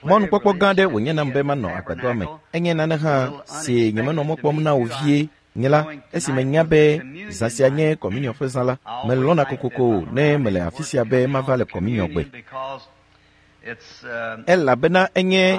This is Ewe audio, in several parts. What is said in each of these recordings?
Mɔnukpɔkpɔ gã aɖe wònye nam be manɔ agbadɔa me. Enye nane hã si nyemenɔ mɔ kpɔm na o vie. Nye la, esi menya be zã sia nye kɔminiɔ ƒe zã la, melɔ̃na kokoko ne mele afi sia be mava le kɔminiɔ gbe. Elabena enye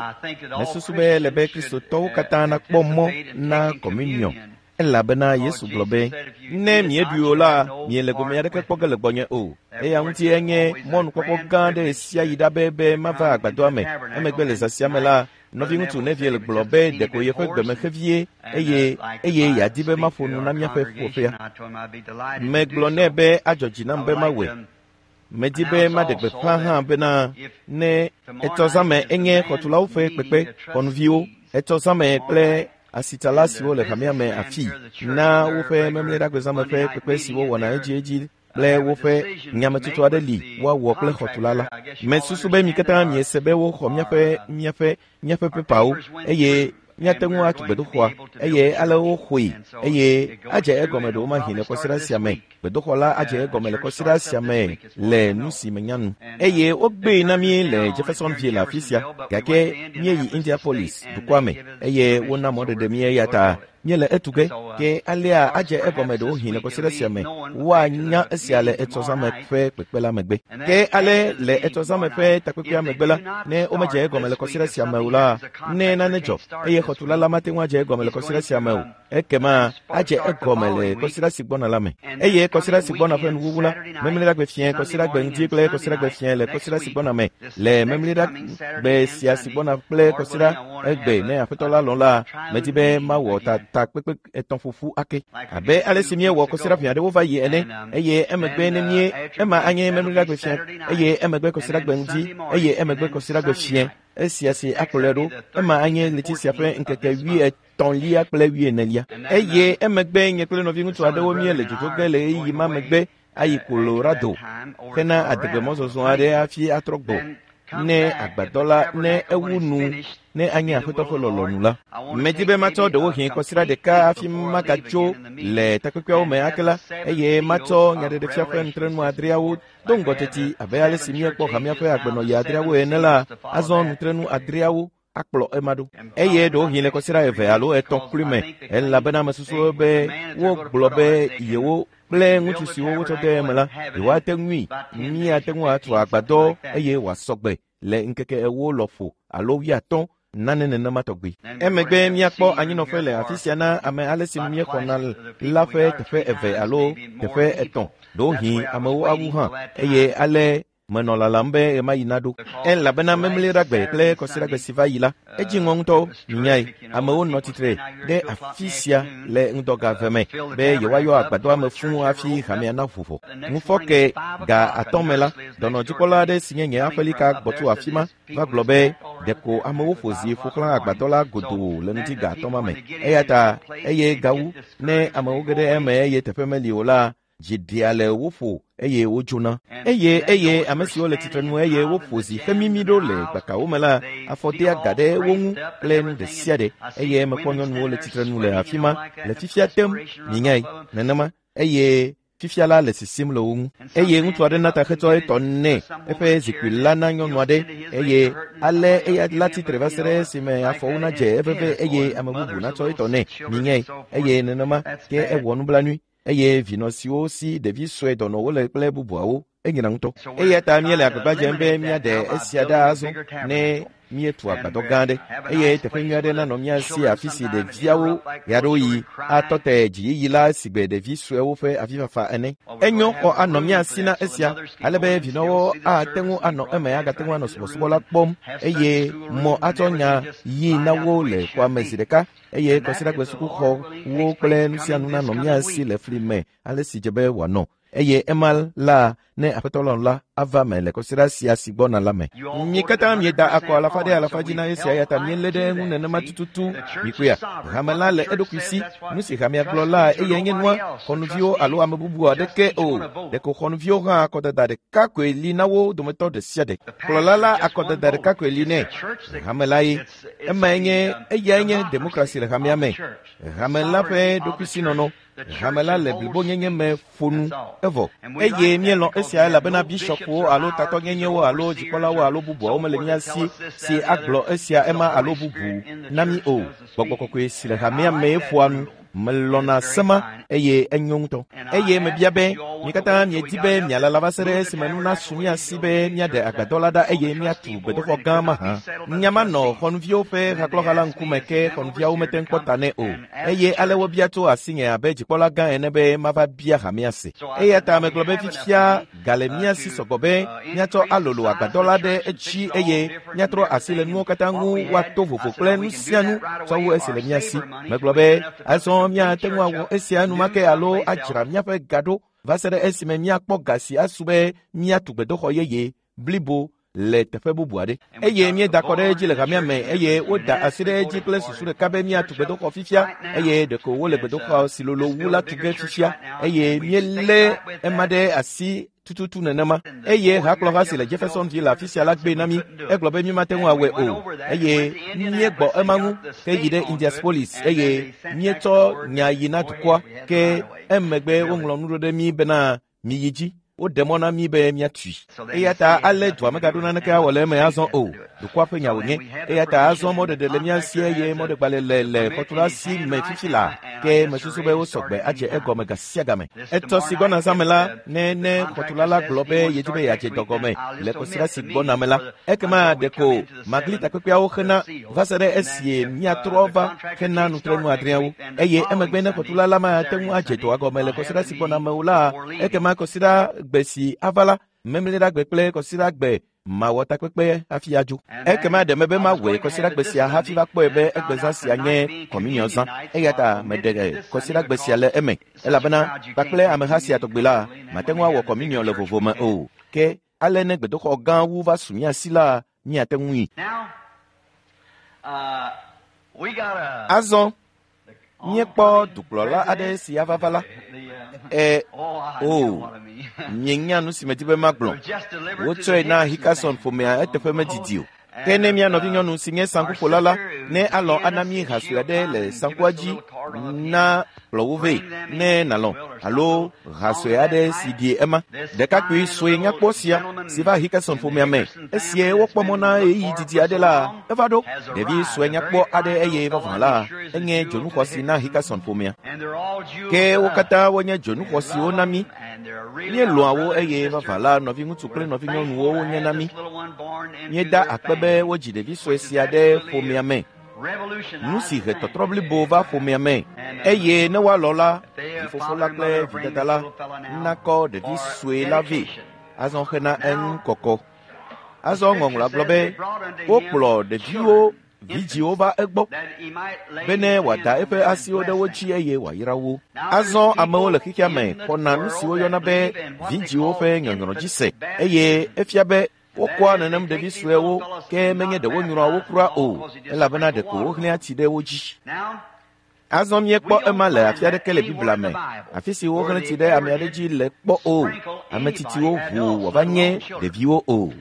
mesusu be ele be Kristotɔwo katã nakpɔ mɔ na kɔminiɔ elabena Yesu gblɔ be, Ne mieɖui o la, miele gome aɖeke kpɔ ge le gbɔnye o. Eya ŋuti enye mɔnukpɔkpɔ gã aɖe ɣesiaɣi ɖa be be mava agbadɔa me. Emegbe le zã sia me la, nɔviŋutsu Neville gblɔ be ɖeko yeƒe gbeme xe vie eye eye yeadi be maƒo nu na míaƒe ƒuƒoƒea. Megblɔ nɛ be adzɔ dzi nam be mawɔe. Medi be maɖe gbeƒã hã bena ne etsɔ zãme enye xɔtulawo ƒe kpekpe xɔnuviwo, etsɔ zãme kple asitsala siwo le hamea me afii na woƒe memleɖagbezãme ƒe kpekpe si wowɔna edziedzi kple woƒe nyametsotso aɖe li woawɔ kple xɔtula la. Mesusu be mi katã miese be woxɔ míaƒe míaƒe míaƒe pepawo eye míate ŋu atu gbedoxɔa eye ale woxɔe eye adze egɔme ɖewomahi le kɔsiɖa sia me. Gbedoxɔ la adze egɔme le kɔsiɖa sia me le nu si menya nu. Eye wogbee na mí le Jeffersonville afi sia gake míeyi Indianapolis dukɔa me eye wona mɔɖeɖe mí eya ta míele etu ge ke alea adze egɔme ɖewohĩ le kɔsiɖa sia me. Woanya esia le etsɔzãme ƒe kpekpe la megbe. Ke ale le etsɔzãme ƒe takpekpea megbe la, ne womedze egɔme le kɔsiɖa sia me o la, ne nane dzɔ eye xɔtula la mate ŋu adze egɔme le kɔsiɖa sia me o, ekema adze egɔme le kɔsiɖa si gbɔna la me. Eye kɔsiɖa si gbɔna ƒe nuwuwu la, memleɖagbe fiẽ, kɔsiɖagbe ŋdi kple kɔsiɖagbe fiẽ le kɔsiɖa si gbɔna me. Le memleɖagbe sia si gbɔna kple kɔsiɖa egbe ne Aƒetɔ la lɔ̃ la, medi be mawɔ ta takpekpe etɔ̃ ƒoƒu ake abe ale si míewɔ kɔsiɖa ʋɛ aɖewo va yi ene. Eye emegbe ne mie ema anye memleɖagbe fiẽ, eye emegbe kɔsiɖagbe ŋdi, eye emegbe kɔsiɖagbe fiẽ. Esia si akplɔe ɖo, ema anye ɣleti sia ƒe ŋkeke wuietɔ̃lia kple wuienelia. Eye emegbe nye kple nɔviŋutsu aɖewo míele dzodzo ge le ɣeyiɣi ma megbe ayi Colorado hena adegbe mɔzɔzɔ aɖe hafi atrɔ gbɔ ne agbadɔ la ne ewu nu ne anye Aƒetɔ ƒe lɔlɔ̃nu la. Medi be matsɔ ɖewohĩ kɔsiɖa ɖeka hafi magatso le takpekpeawo me ake la, eye matsɔ nyaɖeɖefia ƒe nutrenu adreawo do ŋgɔ teti abe ale si míekpɔ hamea ƒe agbenɔɣi adreawo ene la, azɔ nutrenu adreawo akplɔ ema ɖo. Eye ɖewohĩ le kɔsiɖa eve alo etɔ̃ kloe me, elabena mesusu be wogblɔ be yewo kple ŋutsu siwo wotsɔ de eme la, yewoate ŋui, míate ŋu atu agbadɔ eye wòasɔ gbe le ŋkeke ewo lɔƒo alo wuiatɔ̃ nane nenema tɔgbi. Emegbe míakpɔ anyinɔƒe le afi sia na ame ale si nu míexɔna la ƒe teƒe eve alo teƒe etɔ̃, ɖewohĩ amewo awu hã, eye ale menɔ lalam be ɣemaɣi naɖo. Elabena memleɖagbe kple kɔsiɖagbe si va yi la, edzi ŋɔ ŋutɔ, minyae. Amewo nɔ tsitre ɖe afi sia le ŋdɔga eve me be yewoayɔ agbadɔa me fũu hafi hamea naʋu ʋɔ. Ŋufɔke ga atɔ̃ me la, dɔnɔdzikpɔla aɖe si nye nye aƒelika gbɔ tso afi ma va gblɔ be ɖeko amewo ƒo zi ƒo xlã agbadɔ la godoo le ŋdi ga atɔ̃ ma me. Eya ta eye gawu ne amewo ge ɖe eme eye teƒe meli o la, dzi ɖea le wo ƒo eye wodzona. Eye eye ame siwo le tsitrenu eye woƒo zi hemimi ɖo le gbakawo me la, afɔ dea ga ɖe wo ŋu kple nu ɖe sia ɖe. Eye mekpɔ nyɔnuwo le tsitrenu le afi ma le fifia tem, minyae, nenema. Eye fifia la le sisim le wo ŋu. Eye ŋutsu aɖe na ta hetsɔ etɔ nɛ eƒe zikpui la na nyɔnu aɖe eye ale eya la tsitre va se ɖe esime afɔwo nadze eveve eye ame bubu natsɔ etɔ nɛ, minyae. Eye nenema ke ewɔ nublanui eye vinɔ siwo si ɖevi sue dɔnɔwo le kple bubuawo enyina ŋutɔ. Eya ta míele agbagba dzem be míaɖe esia ɖa azɔ ne míetu agbadɔ gã aɖe eye teƒe nyui aɖe nanɔ mía si afi si ɖeviawo ɣeaɖewoɣi atɔ te dziyiyi la sigbe ɖevi suewo ƒe avifafa ene. Enyo xɔ anɔ mía si na esia ale be vinɔwo ate ŋu anɔ eme agate ŋu anɔ subɔsubɔ la kpɔm eye mɔ atsɔ nya yi na wo le xɔa me zi ɖeka eye kɔsiɖagbe sukuxɔwo kple nu sia nu nanɔ mía si le fli me ale si dze be wòanɔ. Eye ema la, ne Aƒetɔ lɔ̃ la, ava me le kɔsiɖa sia si gbɔna la me. Mi katã mieda akɔ alafa ɖe alafa dzi na esia eya ta mielé ɖe eŋu nenema tututu. Mikpɔea, hame la le eɖokui si. Nu si hamea gblɔ la, eyae nye nua, xɔnuviwo alo ame bubu aɖeke o. Ɖeko xɔnuviwo hã akɔdada ɖeka koe li na wo dometɔ ɖe sia ɖe. Kplɔla la akɔdada ɖeka koe li nɛ. Hame la ye. Emae nye, eyae nye demokrasi le hamea me. Hame la ƒe ɖokuisinɔnɔ. Hame la le blibonyenye me ƒo nu evɔ eye míelɔ̃ esia. esia elabena bishɔpwo alo tatɔnyenyewo alo dzikpɔlawo alo bubuawo mele mía si si agblɔ esia ema alo bubu na mí o. Gbɔgbɔ kɔkɔe si le hamea mee ƒoa nu. Melɔ̃na sema eye enyo ŋutɔ. Eye mebia be mi katã miedi be mialala va se ɖe esime nu nasu mía si be míaɖe agbadɔ la ɖa eye míatu gbedoxɔ gã mahã. Nya ma nɔ xɔnuviwo ƒe hakplɔha la ŋkume ke xɔnuviawo mete ŋu kpɔ ta nɛ o. Eye ale wobia tso asinye abe dzikpɔla gã ene be mava bia hamea se. Eya ta megblɔ be fifia ga le mía si sɔgbɔ be míatsɔ alolo agbadɔ la ɖe edzi eye míatrɔ asi le nuwo katã ŋu woato vovo kple nu sia nu tsɔ wu esi le mía si. Megblɔ be azɔ míate ŋu awɔ esia enumake alo adzra míaƒe ga ɖo va se ɖe esime míakpɔ ga si asu be míatu gbedoxɔ yeye blibo le teƒe bubu aɖe. Eye míeda kɔ ɖe edzi le hamea me eye woda asi ɖe edzi kple susu ɖeka be míatu gbedoxɔ fifia eye ɖeko wole gbedoxɔ si lolo wu la tu ge fifia eye míelé ema ɖe asi tututu nenema. Eye hakplɔha si le Jeffersonville le afi sia la gbee na mí. Egblɔ be mímate ŋu awɔe o. Eye míegbɔ ema ŋu ke yi ɖe Indianapolis eye míetsɔ nya yi na dukɔa ke emegbe woŋlɔ nu ɖo ɖe mí bena miyi dzi. Woɖe mɔ na mí be míatui. Eya ta ale dua megaɖo naneke awɔ le eme azɔ o. Dukɔa ƒe nya wònye. Eya ta azɔ mɔɖeɖe le mía si eye mɔɖegbalẽ le le xɔtula si me fifi laa. Ke mesusu be wosɔ gbe adze egɔme ga sia game. Etɔ si gbɔna zãme la, ne ne xɔtula la gblɔ be yedi be yeadze dɔ gɔme le kɔsiɖa si gbɔna me la, ekema ɖeko magli takpekpeawo xena va se ɖe esie míatrɔ va xena nutrenu adreawo. Eye emegbe ne xɔtula la mate ŋu adze dɔa gɔme le kɔsiɖa si gbɔna me o la, ekema kɔsiɖa gbe si ava la, memleɖagbe kple kɔsiɖagbe mawɔ takpekpe hafi adzo. Ekema ɖe mebe mawɔe kɔsiɖagbe sia hafi va kpɔe be egbezã sia nye kɔminiɔzã. Eya ta meɖe kɔsiɖagbe sia le eme elabena kpakple ameha sia tɔgbi la, mate ŋu awɔ kɔminiɔ le vovo me o. Ke ale ne gbedoxɔ gã wu va su mía si la, míate ŋui. Azɔ míekpɔ dukplɔla aɖe si ava va la. O, mienya nu si medi be magblɔ. Wotsɔe na Hickerson ƒomea eteƒe medidi o. Ke ne mía nɔvinyɔnu si nye saŋkuƒola la, ne alɔ̃ ana mí ha sue aɖe le saŋkua dzi na kplɔ wo vɛ, ne nàlɔ̃, alo ha sue aɖe si ɖi ema. Ɖekakpui sue nyakpɔ sia si va Hickerson ƒomea me, esie wokpɔ mɔ na ɣeyiɣi didi aɖe la, eva ɖo. Ɖevi sue nyakpɔ aɖe eye vavã la, enye dzonuxɔsi na Hickerson ƒomea. Ke wo katã wonye dzonuxɔsiwo na mí. Míelɔ̃a wo eye vavã la, nɔviŋutsu kple nɔvinyɔnuwo wonye na mí. Míeda akpe be wodzi ɖevi sue sia ɖe ƒomea me. Nu si he tɔtrɔ blibo va ƒomea me. Eye ne woalɔ̃ la, vifofo la kple vidada la nakɔ ɖevi sue la vɛ azɔ hena eŋu kɔkɔ. Azɔ ŋɔŋlɔa gblɔ be wokplɔ ɖeviwo vidziwo va egbɔ bene wòada eƒe asiwo ɖe wo dzi eye wòayra wo. Azɔ amewo le xexea me xɔna nu si woyɔna be vidziwo ƒe nyɔnyrɔ dzi se eye efia be wokɔa nenem ɖevi suewo ke menye ɖe wonyrɔa wo kura o elabena ɖeko wohlẽa tsi ɖe wo dzi. Azɔ míekpɔ ema le afi aɖeke le Biblia me, afi si wohlẽ tsi ɖe ame aɖe dzi le kpɔ o. Ame tsitsiwo ʋu wòava nye ɖeviwo o.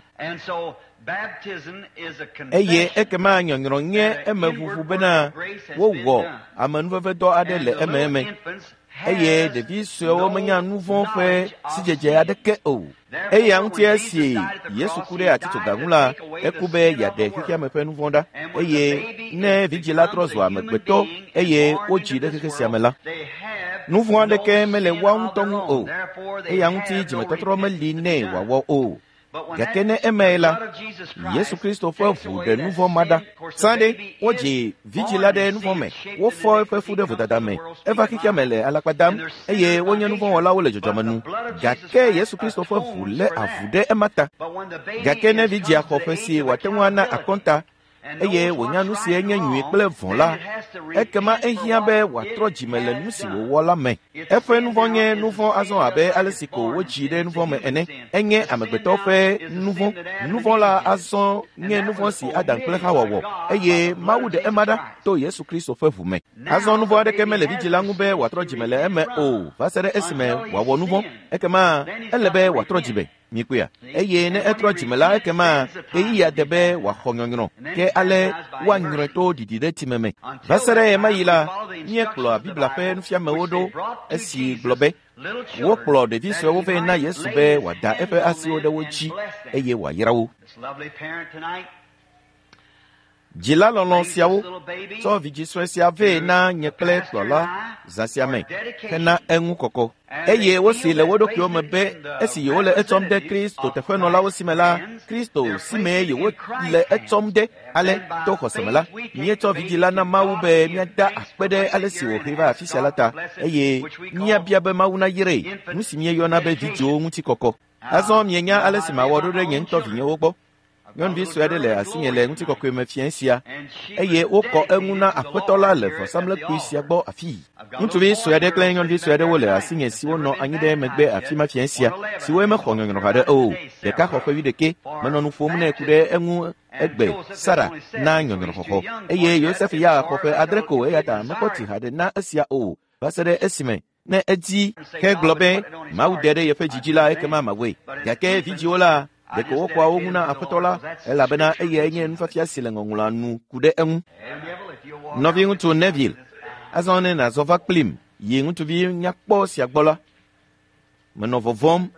Eye ekema nyɔnyrɔ nye emeʋuʋu bena wowɔ amenuvevedɔ aɖe le ememe. Eye ɖevi suewo menya nu vɔ̃ ƒe sidzedze aɖeke o. Eya ŋuti esi Yesu ku ɖe atitsoga ŋu la, eku be yeaɖe xexeame ƒe nu vɔ̃ ɖa. Eye ne vidzĩ la trɔ zu amegbetɔ eye wodzi ɖe xexe sia me la, nu vɔ̃ aɖeke mele woa ŋutɔ ŋu o. Eya ŋuti dzimetɔtrɔ meli nɛ wòawɔ o. Gake ne emae la, Yesu Kristo ƒe ʋu ɖe nu vɔ̃ ma ɖa. Sã ɖe, wodzi vidzĩ la ɖe nu vɔ̃ me, wofɔ eƒe fu ɖe vodada me, eva xexea me le alakpa dam eye wonye nu vɔ̃wɔlawo le dzɔdzɔme nu. Gake Yesu Kristo ƒe ʋu lé avu ɖe ema ta. Gake ne vidzĩa xɔ ƒe si wòate ŋu ana akɔnta eye wònya nu si enye nyui kple vɔ̃ la, ekema ehiã be wòatrɔ dzime le nu si wòwɔ la me. Eƒe nu vɔ̃ nye nu vɔ̃ azɔ abe ale si ko wodzi ɖe nu vɔ̃ me ene. Enye amegbetɔ ƒe nu vɔ̃. Nu vɔ̃ la azɔ nye nu vɔ̃ si Adam kple Xawa wɔ eye Mawu ɖe ema ɖa to Yesu Kristo ƒe ʋu me. Azɔ nu vɔ̃ aɖeke mele vidzĩ la ŋu be wòatrɔ dzime le eme o va se ɖe esime wòawɔ nu vɔ̃. Ekema ele be wòatrɔ dzime. Mikpɔea? Eye ne etrɔ dzime la, ekema ɣeyiɣia de be wòaxɔ nyɔnyrɔ. Ke ale woanyrɔe to ɖiɖi ɖe tsime me. Va se ɖe ɣemaɣi la, míekplɔa Biblia ƒe nufiamewo ɖo esi gblɔ be Wokplɔ ɖevi suewo vɛ na Yesu be wòada eƒe asiwo ɖe wo dzi eye wòayra wo. Dzila lɔlɔ̃ siawo tsɔ vidzĩ sue sia vɛ na nye kple kplɔla zã sia me hena eŋu kɔkɔ. Eye wosee le wo ɖokuiwo me be esi yewole etsɔm de Kristo teƒenɔlawo si me la, Kristo si mee yewole etsɔm de. Ale to xɔse me la, míetsɔ vidzĩ la na Mawu be míada akpe ɖe ale si wòhee va afi sia la ta, eye míabia be Mawu nayrae, nu si míeyɔna be vidzĩwo ŋutikɔkɔ. Azɔ mienya ale si mawɔ ɖo ɖe nye ŋutɔ vinyewo gbɔ. Nyɔnuvi sue aɖe le asinye le ŋutikɔkɔe me fiẽ sia, eye wokɔ eŋu na Aƒetɔ la le vɔsamlekpui sia gbɔ afii. Ŋutsuvi sue aɖe kple nyɔnuvi sue aɖewo le asinye siwo nɔ anyi ɖe megbe afi ma fiẽ sia, siwoe mexɔ nyɔnyrɔ haɖe o. Ɖeka xɔ ƒe wuiɖekɛ. Menɔ nu ƒom nɛ ku ɖe eŋu egbe, Sara, na nyɔnyrɔxɔxɔ. Eye Yosef ya xɔ ƒe adre ko eya ta mekpɔ tsi haɖe na esia o va se ɖe esime ne edi hegblɔ be Mawu de ɖe yeƒe dzi dzi la, ekema mawɔe. Gake vidzĩwo la, ɖeko wokɔa wo ŋu na Aƒetɔ la, elabena eyae nye nufiafia si le Ŋɔŋlɔa nu ku ɖe eŋu. Nɔviŋutsu Neville, azɔ ne nàzɔ va kplim yi ŋutsuvi nyakpɔ sia gbɔ la, menɔ vɔvɔ̃m.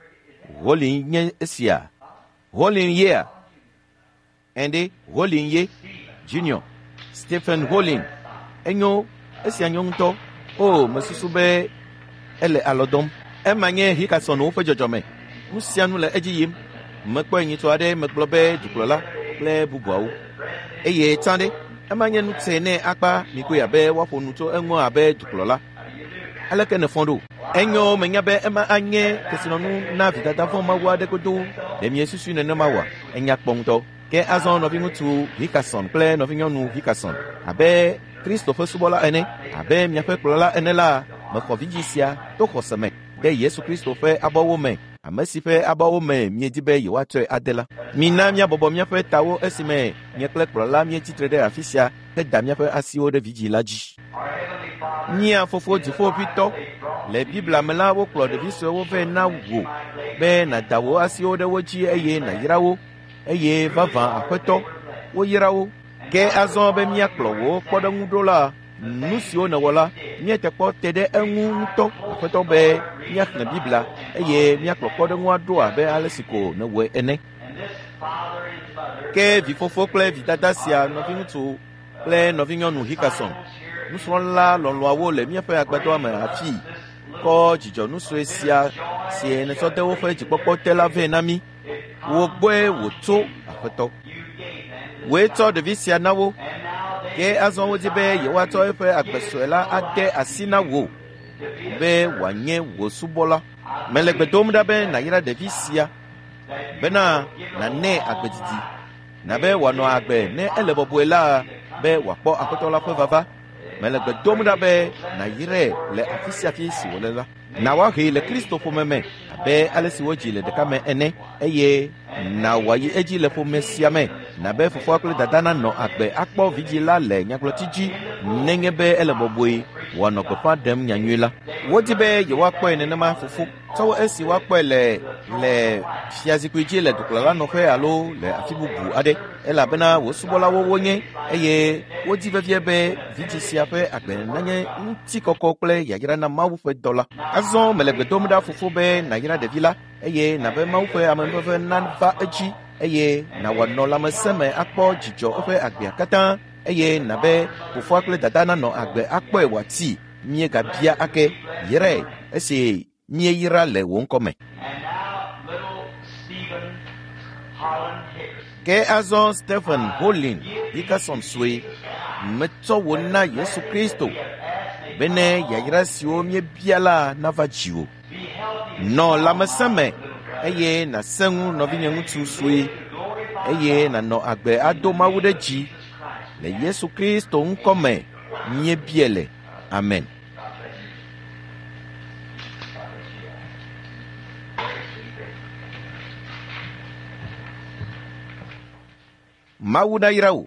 Holly nye esia. Holly yea? Ɛnde, Holly ye. Junior. Stephen Holly. Enyo, esia nyo ŋutɔ. O, mesusu be ele alɔ dɔm. Ema nye Hickersonwo ƒe dzɔdzɔme. Nu sia nu le edzi yim. Mekpɔe nyitsɔ aɖe megblɔ be dukplɔla kple bubuawo. Eye tsã ɖe, ema nye nu tsɛ nɛ akpa mikoe abe woaƒo nu tso eŋu abe dukplɔla. Aleke nèfɔ ɖo? Enyo, menya be ema anye kesinɔnu na vidada vɔ̃ Mawu aɖe godoo. Ɖe miesusui nenema oa? Enya kpɔ ŋutɔ. Ke azɔ nɔviŋutsu Hickerson kple nɔvinyɔnu Hickerson, abe Kristo ƒe subɔla ene, abe miaƒe kplɔla ene la, mexɔ vidzĩ sia to xɔse me de Yesu Kristo ƒe abɔwo me, ame si ƒe abɔwo me miedi be yewoatsɔe ade la. Mina míabɔbɔ míaƒe tawo esime nye kple kplɔla míetsi tre ɖe afi sia heda míaƒe asiwo ɖe vidzĩ la dzi. Mía Fofo Dziƒoʋĩtɔ, le Biblia me la wokplɔ ɖevi suewo vɛ na wò be nàda wò asiwo ɖe wo dzi eye nàyra wo, eye vavã Aƒetɔ, woyra wo. Ke azɔ be míakplɔ wò kpɔɖeŋu ɖo la, nu siwo nèwɔ la, míete kpɔ te ɖe eŋu ŋutɔ, Aƒetɔ, be míaxlẽ Biblia eye míakplɔ kpɔɖeŋua ɖo abe ale si ko nèwɔe ene. Ke vifofo kple vidada sia, nɔviŋutsu kple nɔvinyɔnu Hickerson, nusrɔ̃la lɔlɔ̃awo le míaƒe agbadɔa me afii, kɔ dzidzɔnu sue sia si nètsɔ de woƒe dzikpɔkpɔ te la vɛ na mí. Wò gbɔe wòtso, Aƒetɔ. Wòe tsɔ ɖevi sia na wo, ke azɔ wodi be yewoatsɔ eƒe agbe sue la ade asi na wò be wòanye wò subɔla. Mele gbe dom ɖa be nàyra ɖevi sia bena nànɛ agbe didi, na be wòanɔ agbe ne ele bɔbɔe la be wòakpɔ Aƒetɔ la ƒe vava. Mele gbe dom ɖa be nàyrae le afi sia afi si wòle la. Na woahee le Kristo ƒome me abe ale si wodzi le ɖeka me ene, eye na wòayi edzi le ƒome sia me, na be fofoa kple dada nanɔ agbe akpɔ vidzĩ la le nyagblɔti dzi nenye be ele bɔbɔe wòanɔ gbeƒã ɖem nyanyui la. Wodi be yewoakpɔe nenema, fofo, tsɔ wu esi woakpɔe le le fiazikpui dzi le dukplɔlanɔƒe alo le afi bubu aɖe, elabena wò subɔlawo wonye, eye wodi vevie be vidzĩ sia ƒe agbe nanye ŋutikɔkɔ kple yayra na Mawu ƒe dɔ la. Azɔ mele gbe dom ɖa, fofo, be nàyra ɖevi la, eye nàbe Mawu ƒe amenuveve nava edzi, eye nàwɔ nɔ lãmesẽ me akpɔ dzidzɔ eƒe agbea katã, eye nàbe fofoa kple dada nanɔ agbe akpɔe wòati. Míegabia ake, yrae esi míeyra le wò ŋkɔ me. Ke azɔ Stephen Holin Hickerson sue, metsɔ wò na Yesu Kristo bene yayra siwo míebia la nava dziwò. Nɔ lãmesẽ me eye nàsẽ ŋu nɔvinye ŋutsu sue eye nànɔ agbe ado Mawu ɖe dzi le Yesu Kristo ŋkɔ me míebia le. Amen. Mawu nayra wò.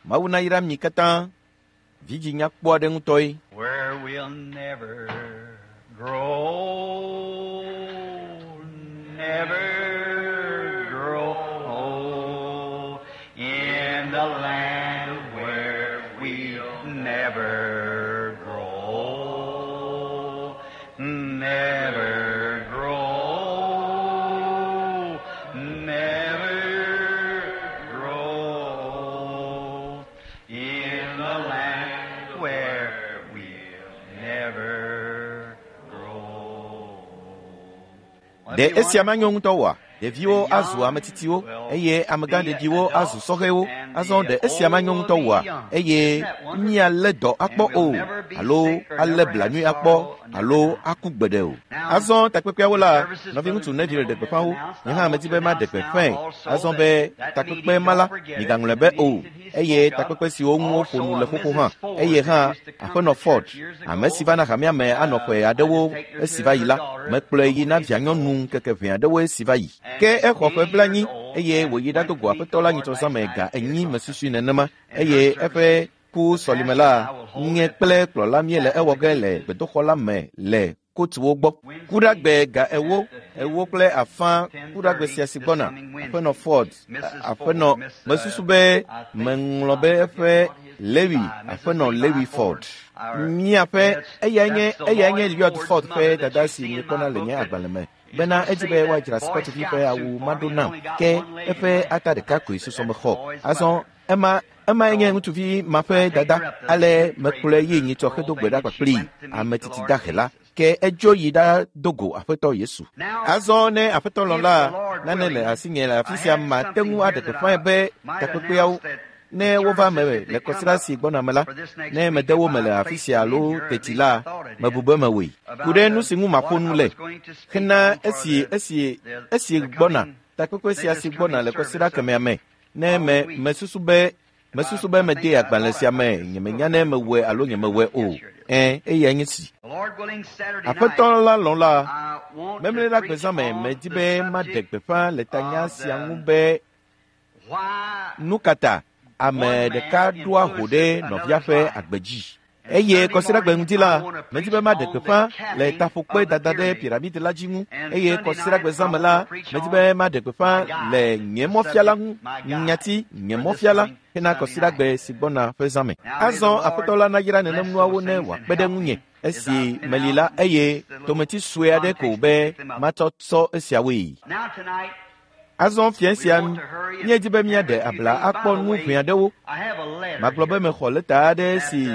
Mawu nayra mi katã. Vidzĩ nyakpɔ aɖe ŋutɔe. Where we'll never grow, never grow old in the land where we'll never grow, never. Ɖe esia manyo ŋutɔ oa? Ɖeviwo azu ame tsitsiwo eye amegãɖeɖiwo azu sɔhɛwo. Azɔ ɖe esia manyo ŋutɔ oa? Eye míalé dɔ akpɔ o, alo alé blanui akpɔ, alo aku gbeɖe o. Azɔ takpekpeawo la, nɔviŋutsu Neville ɖe gbeƒã wo. Nye hã medi be maɖe gbeƒãe. Azɔ be takpekpe ma la, migaŋlɔe be o. Eye takpekpe siwo ŋu woƒo nu le xoxo hã. Eye hã Aƒenɔ Ford, ame si va na hamea me anɔ ƒe aɖewo esi va yi la, mekplɔe yi na vianyɔnu ŋkeke ʋɛ aɖewo esi va yi. Ke exɔ ƒe 40 eye wòyi ɖado go Aƒetɔ la nyitsɔ zãme ga 4 mesusui nenema eye eƒe ku sɔlime la, nye kple kplɔla míele ewɔ ge le gbedoxɔ la me le kotuwo gbɔ. Kuɖagbe ga 4, 4:30 kuɖagbe sia si gbɔna, Aƒenɔ Ford, Aƒenɔ, mesusu be meŋlɔ be eƒe Lewi, Aƒenɔ Lewi Ford. Míaƒe, eyae nye, eyae nye Lloyd Ford ƒe dada si miekpɔna le nye agbalẽ me bena edzi be woadzra Scotvi ƒe awu maɖo nam, ke eƒe ata ɖeka koe susɔ mexɔ. Azɔ ema emae nye ŋutsuvi ma ƒe dada. Ale mekplɔe yi nyitsɔ hedo gbe ɖa kpakplii, ame tsitsi dahe la. Ke edzo yi ɖado go Aƒetɔ Yesu. Azɔ ne Aƒetɔ lɔ̃ la, nane le asinye le afi sia mate ŋu aɖe gbeƒãe be takpekpeawo ne wova me le kɔsiɖa si gbɔna me la, ne mede wo me le afi sia alo teti la, mebu be mewɔe. Ku ɖe nu si ŋu maƒo nu le hena esi esi esi gbɔna takpekpe sia si gbɔna le kɔsiɖa kemɛa me. Ne me mesusu be mesusu be mede agbalẽ sia me, nyemenya ne mewɔe alo nyemewɔe o. Ẽ, eyae nye si. Aƒetɔ la lɔ̃ la, memle ɖe gbezã me medi be maɖe gbeƒã le tanya sia ŋu be nu ka ta ame ɖeka ɖoa ho ɖe nɔvia ƒe agbe dzi. Eye kɔsiɖagbe ŋdi la, medi be maɖe gbeƒã le taƒokpe dada ɖe piramidi la dzi ŋu. Eye kɔsiɖagbe zã me la, medi be maɖe gbeƒã le nye mɔfiala ŋu, nyati nye mɔfiala hena kɔsiɖagbe si gbɔna ƒe zã me. Azɔ Aƒetɔ la nayra nenem nuawo ne wòakpe ɖe ŋunye esi meli la eye tometi sue aɖe ko be matsɔ tsɔ esiawoe. Azɔ fiẽ sia míedi be míaɖe abla akpɔ nu ʋɛ aɖewo. Magblɔ be mexɔ lɛta aɖe si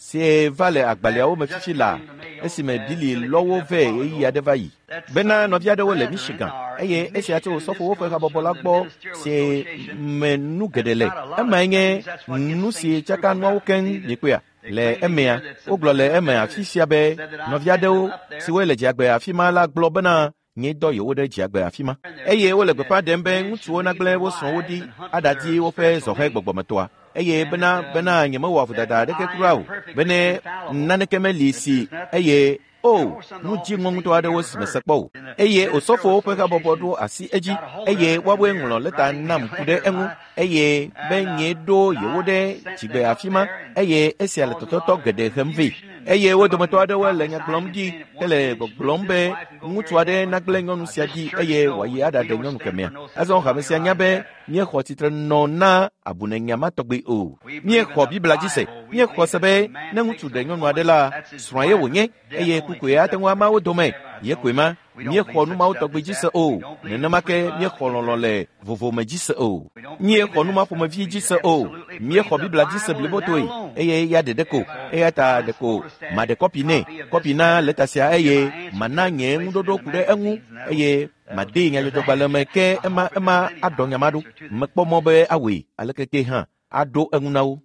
si va le agbalẽawo me fifi la esime Billy lɔ wo vɛ ɣeyiɣi aɖe va yi. Bena nɔvi aɖewo le Michigan eye esia tso osɔfowo ƒe habɔbɔ la gbɔ si me nu geɖe le. Emae nye nu si tsaka nuawo keŋ miekpɔea? Le emea, wogblɔ le eme afi sia be nɔvi aɖewo siwoe le dziagbe afi ma la gblɔ bena nye dɔ yewo ɖe dziagbe afi ma. Eye wole gbeƒã ɖem be ŋutsuwo nagblẽ wo srɔ̃wo ɖi aɖadi woƒe zɔhɛ gbɔgbɔmetɔa. Eye bena bena nyemewɔ vodada aɖeke kura o, bene naneke meli si eye o nu dziŋɔ ŋutɔ aɖewo si mese kpɔ o. Eye osɔfowo ƒe habɔbɔ ɖo asi edzi eye woawoe ŋlɔ lɛta nam ku ɖe eŋu eye be nye ɖo yewo ɖe dzigbe afi ma eye esia le tɔtɔtɔ geɖe hem vɛ. Eye wo dometɔ aɖewo le nya gblɔm ɖi hele gbɔgblɔm be ŋutsu aɖe nagblẽ nyɔnu sia ɖi eye wòayi aɖaɖe nyɔnu kemɛa. Azɔ hame sia nya be míexɔ tsitre nɔ na abunenya ma tɔgbi o. Míexɔ Biblia dzi se. Míexɔ se be ne ŋutsu ɖe nyɔnu aɖe la, srɔ̃a ye wònye eye kukoe ate ŋu ama wo dome. Ye koe ma. Míexɔ nu mawo tɔgbi dzi se o. Nenema ke míexɔ lɔlɔ̃ le vovome dzi se o. Míexɔ nu ma ƒomevi dzi se o. Míexɔ Biblia dzi se blibotoe eye ya ɖeɖe ko. Eya ta ɖeko maɖe kɔpi nɛ, kɔpi na lɛta sia eye mana nye ŋuɖoɖo ku ɖe eŋu eye madee nyadzɔdzɔgbalẽ me ke ema ema aɖɔ nya ma ɖo. Mekpɔ mɔ be awɔe aleke ke hã aɖo eŋu na wo.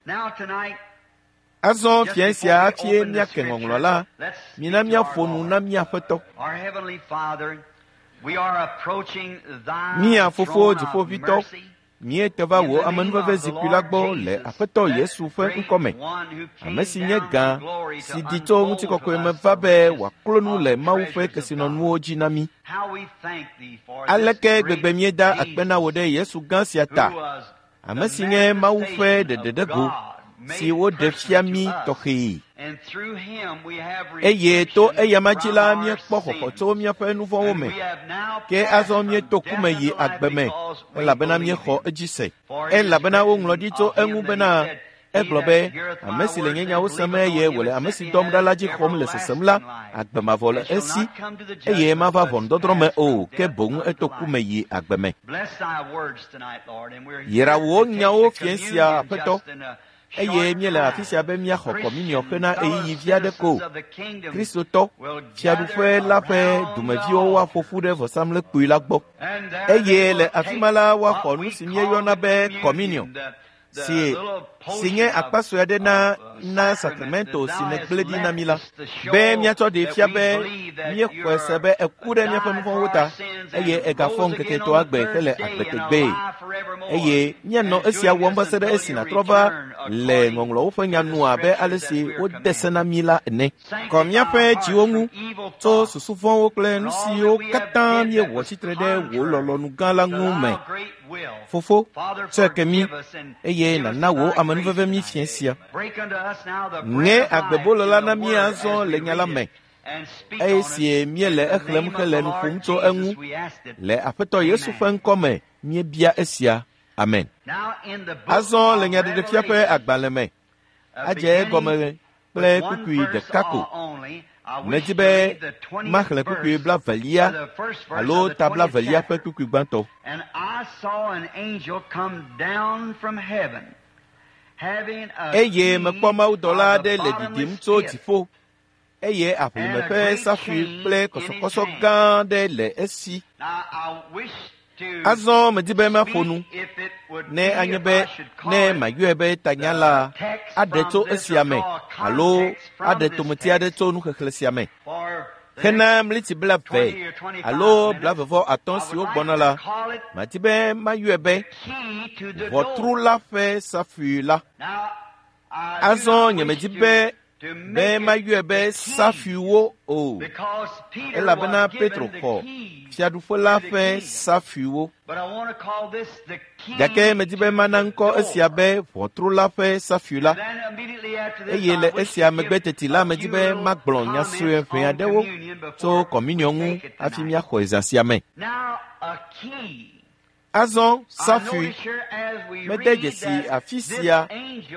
Azɔ fiẽ sia hafi míake ŋɔŋlɔ la, mina míaƒo nu na mía Aƒetɔ. Mía Fofo Dziƒoʋĩtɔ, míete va wò amenuveve zikpui la gbɔ le Aƒetɔ Yesu ƒe ŋkɔme, ame si nye gã si ɖi tso ŋutikɔkɔe me va be wòaklo nu le Mawu ƒe kesinɔnuwo dzi na mí. Aleke gbegbe míeda akpe na wò ɖe Yesu gã sia ta, ame si nye Mawu ƒe ɖeɖeɖego si woɖe fia mí tɔxɛe. Eye to eyama dzi la míekpɔ xɔxɔ tso míaƒe nu vɔ̃wo me. Ke azɔ míeto ku me yi agbe me elabena míexɔ edzi se. Elabena woŋlɔ ɖi tso eŋu bena egblɔ be ame si le nye nyawo sem eye wòle ame si dɔm ɖa la dzi xɔm le sesem la, agbe mavɔ le esi eye mava ʋɔnudɔdrɔ̃ me o, ke boŋ eto ku me yi agbe me. Yra wò nyawo fiẽ sia, Aƒetɔ. Eye míele afi sia be míaxɔ kɔminiɔ hena ɣeyiɣi vi aɖe ko. Kristotɔ, Fiaɖuƒe la ƒe dumeviwo woaƒo ƒu ɖe vɔsamlekpui la gbɔ. Eye le afi ma la woaxɔ nu si míeyɔna be kɔminiɔ, si si nye akpa sue aɖe na na sakramento si nègblẽ ɖi na mí la, be míatsɔ ɖee fia be míexɔe se be eku ɖe míaƒe nu vɔ̃wo ta eye egafɔ ŋkeke etɔ̃a gbe hele agbe tegbee. Eye míanɔ esia wɔm va se ɖe esi nàtrɔ va le ŋɔŋlɔwo ƒe nya nu abe ale si wode se na mí la ene. Kɔ míaƒe dziwo ŋu tso susu vɔ̃wo kple nu siwo katã míewɔ tsitre ɖe wò lɔlɔ̃nu gã la ŋu me. Fofo, tsɔe ke mí, eye nàna wò amenuveve mí fiẽ sia. Ŋe agbebolo la na mí azɔ le nya la me, eye sie míele exlẽm hele nu ƒom tso eŋu. Le Aƒetɔ Yesu ƒe ŋkɔ me míebia esia. Amen. Azɔ le Nyaɖeɖefia ƒe agbalẽ me, adze egɔme kple kpukpui ɖeka ko. Medi be maxlẽ kpukpui blavelia alo ta blavelia ƒe kpukpui gbãtɔ. Eye mekpɔ mawudɔla aɖe le ɖiɖim tso dziƒo, eye aʋlime ƒe safui kple kɔsɔkɔsɔ gã aɖe le esi. Azɔ medi be maƒo nu, ne anye be ne mayɔe be tanya la aɖe tso esia me alo aɖe tometi aɖe tso nuxexlẽ sia me. Hena mliti 20 alo 25 siwo gbɔna la, madi be mayɔe be ʋɔtru la ƒe safui la. Azɔ nyemedi be be mayɔe be safuiwo o, elabena Petro xɔ fiaɖuƒe la ƒe safuiwo. Gake medi be mana ŋkɔ esia be ʋɔtru la ƒe safui la. Eye le esia megbe teti la, medi be magblɔ nya sue ʋɛ aɖewo tso kɔminiɔ ŋu hafi míaxɔe zã sia me. Azɔ safui, mede dzesi afi sia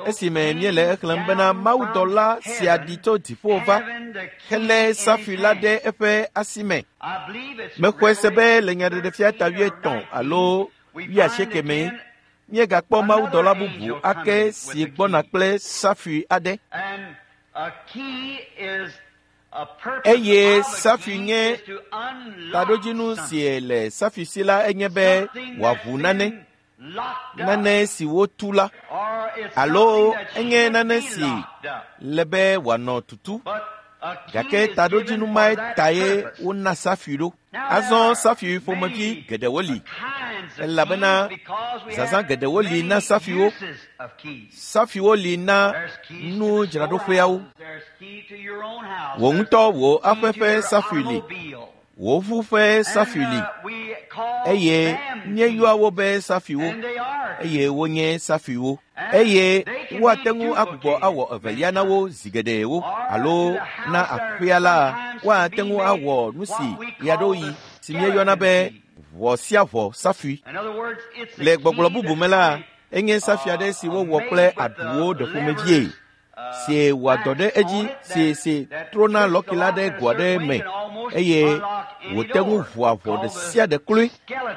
esime míele exlẽm bena mawudɔla sia ɖi tso dziƒo va helé safui la ɖe eƒe asi me. Mexɔe se be le Nyaɖeɖefia ta 80 alo 80 mee míegakpɔ mawudɔla bubu ake si gbɔna kple safui aɖe. Eye safui nye taɖodzinu si le safui si la enye be wòaʋu nane, nane si wotu la, alo enye nane si le be wòanɔ tutu. Gake taɖodzinu mae tae wona safui ɖo. Azɔ safui ƒomevi geɖewo li, elabena zazã geɖewo li na safuiwo. Safuiwo li na nudzraɖoƒeawo. Wò ŋutɔ wò aƒe ƒe safui li, wò ʋu ƒe safui li, eye míeyɔa wo be safuiwo, eye wonye safuiwo. Eye woate ŋu agbugbɔ awɔ evelia na wo zi geɖewo, alo na aƒea la, woate ŋu awɔ nu si ɣeaɖewoɣi si míeyɔna be ʋɔ sia ʋɔ safui. Le gbɔgblɔ bubu me la, enye safui aɖe si wowɔ kple aɖuwo ɖeƒomevie, si wɔa dɔ ɖe edzi si si trona lɔki la ɖe go aɖe me eye wòte ŋu ʋua ʋɔ ɖe sia ɖe kloe.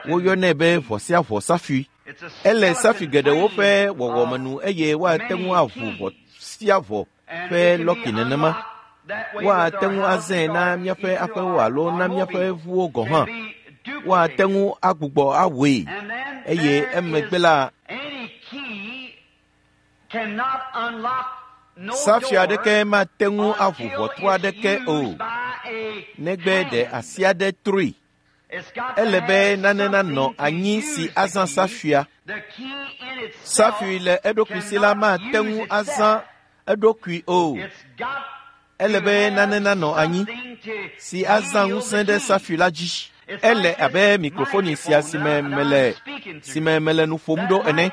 Woyɔnɛ be ʋɔ sia ʋɔ safui. Ele safui geɖewo ƒe wɔwɔme nu eye woate ŋu aʋu ʋɔ sia ʋɔ ƒe lɔki nenema. Woate ŋu azãe na míaƒe aƒewo alo na míaƒe ʋuwo gɔ̃ hã. Woate ŋu agbugbɔ awɔe eye emegbe la, safui aɖeke mate ŋu aʋu ʋɔtru aɖeke o, negbe ɖe asi aɖe trɔe. Ele be nane nanɔ anyi si azã safuia. Safui le eɖokui si la mate ŋu azã eɖokui o. Ele be nane nanɔ anyi si azã ŋusẽ ɖe safui la dzi. Ele abe mikrofoni sia si me mele nu ƒom ɖo ene.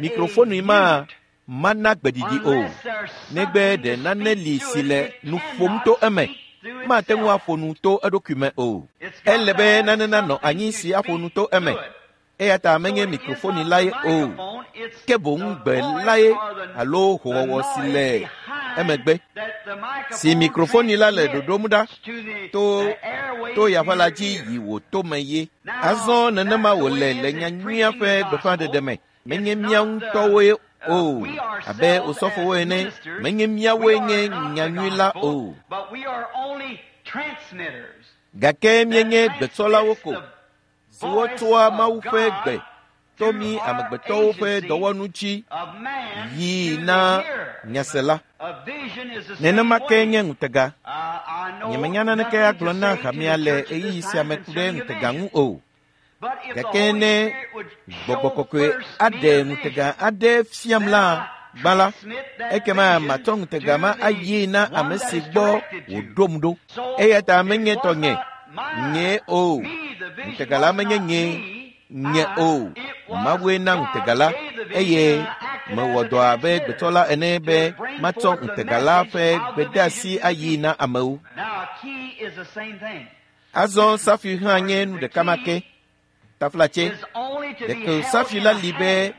Mikrofoni ma mana gbeɖiɖi o, negbe ɖe nane li si le nu ƒom to eme. Mate ŋu aƒo nu to eɖokui me o. Ele be nane nanɔ anyi si aƒo nu to eme. Eya ta menye mikrofoni lae o, ke boŋ gbe lae alo howɔwɔ si le emegbe. Si mikrofoni la le ɖoɖom ɖa to yaƒe la dzi yi wò tome ye. Azɔ nenema wòle le nyanyuia ƒe gbeƒãɖeɖe me. Menye mía ŋutɔwoe o, abe osɔfowo ene, menye míawoe nye nyanyui la o. Gake míenye gbetsɔlawo ko, siwo tsɔa Mawu ƒe gbe to mí amegbetɔwo ƒe dɔwɔnu dzi yii na nyasela. Nenema ke nye ŋutega. Nyemenya naneke agblɔ na hamea le ɣeyiɣi sia me ku ɖe ŋutega ŋu o. Gake ne gbɔgbɔ kɔkɔe aɖe ŋutega aɖe fiam la gbã la, ekema matsɔ ŋutega ma ayi na ame si gbɔ wòɖom ɖo. Eya ta menye tɔnye, nye o. Ŋutega la menye nye, nye o. Mawue na ŋutega la eye mewɔ dɔ abe gbetsɔla ene be matsɔ ŋutega la ƒe gbedeasi ayi na amewo. Azɔ safi hã nye nu ɖeka ma ke. Taflatse, ɖeko safi la li be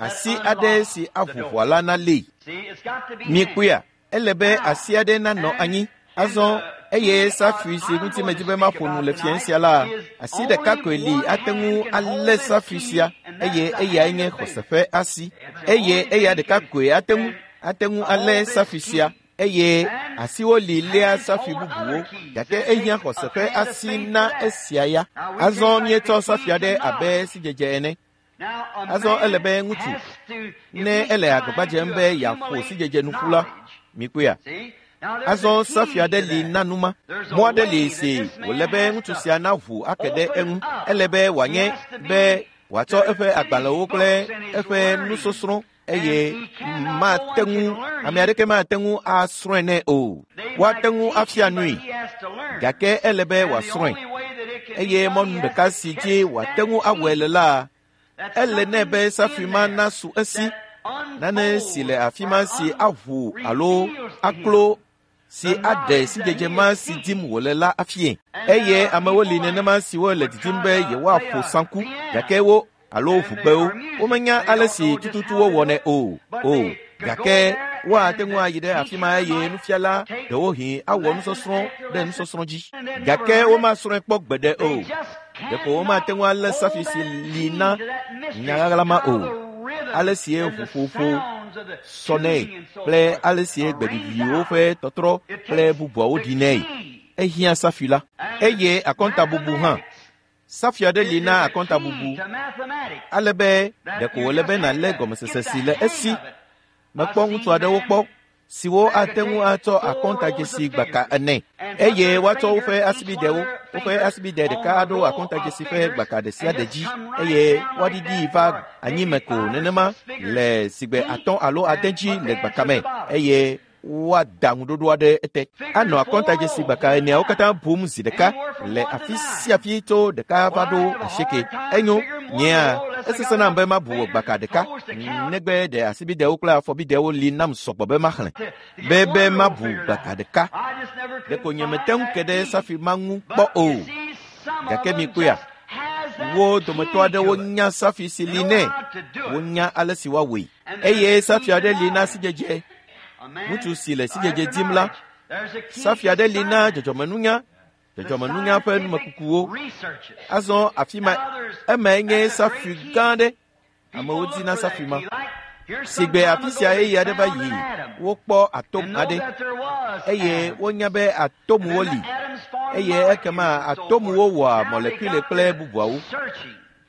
asi aɖe si aʋu ʋɔa la nalée. Miekpɔea, ele be asi aɖe nanɔ anyi. Azɔ eye safi si ŋuti medi be maƒo nu le fiẽ sia la, asi ɖeka koe li ate ŋu alé safi sia eye eyae nye xɔse ƒe asi. Eye eya ɖeka koe ate ŋu ate ŋu alé safi sia eye asiwo li léa safi bubuwo gake ehiã xɔse ƒe asi na esia ya. Azɔ míetsɔ safi aɖe abe sidzedze ene. Azɔ ele be ŋutsu ne ele agbagba dzem be yeaƒo sidzedze nu ƒu la, mikpɔea. Azɔ safi aɖe li na nu ma. Mɔ aɖe li si wòle be ŋutsu sia naʋu ake ɖe eŋu. Ele be wòanye be wòatsɔ eƒe agbalẽwo kple eƒe nusɔsrɔ̃ eye mate ŋu ame aɖeke mate ŋu asrɔ̃e nɛ o. Woate ŋu afia nui gake ele be wòasrɔ̃e eye mɔnu ɖeka si dzi wòate ŋu awɔe le la, ele nɛ be safi ma nasu esi nane si le afi ma si aʋu alo aklo si aɖe sidzedze ma si dim wòle la afie. Eye amewo li nenema siwo le didim be yewoaƒo saŋku gake wo alo ʋugbewo womenya ale si tututu wowɔnɛ o o gake woate ŋu ayi ɖe afi ma eye nufiala ɖewohĩ awɔ nusɔsrɔ̃ ɖe nusɔsrɔ̃ dzi gake womasrɔ̃e kpɔ gbeɖe o. Ɖeko womate ŋu alé safi si li na nyaɣaɣla ma o. Ale sie ʋuƒoƒo sɔnɛ kple ale sie gbeɖiɖiwo ƒe tɔtrɔ kple bubuawo ɖinɛ. Ehiã safi la eye akɔntabubu hã. Safi aɖe li na akɔntabubu ale be ɖeko wòle be nàlé gɔmesese si le esi. Mekpɔ ŋutsu aɖewo kpɔ siwo ate ŋu atsɔ akɔntadzesi gbaka ene eye woatsɔ woƒe asibidewo woƒe asibide ɖeka aɖo akɔntadzesi ƒe gbaka ɖe sia ɖe dzi eye woaɖiɖii va anyime ko nenema le sigbe atɔ̃ alo ade dzi le gbaka me eye woada ŋuɖoɖo aɖe ete. Anɔ akɔntadzesi gbaka eneawo katã bum zi ɖeka le afi sia afi tso ɖeka va ɖo asieke. Enyo, nyea esesẽ nam be mabu gbaka ɖeka negbe ɖe asibidewo kple afɔbidewo li nam sɔgbɔ be maxlẽ be be mabu gbaka ɖeka. Ɖeko nyemete ŋu ke ɖe safi ma ŋu kpɔ o. Gake mikpɔea, wo dometɔ aɖewo nya safi si li nɛ, wonya ale si woawɔe. Eye safi aɖe li na sidzedze. Ŋutsu si le sidzedze dim la, safi aɖe li na dzɔdzɔmenunya, dzɔdzɔmenunya ƒe numekukuwo. Azɔ afi ma emae nye safi gã aɖe. Amewo dina safi ma. Sigbe afi sia ɣeyiɣi aɖe va yi, wokpɔ atom aɖe eye wonya be atomwo li eye ekema atomwo wɔa mɔlekule kple bubuawo.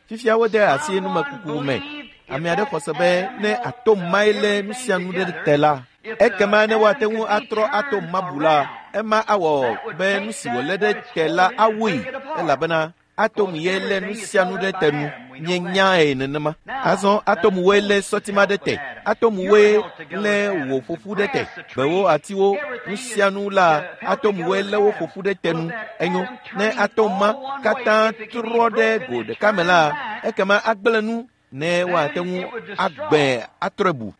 Fifia wode asi numekuku me. Ame aɖe xɔ se be ne atom mae lé nu sia nu ɖe te la, ekema ne woate ŋu atrɔ atom ma bu la, ema awɔ be nu si wòlé ɖe te la awui elabena atom ye lé nu sia nu ɖe te nu. Míenyae nenema. Azɔ atomwoe lé sɔti ma ɖe te. Atomwoe lé wò ƒoƒu ɖe te. Gbewo, atiwo, nu sia nu la, atomwoe lé wo ƒoƒu ɖe te nu. Enyo, ne atom ma katã trɔ ɖe go ɖeka me la, ekema agblẽ nu ne woate ŋu agbẽ atrɔe bu.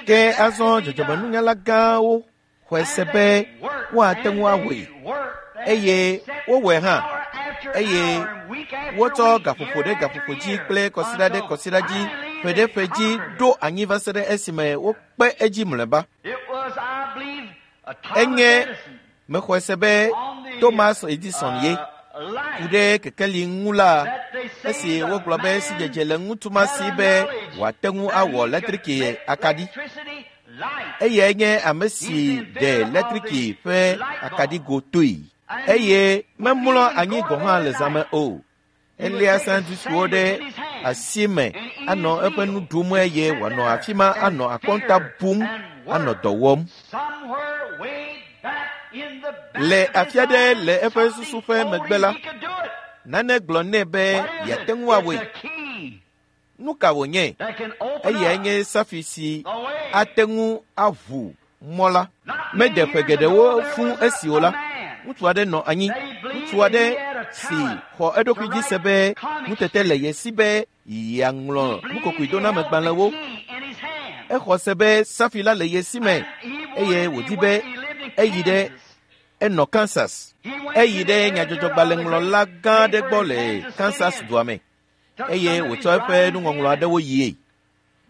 Ke azɔ dzɔdzɔmenunyala gãwo xɔe se be woate ŋu awɔe eye wowɔe hã eye wotsɔ gaƒoƒo ɖe gaƒoƒo dzi kple kɔsiɖa ɖe kɔsiɖa dzi ƒe ɖe ƒe dzi ɖo anyi va se ɖe esime wokpe edzi mlɔeba. Enye mexɔe se be Thomas Edison ye ku ɖe kekeli ŋu la, Esi wogblɔ be sidzedze le ŋutsu ma si be wòate ŋu awɔ letriki akaɖi. Eyae nye ame si ɖe letriki ƒe akaɖigo toe. Eye memlɔ anyi gɔ̃ hã le zãme o. Elia sandwichwo ɖe asi me anɔ eƒe nu ɖum eye wòanɔ afi ma anɔ akɔnta bum anɔ dɔ wɔm. Le afi aɖe le eƒe susu ƒe megbe la, nane gblɔ nɛ be yeate ŋu awɔe. Nu ka wònye? Eyae nye safi si ate ŋu aʋu mɔ la. Mede ƒe geɖewo fũ esi o la, ŋutsu aɖe nɔ anyi, ŋutsu aɖe si xɔ eɖokui dzi se be nutete le ye si be yeaŋlɔ nukokoedonamegbalẽwo. Exɔ se be safi la le ye si me eye wòdi be eyi ɖe enɔ Kansas. Eyi ɖe nyadzɔdzɔgbalẽŋlɔla gã aɖe gbɔ le Kansas dua me eye wòtsɔ eƒe nuŋɔŋlɔ aɖewo yie.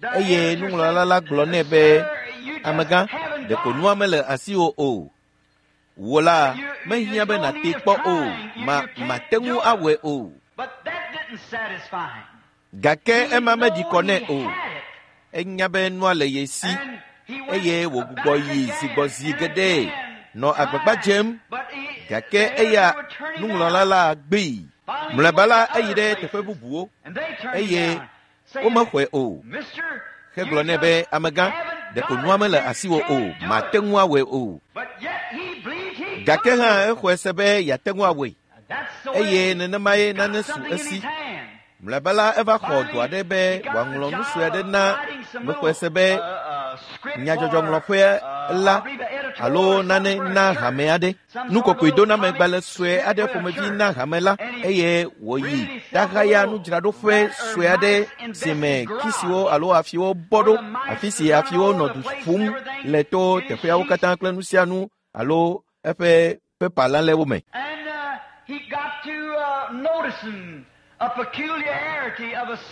Eye nuŋlɔla la gblɔ nɛ be, amegã, ɖeko nua mele asiwò o. Wò la, mehiã be nàtee kpɔ o, ma mate ŋu awɔe o. Gake ema meɖi kɔ nɛ o. Enya be nua le ye si eye wògbugbɔ yi zigbɔzi geɖe nɔ agbagba dzem gake eya nuŋlɔla la gbee. Mlɔeba la eyi ɖe teƒe bubuwo eye womexɔe o. Hegblɔ nɛ be amegã, ɖeko nua mele asiwò o, mate ŋu awɔe o. Gake hã exɔe se be yeate ŋu awɔe eye nenemae nane su esi. Mlɔeba la eva xɔ dɔ aɖe be wòaŋlɔ nu sue aɖe na mexɔe se be nyadzɔdzɔŋlɔƒe la alo nane na hame aɖe. Nukokoedonamegbalẽ sue aɖe ƒomevi na hame la eye wòyi ɖahaya nudzraɖoƒe sue aɖe si me kisiwo alo afiwo bɔ ɖo, afi si afiwo nɔ du ƒum le to teƒeawo katã kple nu sia nu alo eƒe pepa lalɛwo me.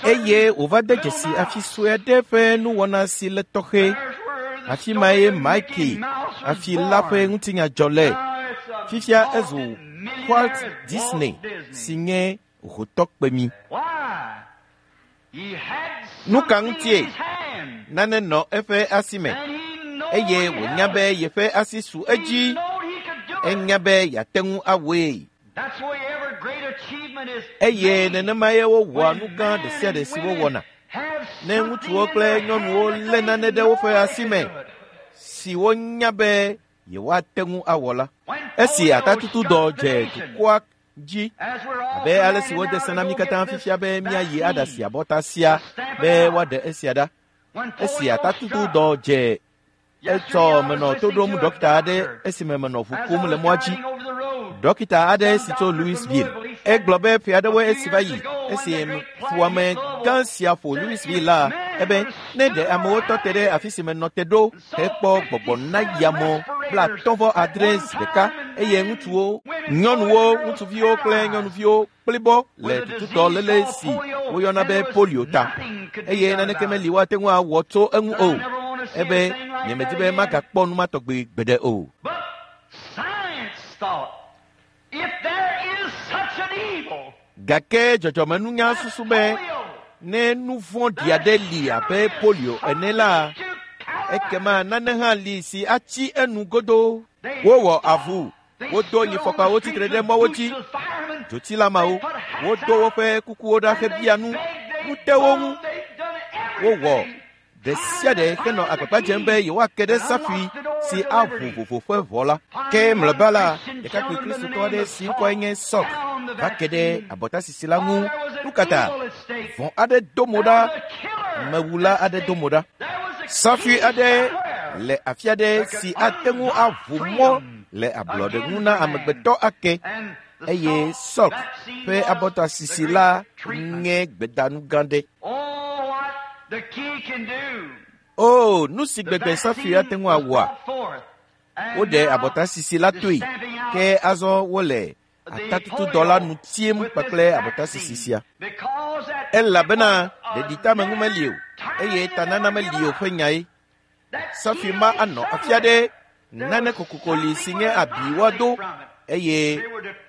Eye wòva de dzesi afi sue aɖe ƒe nuwɔna si le tɔxɛ. Afi mae Mike afi la ƒe ŋutinya dzɔ le. Fifia ezu Walt Disney si nye hotɔ kpemi. Nu ka ŋutie? Nane nɔ eƒe asi me eye wònya be yeƒe asi su edzi. Enya be yeate ŋu awɔe. Eye nenemae wowɔa nu gã ɖe sia ɖe si wowɔna. Ne ŋutsuwo kple nyɔnuwo lé nane ɖe woƒe asi me si wonya be yewoate ŋu awɔ la. Esi atatutudɔ dze dukɔa dzi abe ale si wode se na mí katã fifia be míayi aɖasi abɔta sia be woaɖe esia ɖa. Esi atatutudɔ dze etsɔ menɔ to ɖom ɖɔkita aɖe esime menɔ ʋu kum le mɔa dzi. Ɖɔkita aɖe si tso Louisville. Egblɔ be ƒe aɖewoe esi va yi esi fuwɔame gã sia ƒo Louisville la, ebe ne ɖe amewo tɔ te ɖe afi si menɔ te ɖo hekpɔ gbɔgbɔ na yamɔ 56 zi ɖeka eye ŋutsuwo, nyɔnuwo, ŋutsuviwo kple nyɔnuviwo kplibɔ le tutudɔ léle si woyɔna be polio ta eye naneke meli woate ŋu awɔ tso eŋu o. Ebe nyemedi be magakpɔ nu ma tɔgbi gbeɖe o. Gake dzɔdzɔmenunya susu be ne nu vɔ̃ɖi aɖe li abe polio ene la, ekema nane hã li si atsi enu godoo. Wowɔ avu, wodo nyifɔkpawo tsitre ɖe mɔwo dzi, dzotsilameawo, wodo woƒe kukuwo ɖa hebia nu, nu te wo ŋu. Wowɔ ɖe sia ɖe henɔ agbagba dzem be yewoake ɖe safui si aʋu vovo ƒe ʋɔ la. Ke mlɔeba la, ɖekakpui kristotɔ aɖe si ŋkɔe nye Sɔk va ke ɖe abɔtasisi la ŋu. Nu ka ta? Vɔ̃ aɖe do mo ɖa, amewula aɖe do mo ɖa. Safui aɖe le afi aɖe si ate ŋu aʋu mɔ le ablɔɖe ŋu na amegbetɔ ake eye Sɔk ƒe abɔtasisi la nye gbedanu gã ɖe. O, nu si gbegbe safui ate ŋu awɔa? Woɖe abɔtasisi la toe, ke azɔ wole atatutudɔ la nu tiem kpakple abɔtasisi sia. Elabena ɖeɖiteameŋu meli o, eye tanana meli o ƒe nyae. Safui ma anɔ afi aɖe nane kokoko li si nye abi woado eye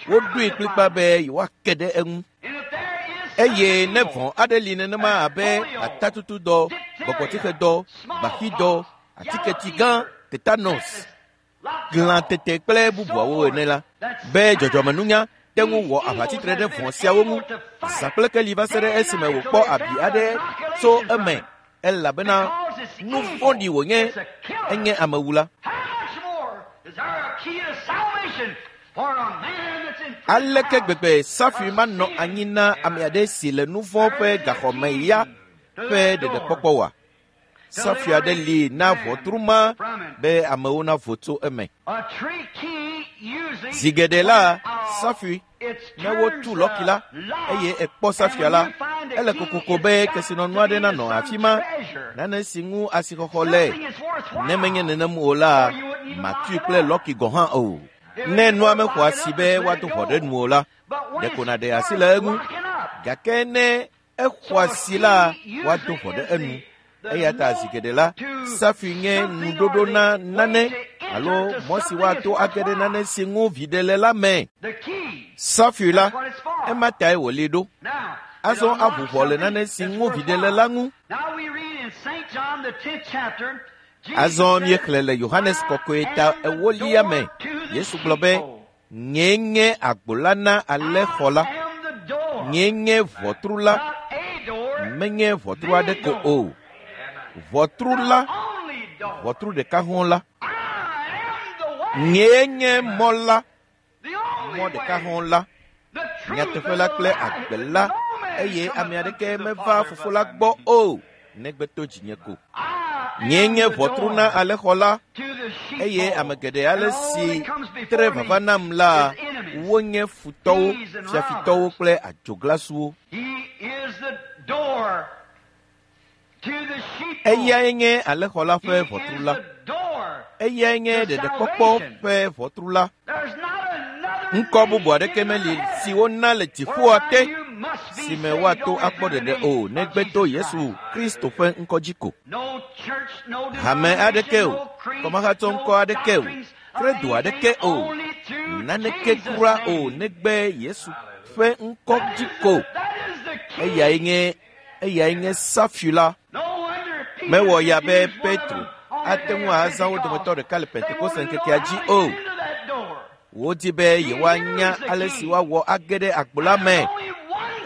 woɖoe kplikpa be yewoake ɖe eŋu. Eye ne vɔ̃ aɖe li nenema abe atatutudɔ, gbɔgbɔtsixedɔ, gbaxidɔ, atiketi gã, tetanus, glãtete kple bubuawo ene la, be dzɔdzɔmenunya te ŋu wɔ aʋatsitre ɖe vɔ̃ siawo ŋu zã kple keli va se ɖe esime wòkpɔ abi aɖe tso eme elabena nu vɔ̃ɖi wònye enye amewula. Aleke gbegbe safui manɔ anyi na ame aɖe si le nu vɔ̃ ƒe gaxɔme ya ƒe ɖeɖekpɔkpɔ wa? Safui aɖe li na ʋɔtru ma be amewo navo tso eme. Zi geɖe la, safui, ne wotu lɔki la eye ekpɔ safuia la, ele kokoko be kesinɔnu aɖe nanɔ afi ma, nane si ŋu asixɔxɔ le. Ne menye nenem o la, màtui kple lɔki gɔ̃ hã o. Ne nua mexɔ asi be woado ʋɔ ɖe nu o la, ɖeko nàɖe asi le eŋu. Gake ne exɔ asi la, woado ʋɔ ɖe enu. Eya ta zi geɖe la, safui nye nuɖoɖo na nane alo mɔ si woato age ɖe nane si ŋu viɖe le la me. Safui la, ema tae wòli ɖo. Azɔ aʋu ʋɔ le nane si ŋu viɖe le la ŋu. Azɔ míexlẽ le Yohanes Kɔkɔe ta ewolia me. Yesu gblɔ be, Nyee nye agbo la na alẽxɔ la. Nyee nye ʋɔtru la. Menye ʋɔtru aɖe ko o. Ʋɔtru la, ʋɔtru ɖeka hɔ̃ la. Nyee nye mɔ la, mɔ ɖeka hɔ̃ la, nyateƒe la kple agbe la, eye ame aɖeke meva Fofo la gbɔ o, negbe to dzinye ko. Nyee nye ʋɔtru na alẽxɔ la, eye ame geɖe ale si tre vava nam la, wonye futɔwo, fiafitɔwo kple adzoglasuwo. Eyae nye alẽxɔ la ƒe ʋɔtru la. Eyae nye ɖeɖekpɔkpɔ ƒe ʋɔtru la. Ŋkɔ bubu aɖeke meli si wona le dziƒoa te si me woato akpɔ ɖeɖe o negbe to Yesu Kristo ƒe ŋkɔ dzi ko. Hame aɖeke o, kɔmahatsɔ ŋkɔ aɖeke o, kredo aɖeke o, naneke kura o negbe Yesu ƒe ŋkɔ dzi ko. Eyae nye eyae nye safui la. Mewɔ ya be Petro ate ŋu azã wo dometɔ ɖeka le Pentekoste ŋkekea dzi o. Wodi be yewoanya ale si woawɔ age ɖe agbo la me.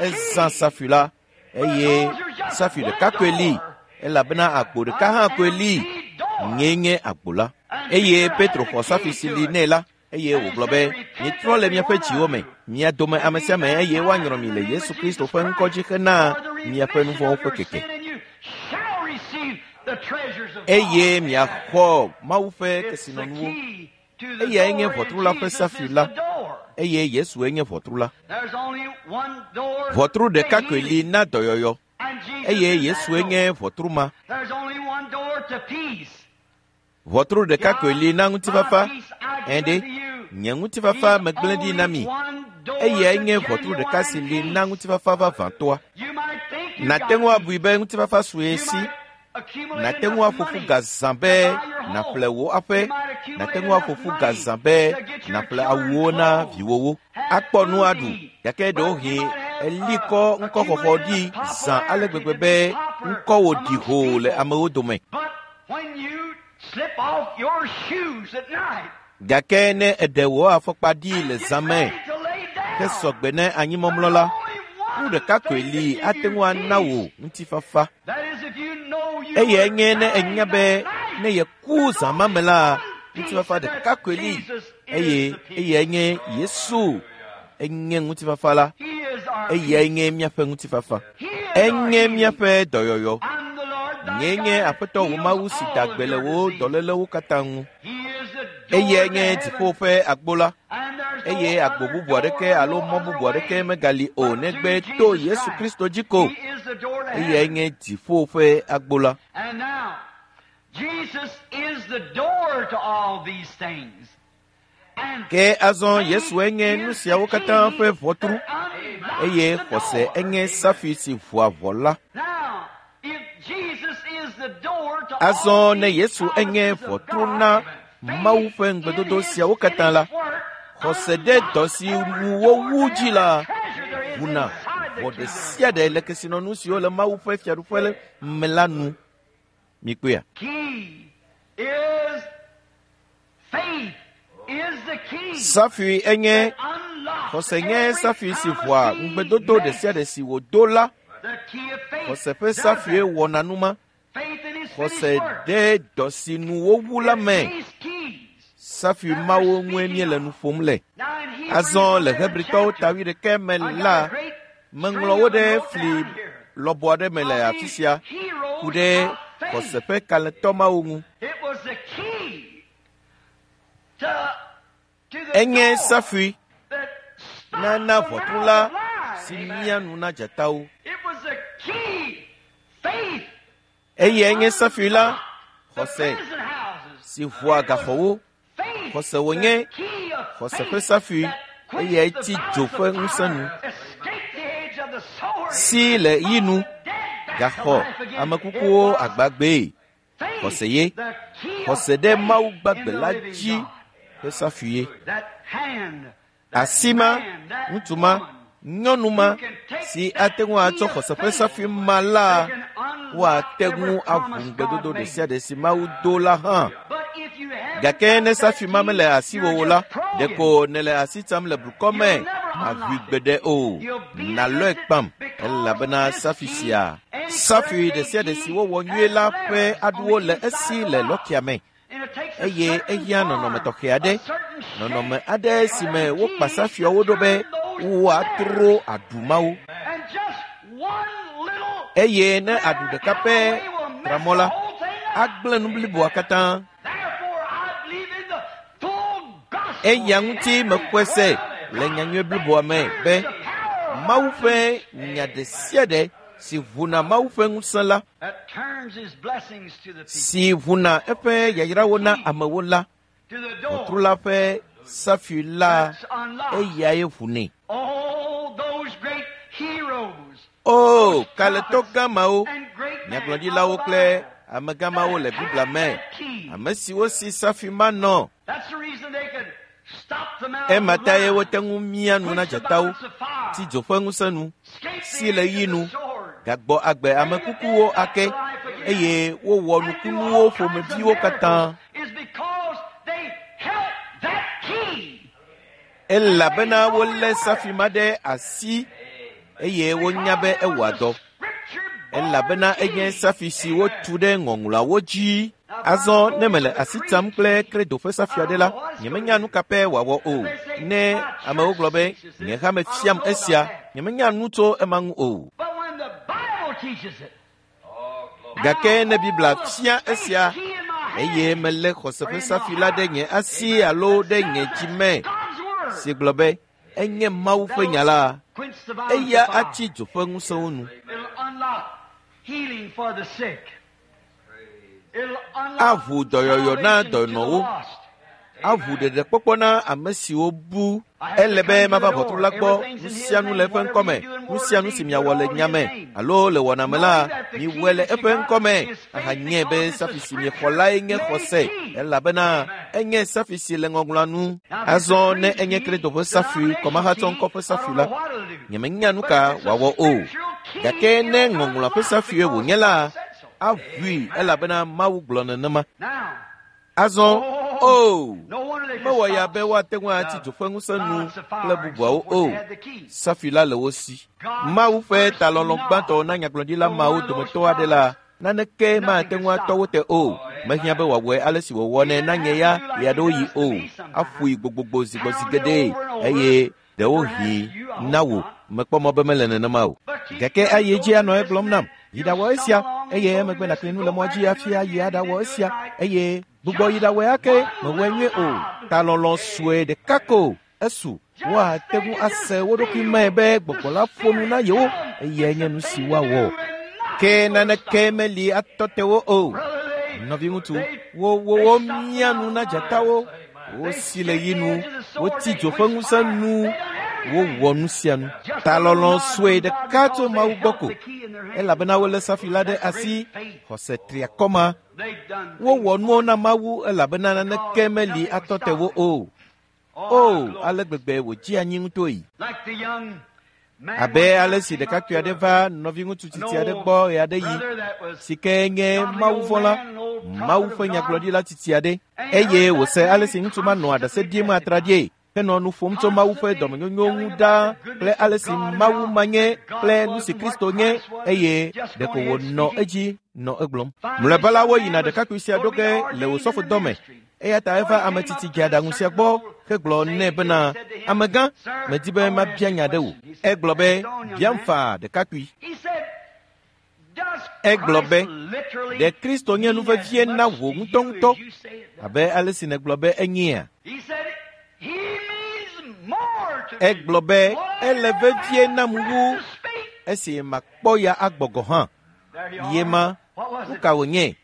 Ezã safui la eye safui ɖeka koe li elabena agbo ɖeka hã koe li. Nyee nye agbo la. Eye Petro xɔ safui si li nɛ la eye wògblɔ be, Mitrɔ le miaƒe dziwo me, mia dome ame sia ame eye woanyrɔ mi le Yesu Kristo ƒe ŋkɔ dzi hena miaƒe nu vɔ̃wo ƒe keke. Eye miaxɔ Mawu ƒe kesinɔnuwo. Eyae nye ʋɔtru la ƒe safui la, eye Yesue nye ʋɔtru la. Ʋɔtru ɖeka koe li na dɔyɔyɔ, eye Yesue nye ʋɔtru ma. Ʋɔtru ɖeka koe li na ŋutifafa. Ẽ ɖe, nye ŋutifafa megblẽ ɖi na mi. Eyae nye ʋɔtru ɖeka si li na ŋutifafa vavãtɔa. Nàte ŋu abui be ŋutifafa su ye si. Nàte ŋu aƒo ƒu ga zã be nàƒle wò aƒe. Nàte ŋu aƒo ƒu ga zã be nàƒle awuwo na viwòwo. Akpɔ nu aɖu, gake ɖewohĩ èli kɔ ŋkɔxɔxɔ ɖi zã ale gbegbe be ŋkɔwò ɖi hoo le amewo dome. Gake ne èɖe wò afɔkpa ɖi le zã me hesɔ gbe na anyimɔmlɔ la, nu ɖeka koe li ate ŋu ana wò ŋutifafa. Eyae nye ne ènya be ne yeku zã ma me la, ŋutifafa ɖeka koe li eye eyae nye Yesu enye ŋutifafa la. Eyae nye míaƒe ŋutifafa. Enye míaƒe dɔyɔyɔ. Nyee nye Aƒetɔ wò Mawu si da gbe le wò dɔlélewo katã ŋu. Eyae nye dziƒo ƒe agbo la, eye agbo bubu aɖeke alo mɔ bubu aɖeke megali o negbe to Yesu Kristo dzi ko. Eyae nye dziƒo ƒe agbo la. Ke azɔ Yesue nye nu siawo katã ƒe ʋɔtru, eye xɔse enye safui si ʋua ʋɔ la. Azɔ ne Yesu enye ʋɔtru na Mawu ƒe ŋugbedodo siawo katã la, xɔse ɖe dɔ si ŋu wowu dzi la ʋuna vɔ ɖe sia ɖe le kesinɔnu siwo le Mawu ƒe fiaɖuƒe me la nu. Mikpɔea? Safui enye xɔse nye safui si ʋua ŋugbedodo ɖe sia ɖe si wòdo la. Xɔse ƒe safue wɔna nu ma. Xɔse ɖe dɔ si nu wowu la me. Safui mawo ŋue míele nu ƒom le. Azɔ le Hebritɔwo ta wuiɖekɛ me la, meŋlɔ wo ɖe fli lɔbɔ aɖe me le afi sia ku ɖe xɔse ƒe kalẽtɔ mawo ŋu. Enye safui nana ʋɔtru la si mia nu na dzatawo. Eye enye safui la xɔse si ʋua gaxɔwo. Xɔse wònye xɔse ƒe safui eye etsi dzo ƒe ŋusẽ nu. Si le yi nu gaxɔ ame kukuwo agbagbee. Xɔse ye. Xɔse ɖe Mawu gbagbe la dzi ƒe safui ye. Asi ma, ŋutsu ma, nyɔnu ma si ate ŋu atsɔ xɔse ƒe safui ma la, woate ŋu aʋu ŋugbedodo ɖe sia ɖe si Mawu do la hã. Gake ne safui ma mele asiwò o la, ɖeko nèle asi tsam le blukɔ me, màʋui gbeɖe o. Nàlɔe kpam elabena safui sia, safui ɖe sia ɖe si wowɔ nyuie la ƒe aɖuwo le esi le lɔkia me. Eye ehiã nɔnɔme tɔxɛ aɖe, nɔnɔme aɖe si me wokpa safuiawo ɖo be woatro aɖu mawo. Eye ne aɖu ɖeka pɛ tra mɔ la, agblẽ nu bliboa katã. Eya ŋuti mekpɔe se le nyanyui bliboa me be Mawu ƒe nya ɖe sia ɖe si ʋuna Mawu ƒe ŋusẽ la, si ʋuna eƒe yayrawo na amewo la, ʋɔtru la ƒe safui la eyae ʋunɛ. O, kalẽtɔ gã mawo, nyagblɔɖilawo kple amegã mawo le Biblia me, ame siwo si safui ma nɔ. Ema tae wote ŋu mia nu na dzatawo, tsi dzo ƒe ŋusẽ nu, si le ɣi nu, gagbɔ agbe ame kukuwo ake, eye wowɔ nukunuwo ƒomeviwo katã. Elabena wolé safui ma ɖe asi eye wonya be ewɔa dɔ. Elabena enye safui si wotu ɖe ŋɔŋlɔawo dzi. Azɔ ne mele asi tsam kple kredo ƒe safui aɖe la, nyemenya nu ka pɛ wòawɔ o. Ne amewo gblɔ be, nye hame fiam esia, nyemenya nu tso ema ŋu o. Gake ne Biblia fia esia, eye melé xɔse ƒe safui la ɖe nye asi alo ɖe nye dzi me, si gblɔ be enye Mawu ƒe nya la, eya atsi dzo ƒe ŋusẽwo nu. Aʋu dɔyɔyɔ na dɔnɔwo, aʋu ɖeɖekpɔkpɔ na ame siwo bu. Ele be mava ʋɔtru la gbɔ, nu sia nu le eƒe ŋkɔme, nu sia nu si miawɔ le nya me alo le wɔna me la, miwɔe le eƒe ŋkɔme ahanye be safui si miexɔ lae nye xɔse, elabena enye safui si le ŋɔŋlɔa nu. Azɔ ne enye Kristo ƒe safui, kɔmahatsɔŋkɔ ƒe safui la, nyemenya nu ka wòawɔ o. Gake ne ŋɔŋlɔa ƒe safue wònye la, aʋui elabena Mawu gblɔ nenema. Azɔ, o, mewɔ ya be woate ŋu atsi dzo ƒe ŋusẽ nu kple bubuawo o. Safui la le wo si. Mawu ƒe talɔlɔ̃ gbãtɔ na nyagblɔɖila mawo dometɔ aɖe la, naneke mate ŋu atɔ wo te o. Mehiã be wòawɔe ale si wòwɔnɛ na nye ya ɣeaɖewoɣi o. Aƒoe gbogbogbo zi gbɔ zi geɖe eye ɖewohĩ na wò mekpɔ mɔ be mele nenema o. Gake ayi edzi anɔ egblɔm nam, yi ɖawɔ esia, eye emegbe nàkli nu le mɔ dzi hafi ayi aɖawɔ esia, eye gbugbɔ yi ɖawɔe ake, mewɔe nyuie o. Talɔlɔ̃ sue ɖeka ko esu. Woate ŋu ase wo ɖokui me be gbɔgbɔ la ƒo nu na yewo, eyae nye nu si woawɔ. Ke naneke meli atɔ te wo o. Nɔviŋutsu, wo wo mia nu na dzatawo, wosi le yi nu, wotsi dzo ƒe ŋusẽ nu, wowɔ nu sia nu. Talɔlɔ̃ sue ɖeka tso Mawu gbɔ ko, elabena wolé safui la ɖe asi, xɔse triakɔ ma. Wowɔ nuwo na Mawu elabena naneke meli atɔ te wo o. O, ale gbegbe wòdzi anyi ŋutɔe. Abe ale si ɖekakpui aɖe va nɔviŋutsu tsitsi aɖe gbɔ ɣeaɖeɣi si ke nye mawuvɔ̃la, Mawu ƒe nyagblɔɖila tsitsi aɖe, eye wòse ale si ŋutsu ma nɔa ɖase ɖim atraɖie henɔ nu ƒom tso Mawu ƒe dɔmenyonyo ŋu ɖaa kple ale si Mawu ma nye kple nu si Kristo nye, eye ɖeko wònɔ edzi nɔ egblɔm. Mlɔeba la, woyina ɖekakpui sia ɖo ge le wòsɔfodɔ me. Eya ta eva ame tsitsi dzeaɖaŋu sia gbɔ hegblɔ nɛ bena, Amegã, medi be mabia nya ɖe wò. Egblɔ be, Biam faa, ɖekakpui. Egblɔ be, Ɖe Kristo nye nu vevie na wò ŋutɔŋutɔ abe ale si nègblɔ be enyea? Egblɔ be, Ele vevie nam wu esi makpɔ ya agbɔ gɔ̃ hã. Ye ma, nu ka wònye?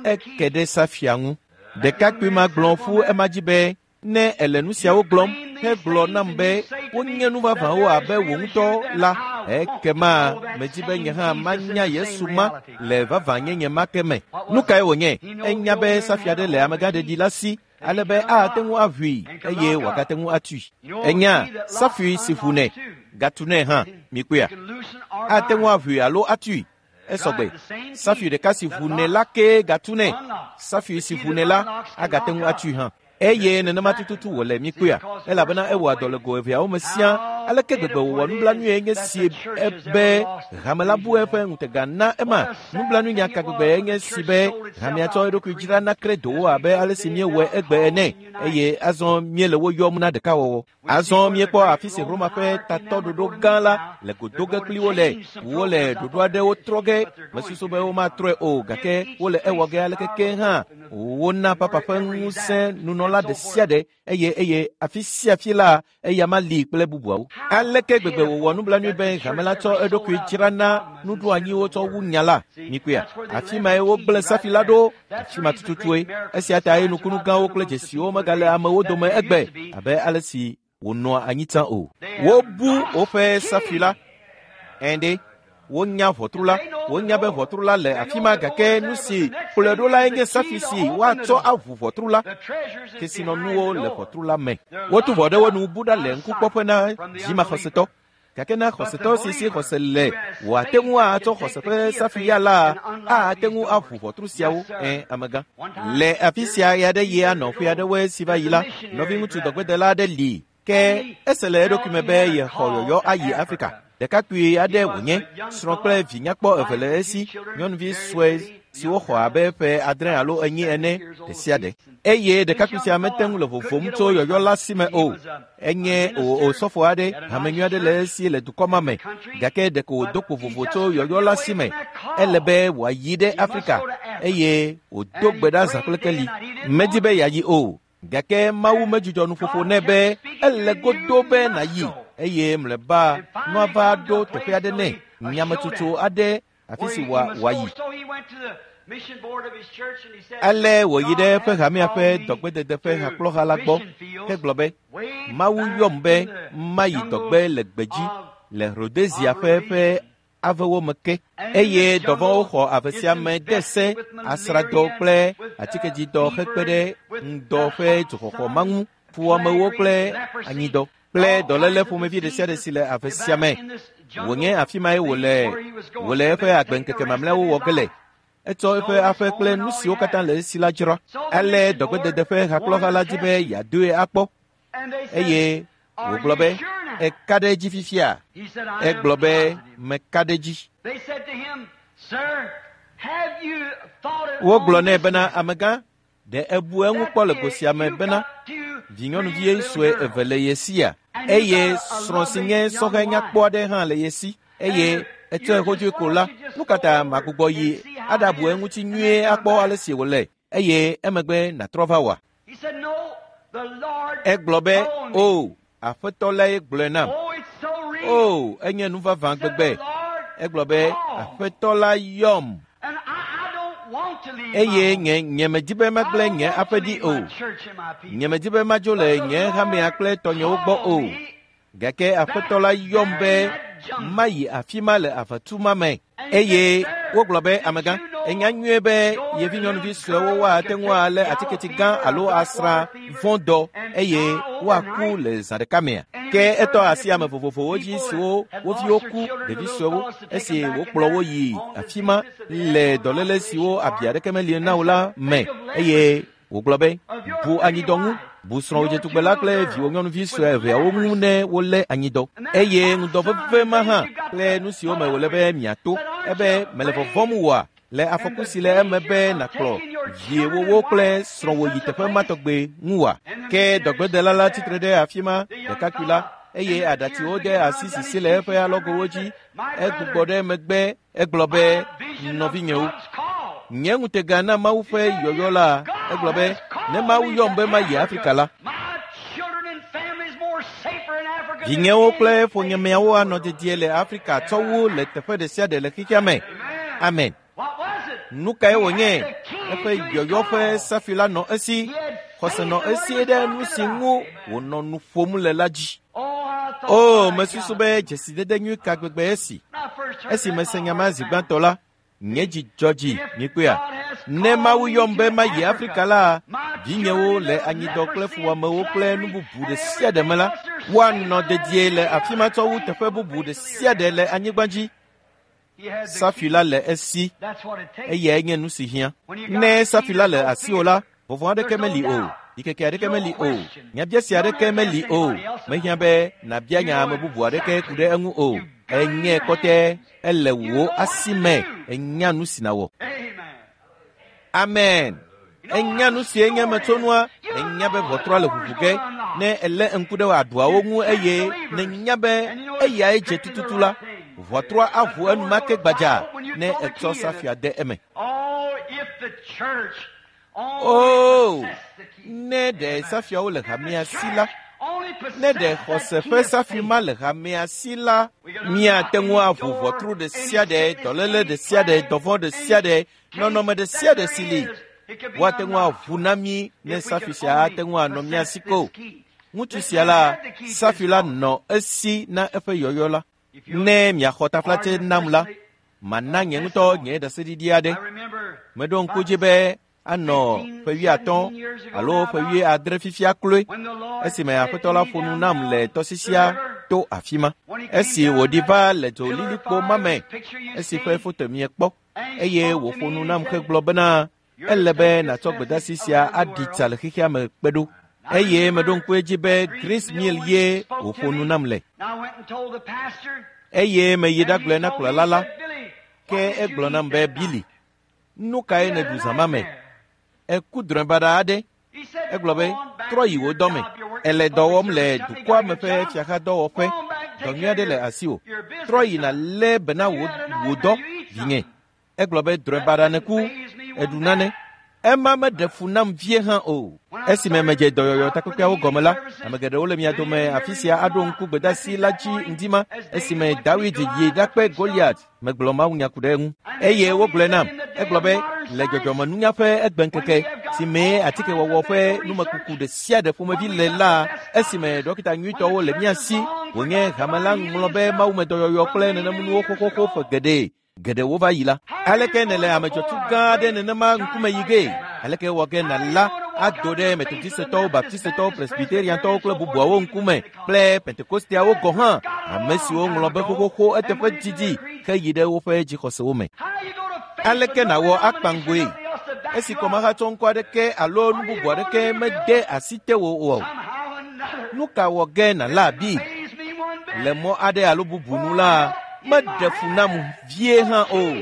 Eke ɖe safia ŋu. Ɖekakpui ma gblɔ ƒu ema dzi be, Ne èle nu siawo gblɔm hegblɔ nam be wonye nu vavãwo abe wò ŋutɔ la, ekema medi be nye hã manya Yesu ma le vavãnyenye ma ke me. Nu kae wònye? Enya be safia aɖe le amegãɖeɖi la si ale be ate ŋu aʋui eye wòagate ŋu atui. Enya safui si ʋunɛ gatunɛ hã. Mikpɔea? Ate ŋu aʋui alo atui. Esɔgbe. Safui ɖeka si ʋunɛ la kee gatunɛ. Safui si ʋunɛ la agate ŋu atui hã. Eye nenema tututu wòle, mikpɔea, elabena ewɔa dɔ le go eveawo me siaa. Aleke gbegbe wòwɔ nublanuie nye si be hame la bu eƒe ŋutega na ema? Nublanuinya ka gbegbe nye si be hamea tsɔ eɖokui dzra na kredowo abe ale si míewɔe egbe ene, eye azɔ míele wo yɔm na ɖekawɔwɔ. Azɔ míekpɔ afi si Roma ƒe tatɔɖoɖo gã la le go do ge kpli wo le. Wole ɖoɖo aɖewo trɔ ge. Mesusu be womatrɔe o, gake wole ewɔ ge aleke ke hã. Wona papa ƒe ŋusẽ nunɔla ɖe sia ɖe eye eye afi sia afi la eya ma li kple bubuawo. Aleke gbegbe wòwɔ nublanui be hame la tsɔ eɖokui dzra na nuɖoanyiwo tsɔ wu nya la? Mikpɔea? Afi mae wogblẽ safi la ɖo. Afi ma tututue. Esia tae nukunu gãwo kple dzesiwo megale amewo dome egbe abe ale si wònɔa anyi tsã o. Wobu woƒe safi la. Ɛ̃ ɖe, wonya ʋɔtru la. Wonya be ʋɔtru la le afi ma gake nu si kplɔe ɖo lae nye safi si woatsɔ aʋu ʋɔtru la. Kesinɔnuwo le ʋɔtru la me. Wotu ʋɔ ɖe wo nu bu ɖa le ŋkukpɔƒe na dzimaxɔsetɔ. Gake na xɔsetɔ si si xɔse le wòate ŋu atsɔ xɔse ƒe safi ya la ate ŋu aʋu ʋɔtru siawo. Ẽ, amegã. Le afi sia ɣeaɖeɣi anɔ ƒe aɖewoe si va yi la, nɔviŋutsu dɔgbedela aɖe li ke ese le eɖokui me be yexɔ yɔyɔ ayi Afrika. Ɖekakpui aɖe wònye, srɔ̃ kple vi nyakpɔ eve le esi, nyɔnuvi sue siwo xɔ abe ƒe 7 alo 8 ene ɖe sia ɖe. Eye ɖekakpui sia mete ŋu le vovom tso yɔyɔ la si me o. Enye osɔfo aɖe, hame nyui aɖe le esi le dukɔ ma me, gake ɖeko wòdo kpo vovo tso yɔyɔ la si me. Ele be wòayi ɖe Afrika eye wòdo gbe ɖa zã kple keli. Medi be yeayi o, gake Mawu medzudzɔ nuƒoƒo nɛ be ele godo be nàyi eye mlɔeba nua va ɖo teƒe aɖe nɛ, nyametsotso aɖe afi si wòayi. Ale wòyi ɖe eƒe hamea ƒe dɔgbedede ƒe hakplɔha la gbɔ hegblɔ be, Mawu yɔm be mayi dɔgbe le gbedzi le Rhodesia ƒe ƒe avewo me ke, eye dɔvɔ̃wo xɔ ave sia me de se asrãdɔ kple atikedzidɔ hekpe ɖe ŋdɔ ƒe dzoxɔxɔ ma ŋu, fuwɔamewo kple anyidɔ kple dɔléle ƒomevi ɖe sia ɖe si le ave sia me. Wònye afi mae wòle wòle eƒe agbeŋkeke mamlɛawo wɔ ge le. Etsɔ eƒe aƒe kple nu siwo katã le esi la dzra. Ale dɔgbedede ƒe hakplɔha la di be yeadoe akpɔ eye wògblɔ be, Èka ɖe edzi fifia? Egblɔ be, Meka ɖe edzi. Wogblɔ nɛ bena, Amegã, ɖe ebu eŋu kpɔ le go sia me bena vinyɔnuvi sue eve le ye sia eye srɔ̃ si nye sɔhɛ nyakpɔ aɖe hã le ye si eye etsɔe hodzoe ko la, nu ka ta magbugbɔ yi aɖabu eŋuti nyuie akpɔ ale si wòle eye emegbe nàtrɔ va wòa? Egblɔ be, O, Aƒetɔ lae gblɔe nam. O, enye nu vavã gbegbe. Egblɔ be, Aƒetɔ la yɔm. Eye nye nyemedi be magblẽ nye aƒe ɖi o. Nyemedi be madzo le nye hamea kple tɔnyewo gbɔ o. Gake Aƒetɔ la yɔm be mayi afi ma le aʋatu ma me. Eye Wogblɔ be, amegã, enya nyuie be yevi nyɔnuvi suewo woate ŋu alé atiketi gã alo asrã vɔ̃ dɔ eye woaku le zã ɖeka mea? Ke etɔ asi ame vovovowo dzi siwo wo viwo ku, ɖevi suewo, esi wokplɔ wo yi afi ma le dɔléle siwo abi aɖeke meli na wo la me eye wògblɔ be, bu anyidɔ ŋu, bu srɔ̃wò dzetugbe la kple viwò nyɔnuvi sue eveawo ŋu ne wolé anyidɔ. Eye ŋudɔ veve ma hã kple nu siwo me wòle be miato. Ebe mele vɔvɔ̃m wòa le afɔku si le eme be nàkplɔ viewòwo kple srɔ̃wò yi teƒe ma tɔgbe ŋu wòa? Ke dɔgbedela la tsitre ɖe afi ma, ɖekakpui la, eye aɖatsiwo de asi sisi le eƒe alɔgowo dzi. Egbugbɔ ɖe megbe egblɔ be, nɔvinyewo, nye ŋutega na Mawu ƒe yɔyɔ la, egblɔ be, ne Mawu yɔm be mayi Afrika la, vinyewo kple ƒonyemeawo anɔ dedie le Afrika tsɔ wu le teƒe ɖe sia ɖe le xexea me. Amen. Nu kae wònye? Eƒe yɔyɔ ƒe safi la nɔ esi, xɔse nɔ esi ɖe nu si ŋu wònɔ nu ƒom le la dzi. O, mesusu be dzesidede nyui ka gbegbe esi. Esi mese nya ma zi gbãtɔ la, nye dzi dzɔ dzi, mikpɔea. Ne Mawu yɔm be mayi Afrika la, vinyewo le anyidɔ kple fuwɔamewo kple nu bubu ɖe sia ɖe me la, woanɔ dedie le afi ma tsɔ wu teƒe bubu ɖe sia ɖe le anyigba dzi. Safi la le esi, eyae nye nu si hiã. Ne safi la le asiwò la, vɔvɔ̃ aɖeke meli o, ɖikeke aɖeke meli o, nyabiase aɖeke meli o. Mehiã be nàbia nya ame bubu aɖeke ku ɖe eŋu o. Enye kɔtɛ, ele wò asi me, enya nu si nàwɔ. Amen. Enya nu si enye metsonua, enya be ʋɔtrua le ʋuʋu ge. Ne èlé ŋku ɖe aɖuawo ŋu eye nènya be eyae dze tututu la, ʋɔtrua aʋu enumake gbadza ne ètsɔ safia de eme. O, ne ɖe safiawo le hamea si la, ne ɖe xɔse ƒe safi ma le hamea si la, míate ŋu aʋu ʋɔtru ɖe sia ɖe, dɔléle ɖe sia ɖe, dɔvɔ̃ ɖe sia ɖe, nɔnɔme ɖe sia ɖe si li. Woate ŋu aʋu na mí ne safi sia ate ŋu anɔ mía si ko. Ŋutsu sia la, safi la nɔ esi na eƒe yɔyɔ la. Ne miaxɔ taflatse nam la, mana nye ŋutɔ nye ɖaseɖiɖi aɖe. Meɖo ŋku dzi be anɔ ƒe 50 alo ƒe 70 fifia kloe, esime Aƒetɔ la ƒo nu nam le tɔsisia to afi ma. Esi wòɖi va le dzolilikpo ma me, esi ƒe foto miekpɔ, eye wòƒo nu nam hegblɔ bena, ele be nàtsɔ gbedeasi sia aɖi tsa le xexea me kpe ɖo. Eye meɖo ŋku edzi be Green's Mill ye wòƒo nu nam le. Eye meyi ɖagblɔe na kplɔla la, ke egblɔ nam be, Billy, nu kae nèɖu zã ma me? Èku drɔ̃e baɖa aɖe. Egblɔ be, trɔ yi wò dɔme. Èle dɔ wɔm le dukɔa me ƒe fiaxadɔwɔƒe. Dɔ nyui aɖe le asiwò. Trɔ yi nàlé be na wò dɔ, vinye. Egblɔ be, drɔ̃e baɖa nèku, èɖu nane. Ema meɖe fu nam vie hã o. Esime medze dɔyɔyɔ takpekpeawo gɔme la, ame geɖewo le mia dome afi sia aɖo ŋku gbedeasi la dzi ŋdi ma, esime Dawid yi ɖakpe Goliat. Megblɔ mawunya ku ɖe eŋu. Eye wogblɔe nam. Egblɔ be, le dzɔdzɔmenunya ƒe egbeŋkeke, si mee atikewɔwɔ ƒe numekuku ɖe sia ɖe ƒomevi le la, esime dɔkita nyuitɔwo le mía si, wònye hame la ŋlɔ be mawumedɔyɔyɔ kple nenemunuwo xoxoxo ƒe geɖe geɖewo va yi la. Aleke nèle ame dzɔtsu gã aɖe nenema ŋkume yi gee? Aleke wɔ ge nàla ado ɖe Metodistetɔwo, Baptistetɔwo, Presbyteriantɔwo kple bubuawo ŋkume kple Pentekosteawo gɔ̃ hã, ame siwo ŋlɔ be xoxoxo eteƒe didi heyi ɖe woƒe dzixɔsewo me? Aleke nàwɔ akpa ŋgoe esi kɔmahatsɔŋkɔ aɖeke alo nu bubu aɖeke mede asi tewò o? Nu ka wɔ ge nàla abi? Le mɔ aɖe alo bubu nu la, meɖe fu nam vie hã o,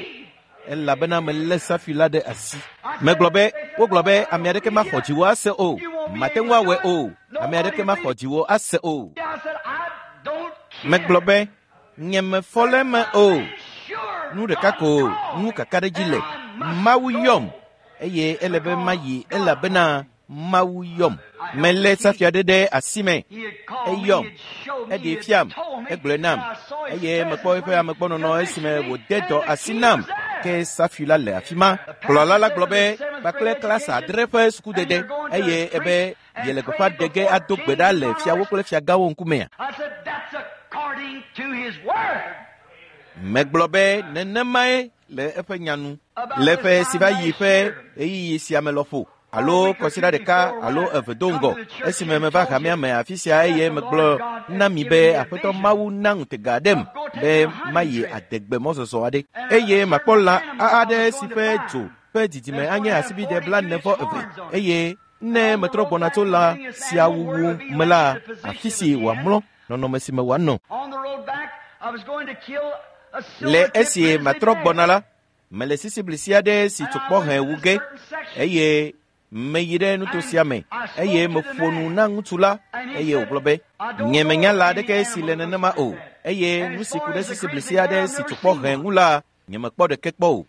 elabena melé safi la ɖe asi. Megblɔ be, wogblɔ be ame aɖeke maxɔ dziwò ase o, mate ŋu awɔe o, ame aɖeke maxɔ dziwò ase o. Megblɔ be, nye mefɔ le eme o. Nu ɖeka ko ŋu kakaɖedzi le, Mawu yɔm, eye ele be mayi elabena Mawu yɔm. Melé safia ɖe ɖe asi me. Eyɔm, eɖee fiam, egblɔe nam, eye mekpɔ eƒe amegbɔnɔnɔ esime wòde dɔ asi nam. Ke safi la le afi ma. Kplɔla la gblɔ be kpakple klasa 7 ƒe sukudede, eye ebe yele gbeƒã ɖe ge ado gbe ɖa le fiawo kple fiagãwo ŋkumea. Megblɔ be nenemae le eƒe nya nu. Le ƒe si va yi ƒe ɣeyiɣi sia me lɔƒo alo kɔsiɖa ɖeka alo eve do ŋgɔ esime meva hamea me afi sia eye megblɔ na mi be Aƒetɔ Mawu na ŋutega aɖem be mayi adegbe mɔzɔzɔ aɖe eye makpɔ lã aɖe si ƒe dzo ƒe didime anye asibide 42 eye ne metrɔ gbɔna tso lã sia wuwu me la, afi si wòamlɔ, nɔnɔme si me wòanɔ. Le esi matrɔ gbɔna la, mele sisiblisi aɖe si tsokpɔ hẽ wu ge eye meyi ɖe nuto sia me eye meƒo nu na ŋutsu la eye wògblɔ be, nye menya lã aɖeke si le nenema o eye nu si ku ɖe sisiblisi aɖe si tsokpɔ hẽ ŋu la, nye mekpɔ ɖeke kpɔ o.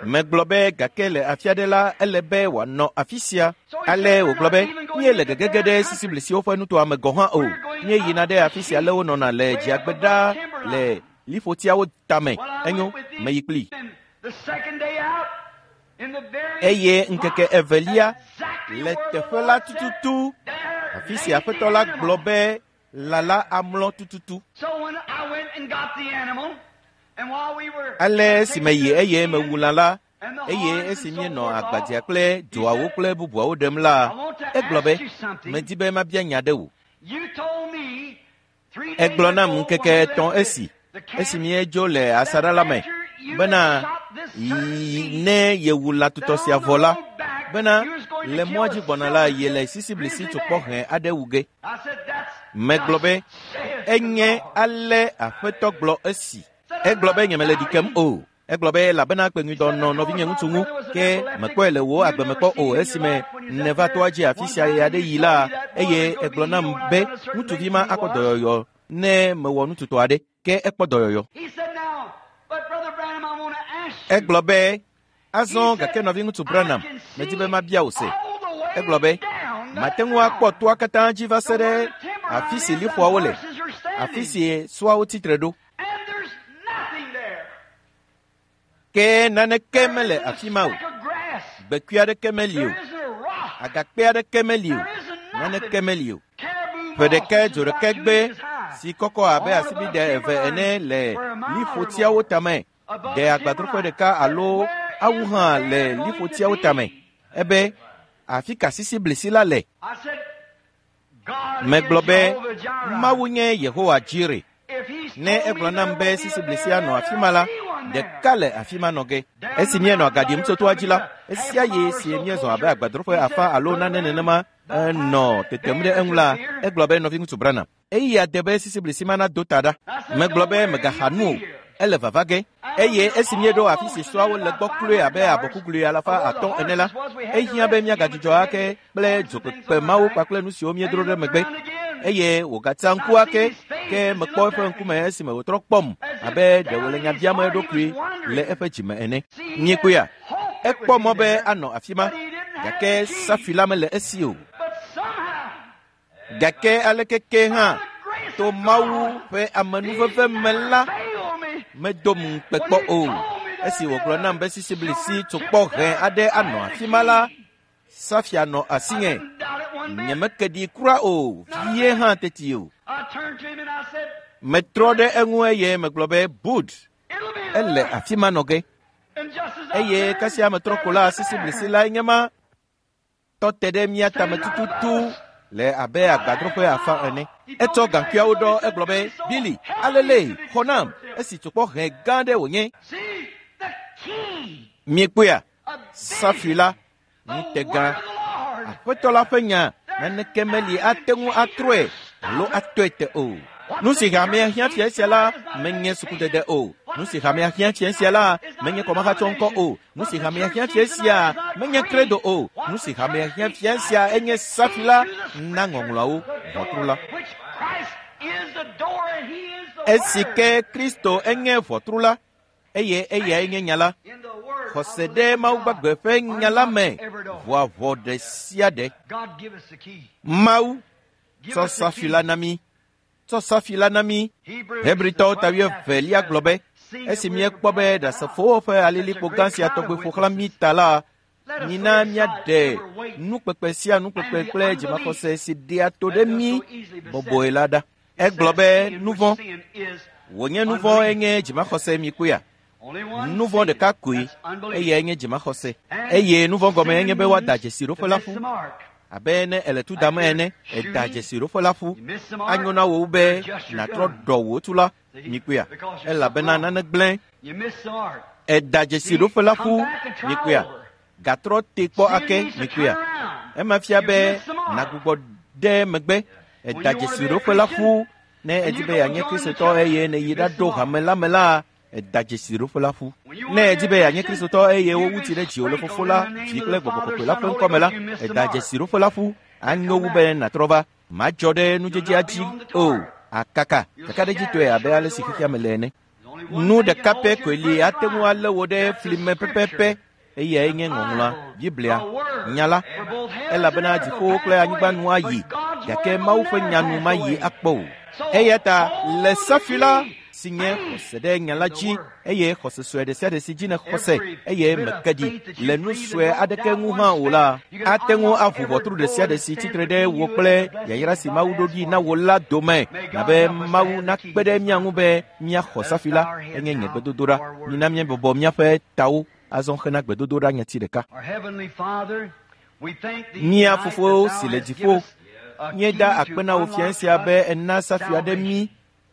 Megblɔ be gake le afi aɖe la, ele be wòanɔ afi sia. Ale wògblɔ be, míele gegege ɖe sisiblisiwo ƒe nutoa me gɔ̃ hã o. Míeyina ɖe afi sia ale wonɔna le dziagbe ɖaa le liƒotiawo tame. Enyo, meyi kplii. Eye ŋkeke evelia, le teƒe la tututu, afi si Aƒetɔ la gblɔ be lã la amlɔ tututu. Ale esi meyi eye mewu lã la, eye esi míenɔ agbadzea kple dzoawo kple bubuawo ɖem la, egblɔ be, medi be mabia nya ɖe wò. Egblɔ nam ŋkeke etɔ̃ esi, esi míedzo le asaɖa la me, bena ne yewu lã tutɔ sia vɔ la, bena le mɔa dzi gbɔna la, yele sisiblisi tsokpɔ hẽ aɖe wu ge. Megblɔ be, enye ale Aƒetɔ gblɔ esi. Egblɔ be nye mele ɖi kem o. Egblɔ be elabena kpeŋuidɔ nɔ nɔvinye ŋutsu ŋu, ke mekpɔe le wò agbe me kpɔ o esime nèva toa dzi afi sia ɣe aɖe yi la, eye egblɔ nam be ŋutsuvi ma akpɔ dɔyɔyɔ ne mewɔ nututɔ aɖe, ke ekpɔ dɔyɔyɔ. Egblɔ be, azɔ gake nɔviŋutsu Branham, medi be mabia wò se. Egblɔ be, mate ŋu akpɔ toa katã dzi va se ɖe afi si liƒoawo le, afi si sɔawo tsitre ɖo. Ke naneke mele afi ma o. Gbekui aɖeke meli o. Agakpe aɖeke meli o. Naneke meli o. Ƒe ɖeka dzo ɖeka gbe si kɔkɔ abe asibide eve ene le liƒotiawo tame. Ɖe agbadroƒe ɖeka alo awu hã le liƒotiawo tame. Ebe, afi ka sisiblisi la le? Megblɔ be, Mawu nye Yehowa Jire. Ne egblɔ nam be sisiblisia nɔ afi ma la, ɖeka le afi ma nɔ ge. Esi míenɔ agaɖim tso toa dzi la, esia ye si míezɔ abe agbadroƒe afã alo nane nenema enɔ tetem ɖe eŋu la, egblɔ be nɔviŋutsu Branham, eya de be sisiblisi ma nado ta ɖa. Megblɔ be megaxa nu o, ele vava ge. Eye esi míeɖo afi si sɔawo le gbɔ kloe abe abɔkuglui 500 ene la, ehiã be míagadzudzɔ ake kple dzokpekpe mawo kpakple nu siwo míedro ɖe megbe. Eye wògatsa ŋku ake, ke mekpɔ eƒe ŋkume esime wòtrɔ kpɔm abe ɖe wòle nya biam eɖokui le eƒe dzime ene. Míekpɔea? Ekpɔ mɔ be anɔ afi ma, gake safi la mele esi o. Gake aleke ke hã, to Mawu ƒe amenuveve me la, medom ŋukpe kpɔ o. Esi wògblɔ nam be sisiblisi tsokpɔ hẽ aɖe anɔ afi ma la, safia nɔ asinye. Nye meke ɖi kura o, vie hã teti o. Metrɔ ɖe eŋu eye megblɔ be, Bud, ele afi ma nɔ ge. Eye kasia metrɔ ko la, sisiblisi lae nye ma tɔ te ɖe mía tame tututu le abe agbadroƒe afã ene. Etsɔ gaŋkuiawo ɖɔ, egblɔ be, Billy, alele, xɔ nam, esi tsokpɔ hẽ gã ɖe wònye. Miekpɔea? Safi la, ŋutegã. Aƒetɔ la ƒe nya, naneke meli ate ŋu atrɔe alo atɔe te o. Nu si hamea hiã fia sia la menye sukudede o. Nu si hamea hiã fia sia la menye kɔmahatsɔŋkɔ o. Nu si hamea hiã fia sia menye kredo o. Nu si hamea hiã fia sia enye safi la na ŋɔŋlɔawo ʋɔtru la. Esi ke Kristo enye ʋɔtru la, eye eyae nye nya la. Xɔse ɖe Mawu gbagbe ƒe nya la me ʋua ʋɔ ɖe sia ɖe. Mawu tsɔ safi la na mí. Tsɔ safi la na mí. Hebritɔwo ta 22 gblɔ be, esi míekpɔ be ɖasefowo ƒe alilikpo gã sia tɔgbe ƒo xlã mí ta la, mina míaɖe nukpekpe sia nukpekpe kple dzimaxɔse si ɖea to ɖe mí bɔbɔe la ɖa. Egblɔ be nuvɔ̃. Wònye nu vɔ̃ enye dzimaxɔse mi kpɔea? Nu vɔ̃ ɖeka koe, eyae nye dzimaxɔse. Eye nu vɔ̃ gɔme enye be woada dzesi ɖoƒe la ƒu. Abe ne èle tu dam ene, èda dzesi ɖoƒe la ƒu. Anyo na wò wu be nàtrɔ ɖɔ wò tu la, mi kpɔea? Elabena nane gblẽ. Èda dzesi ɖoƒe la ƒu, mi kpɔea? Gatrɔ te kpɔ ake, mi kpɔea? Ema fia be nàgbugbɔ ɖe megbe. Èda dzesi ɖoƒe la ƒu ne èdi be yeanye Kristotɔ eye nèyi ɖaɖo hame la me la, èda dzesi ɖoƒe la ƒu. Ne èdi be yeanye Kristotɔ eye wowu tsi ɖe dziwò le Fofo la, Vi kple Gbɔgbɔ Kɔkɔe la ƒe ŋkɔ me la, èda dzesi ɖoƒe la ƒu. Anyo wu be nàtrɔ va. Madzɔ ɖe nudzedzea dzi o, akaka kakaɖedzitɔe abe ale si xexea me le ene. Nu ɖeka pɛ koe li ate ŋu alé wò ɖe fli me pɛpɛpɛ, eyae nye Ŋɔŋlɔa, Biblia, Nya la, elabena dziƒowo kple anyigba nu ayi, gake Mawu ƒe nya nu mayi akpɔ o. Eya ta le safi la, si nye xɔse ɖe nya la dzi, eye xɔse sue ɖe sia ɖe si dzi nèxɔ se, eye mèke ɖi le nu sue aɖeke ŋu hã o la, ate ŋu aʋu ʋɔtru ɖe sia ɖe si tsitre ɖe wò kple yayra si Mawu ɖo ɖi na wò la dome, na be Mawu nakpe ɖe mía ŋu be míaxɔ safi la. Enye nye gbedodoɖa. Mina míabɔbɔ míaƒe tawo azɔ hena gbedodoɖa nyati ɖeka. Mía Fofo si le dziƒo, míeda akpe na wò fiẽ sia be èna safi aɖe mí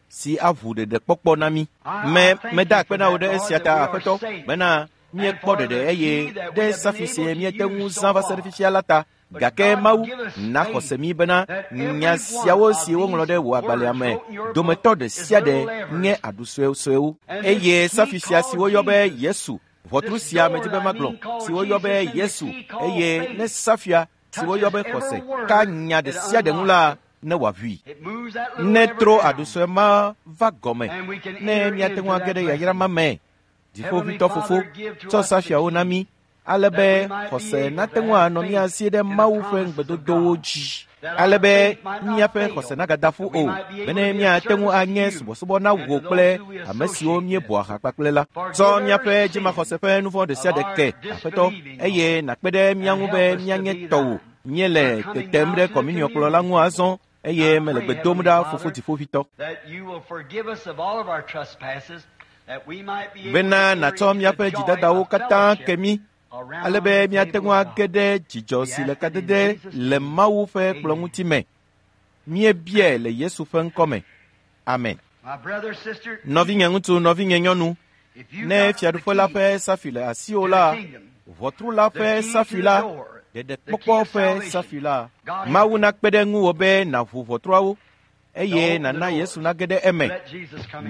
si aʋu ɖeɖekpɔkpɔ na mí. Me, meda akpe na wò ɖe esia ta, Aƒetɔ, bena míekpɔ ɖeɖe eye ɖe safi si míete ŋu zã va se ɖe fifia la ta. Gake Mawu na xɔse mí bena nya siawo si woŋlɔ ɖe wò agbalẽa me dometɔ ɖe sia ɖe nye aɖu suesuewo. Eye safi sia si woyɔ be Yesu, ʋɔtru sia medi be magblɔ, si woyɔ be Yesu, eye ne safia si woyɔ be xɔse ka nya ɖe sia ɖe ŋu la, ne wòaʋui. Ne tro aɖu sue ma va gɔme, ne míate ŋu age ɖe yayra ma me. Dziƒoʋĩtɔ Fofo, tsɔ safiawo na mí, ale be xɔse nate ŋu anɔ mía si ɖe Mawu ƒe ŋugbedodowo dzi, ale be míaƒe xɔse nagada ƒu o, bene míate ŋu anye subɔsubɔ na wò kple ame siwo míebɔa ha kpakple la. Tsɔ míaƒe dzimaxɔse ƒe nu vɔ̃ ɖe sia ɖe ke, Aƒetɔ, eye nàkpe ɖe mía ŋu be míanye tɔwò. Míele tetem ɖe kɔminiɔkplɔ la ŋu azɔ, eye mele gbe dom ɖa, Fofo Dziƒoʋĩtɔ, bena nàtsɔ míaƒe dzidadawo katã ke mí, ale be míate ŋu age ɖe dzidzɔ si le kadede le Mawu ƒe kplɔ̃ ŋuti me. Míebiae le Yesu ƒe ŋkɔ me. Amen. Nɔvinye ŋutsu, nɔvinye nyɔnu, ne fiaɖuƒe la ƒe safi le asiwò la, ʋɔtru la ƒe safi la, ɖeɖekpɔkpɔ ƒe safi la, Mawu nakpe ɖe ŋuwò be nàʋu ʋɔtruawo, eye nàna Yesu nage ɖe eme,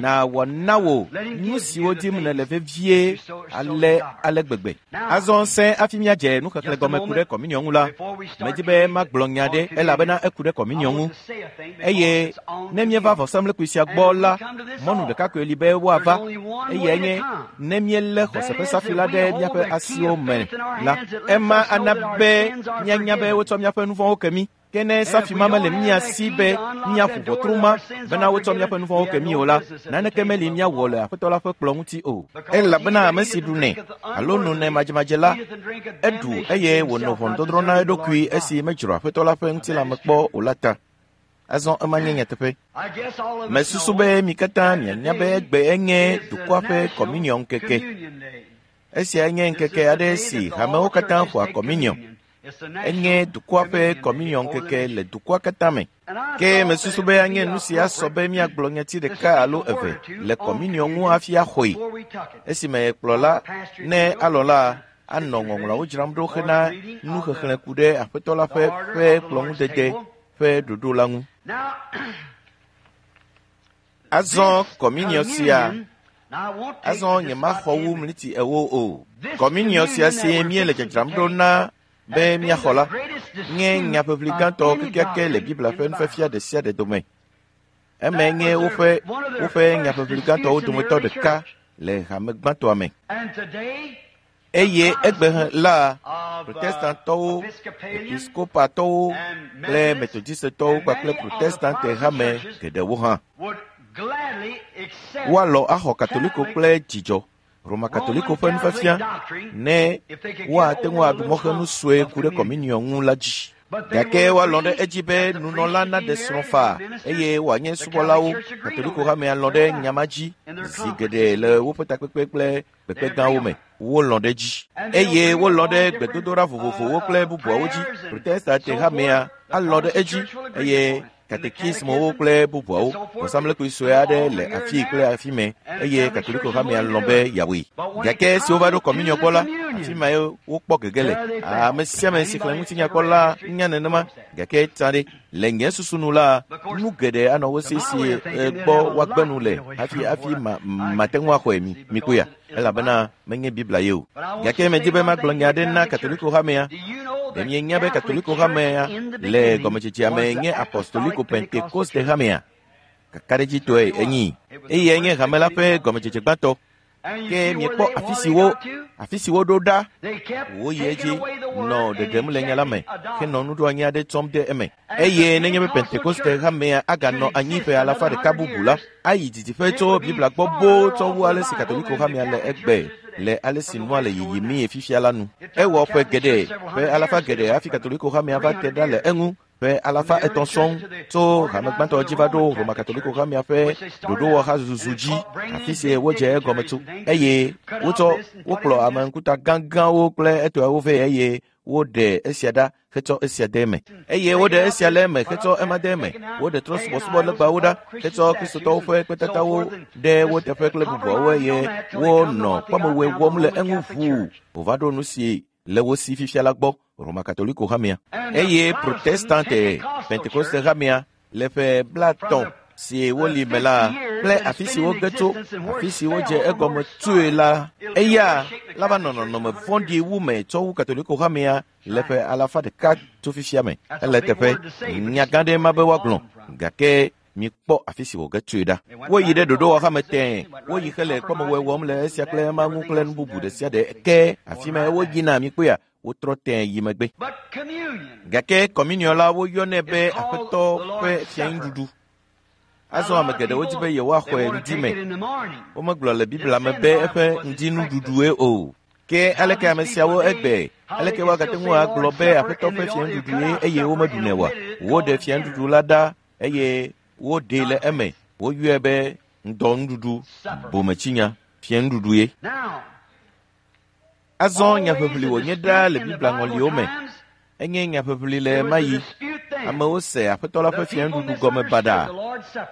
nàwɔ na wò nu siwo dim nèle vevie ale ale gbegbe. Azɔ sẽ hafi míadze nuxexlẽ gɔme ku ɖe kɔminiɔ ŋu la, medi be magblɔ nya ɖe elabena eku ɖe kɔminiɔ ŋu. Eye ne míeva vɔsamlekpui sia gbɔ la, mɔnu ɖeka koe li be woava, eyae nye ne míelé xɔse ƒe safi la ɖe míaƒe asiwo me la, ema ana be míanya be wotsɔ míaƒe nu vɔ̃wo ke mí. Ke ne safi ma mele mía si be míaƒo ʋɔtru ma bena wotsɔ míaƒe nu vɔ̃wo ke mí o la, naneke meli míawɔ le Aƒetɔ la ƒe kplɔ̃ ŋuti o. Elabena ame si ɖunɛ alo nonɛ madzemadze la, eɖu eye wònɔ ʋɔnudɔdrɔ̃ na eɖokui esi medzro Aƒetɔ la ƒe ŋutilã me kpɔ o la ta. Azɔ ema nye nyateƒe. Mesusu be mi katã mianya be egbe enye dukɔa ƒe kɔminiɔ ŋkeke. Esia nye ŋkeke aɖe si hamewo katã xɔa kɔminiɔ. Enye dukɔa ƒe kɔminiɔ ŋkeke le dukɔa katã me. Ke mesusu be anye nu si asɔ be míagblɔ nyati ɖeka alo eve le kɔminiɔ ŋu hafi axɔe. Esime kplɔla, ne alɔ la, anɔ ŋɔŋlɔawo dzram ɖo hena nuxexlẽ ku ɖe Aƒetɔ la ƒe ƒe kplɔ̃ŋudede ƒe ɖoɖo la ŋu. Azɔ kɔminiɔ sia, azɔ nyemaxɔ wu mliti ewo o. Kɔminiɔ sia si míele dzadzram ɖo na be míaxɔ la, nye nyaʋiʋli gãtɔ kekeake le Biblia ƒe nufiafia ɖe sia ɖe dome. Emae nye woƒe woƒe nyaʋiʋli gãtɔwo dometɔ ɖeka le hame gbãtɔa me. Eye egbe la, Protestantɔwo, Episkopatɔwo kple Metodistetɔwo kpakple Protestante hame geɖewo hã woalɔ̃ axɔ Katoliko kple dzidzɔ Roma Katoliko ƒe nufiafia ne woate ŋu aɖu mɔxenu sue ku ɖe kɔminiɔ ŋu la dzi. Gake woalɔ̃ ɖe edzi be nunɔla naɖe srɔ̃ faa eye wòanye subɔlawo. Katoliko hamea lɔ̃ ɖe nya ma dzi zi geɖe le woƒe takpekpe kple kpekpe gãwo me. Wolɔ̃ ɖe edzi eye wolɔ̃ ɖe gbedodoɖa vovovowo kple bubuawo dzi. Protestante hamea alɔ̃ ɖe edzi eye katekismowo kple bubuawo. Vɔsamlekpui sue aɖe le afii kple afi mɛ eye Katoliko hamea lɔ̃ be yeawɔe. Gake esi wova ɖo kɔminiɔ gbɔ la, afi mae wokpɔ gege le. Ame sia ame si xlẽ ŋutinya kpɔ la nya nenema. Gake tsã ɖe, le nye susu nu la, nu geɖe anɔ wo si si gbɔ woagbe nu le hafi hafi ma mate ŋu axɔe mi mikpɔea, elabena menye Biblia ye o. Gake medi be magblɔ nya aɖe na Katoliko hamea. Ɖe mienya be Katoliko hamea le gɔmedzedzea me nye Apostoliko Pentekoste hamea? Kakaɖedzitɔe enyi. Eyae nye hame la ƒe gɔmedzedze gbãtɔ. Ke miekpɔ afi si wo afi si woɖo ɖa. Woyi edzi nɔ ɖeɖem le nya la me henɔ nuɖoanyi aɖe tsɔm de eme. Eye nenye be Pentekoste hamea aganɔ anyi ƒe alafa ɖeka bubu la, ayi didiƒe tso Biblia gbɔ boo tsɔ wu ale si Katoliko hamea le egbe le ale si nua le yiyimie fifia la nu. Ewɔ ƒe geɖe, ƒe alafa geɖe hafi Katoliko hamea va te ɖa le eŋu. Ƒe 500 sɔŋ tso hame gbãtɔ dzi va ɖo Roma Katoliko hamea ƒe ɖoɖowɔha zuzu dzi, afi si wodze egɔme tso. Eye wotsɔ wokplɔ ame ŋkuta gãgãwo kple etɔawo vɛ eye woɖe esia ɖa hetsɔ esia de eme. Eye woɖe esia le eme hetsɔ ema de eme. Woɖe trɔ̃subɔsubɔ legbawo ɖa hetsɔ Kristotɔwo ƒe kpetatawo ɖe wo teƒe kple bubuawo eye wonɔ kpɔmewɔe wɔm le eŋu ʋuu wòva ɖo nu si le wo si fifia la gbɔ, Roma Katoliko hamea. Eye Protestante Pentekoste hamea le ƒe 50 si woli me la kple afi si woge tso, afi si wodze egɔme tsoe la, eya la va nɔ nɔnɔme vɔ̃ɖi wu me tsɔ wu Katoliko hamea le ƒe 100 tso fifia me. Ele eteƒe nya gã ɖe ma be woagblɔ, gake mikpɔ afi si wòge tsoe ɖa. Woyi ɖe ɖoɖowɔha me tẽe, woyi hele kpɔmewɔe wɔm le esia kple ema ŋu kple nu bubu ɖe sia ɖe. Ke afi mae woyina, mikpɔea, wotrɔ tẽe yi megbe. Gake kɔminiɔ la woyɔnɛ be Aƒetɔ ƒe fiaŋuɖuɖu. Azɔ ame geɖewo di be yewoaxɔe ŋdi me. Womegblɔ le Biblia me be eƒe ŋdinuɖuɖue o. Ke aleke ame siawo egbe? Aleke woagate ŋu agblɔ be Aƒetɔ ƒe fiaŋuɖuɖue eye womeɖunɛ oa? Woɖe fiaŋuɖuɖu la ɖa eye woɖee le eme. Woyɔe be ŋdɔnuɖuɖu, bometsinya, fiaŋuɖuɖue. Azɔ nyaʋiʋli wònye ɖaa le Biblia ŋɔliwo me. Enye nyaʋiʋli le ɣemaɣi. Amewo se Aƒetɔ la ƒe fiaŋuɖuɖu gɔme baɖa.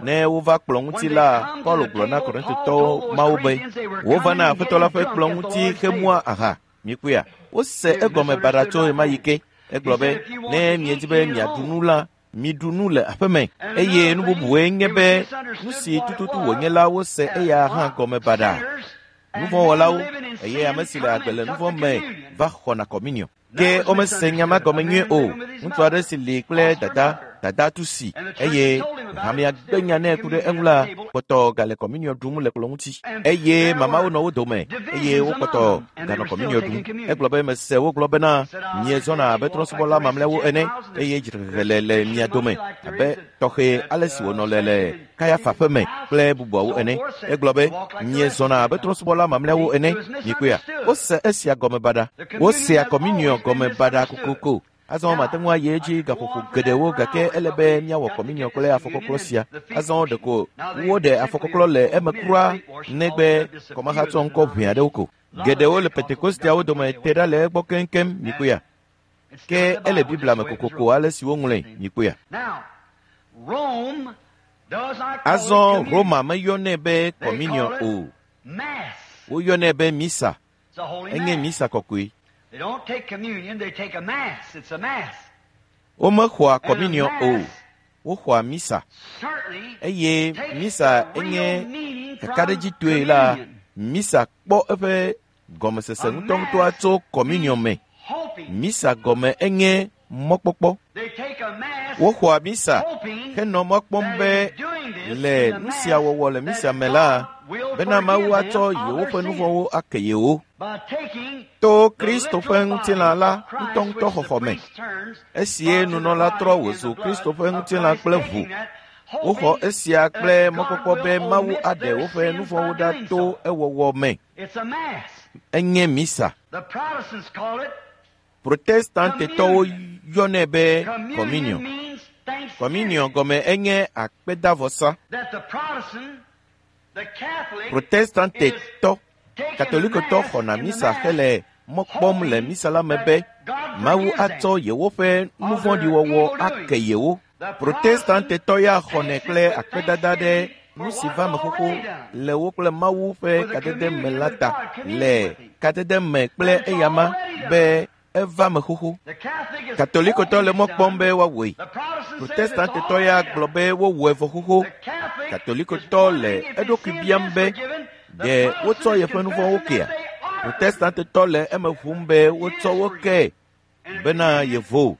Ne wova kplɔ̃ ŋuti la, Paulo gblɔ na Korintotɔwo mawo be, wova na Aƒetɔ la ƒe kplɔ̃ ŋuti hemua aha. Mikpɔea? Wose egɔme baɖa tso ɣemaɣi ke. Egblɔ be, ne miedi be miaɖu nu la, miɖu nu le aƒeme. Eye nu bubuwoe nye be nu si tututu wònye la wose eya hã gɔme baɖa. Nuvɔ̃wɔlawo eye ame si le agbe le nuvɔ̃ me va xɔna kɔminiɔ. Ke womese nya ma gɔme nyuie o. Ŋutsu aɖe si li kple dada, dada tu si eye hamea gbe nya nɛ ku ɖe eŋu la kpɔtɔ gale kɔminiɔ ɖum le kplɔ̃ ŋuti. Eye mamawo nɔ wo dome eye wokpɔtɔ ganɔ kɔminiɔ ɖum. Egblɔ be mese wogblɔ bena miezɔna abe trɔ̃subɔla mamlɛawo ene eye dzrehehe le le mia dome abe tɔxɛ ale si wònɔ le le Kayafa ƒe me kple bubuawo ene. Egblɔ be miezɔna abe trɔ̃subɔla mamlɛawo ene. Mikpɔea? Wose esia gɔme baɖa. Wosea kɔminiɔ gɔme baɖa kokoko. Azɔ mate ŋu ayi edzi gaƒoƒo geɖewo gake ele be míawɔ kɔminiɔ kple afɔkɔklɔ sia. Azɔ ɖeko woɖe afɔkɔklɔ le eme kura negbe kɔmahatsɔ ŋkɔ ʋɛ aɖewo ko. Geɖewo le Pentekosteawo dome te ɖa le egbɔ keŋkeŋ, mikpɔea? Ke ele Biblia me kokoko ale si woŋlɔe, mikpɔea? Azɔ Roma meyɔnɛ be kɔminiɔ o. Woyɔnɛ be misa. Enye misa kɔkɔe. Womexɔa kɔminiɔ o. Woxɔa misa. Eye misa enye kakaɖedzitɔe la, misa kpɔ eƒe gɔmesese ŋutɔŋutɔa tso kɔminiɔ me. Misa gɔme enye mɔkpɔkpɔ. Woxɔa misa henɔ mɔ kpɔm be le nu sia wɔwɔ le misa me la, bena Mawu atsɔ yewoƒe nuvɔ̃wo ake yewo. To Kristo ƒe ŋutilã la ŋutɔŋutɔ xɔxɔ me. Esie nunɔla trɔ wòzu Kristo ƒe ŋutilã kple ʋu. Woxɔ esia kple mɔkpɔkpɔ be Mawu aɖe woƒe nuvɔ̃wo ɖa to ewɔwɔ me. Enye misa. Protestantetɔwo Woyɔnɛ be kɔminiɔ. Kɔminiɔ gɔme enye akpedavɔsa. Protestantetɔ, Katolikotɔ xɔna misa hele mɔ kpɔm le misa la me be Mawu atsɔ yewoƒe nuvɔ̃ɖiwɔwɔ ake yewo. Protestantetɔ ya xɔnɛ kple akpedada ɖe nu si va me xoxo le wo kple Mawu ƒe kadede me la ta le kadede me kple eyama be eva me xoxo. Katolikotɔ le mɔ kpɔm be woawɔe. Protestantetɔ ya gblɔ be wowɔe vɔ xoxo. Katolikotɔ le eɖokui biam be ɖe wotsɔ yeƒe nu vɔ̃wo kea? Protestantetɔ le eme ʋum be wotsɔ wo ke bena yevo.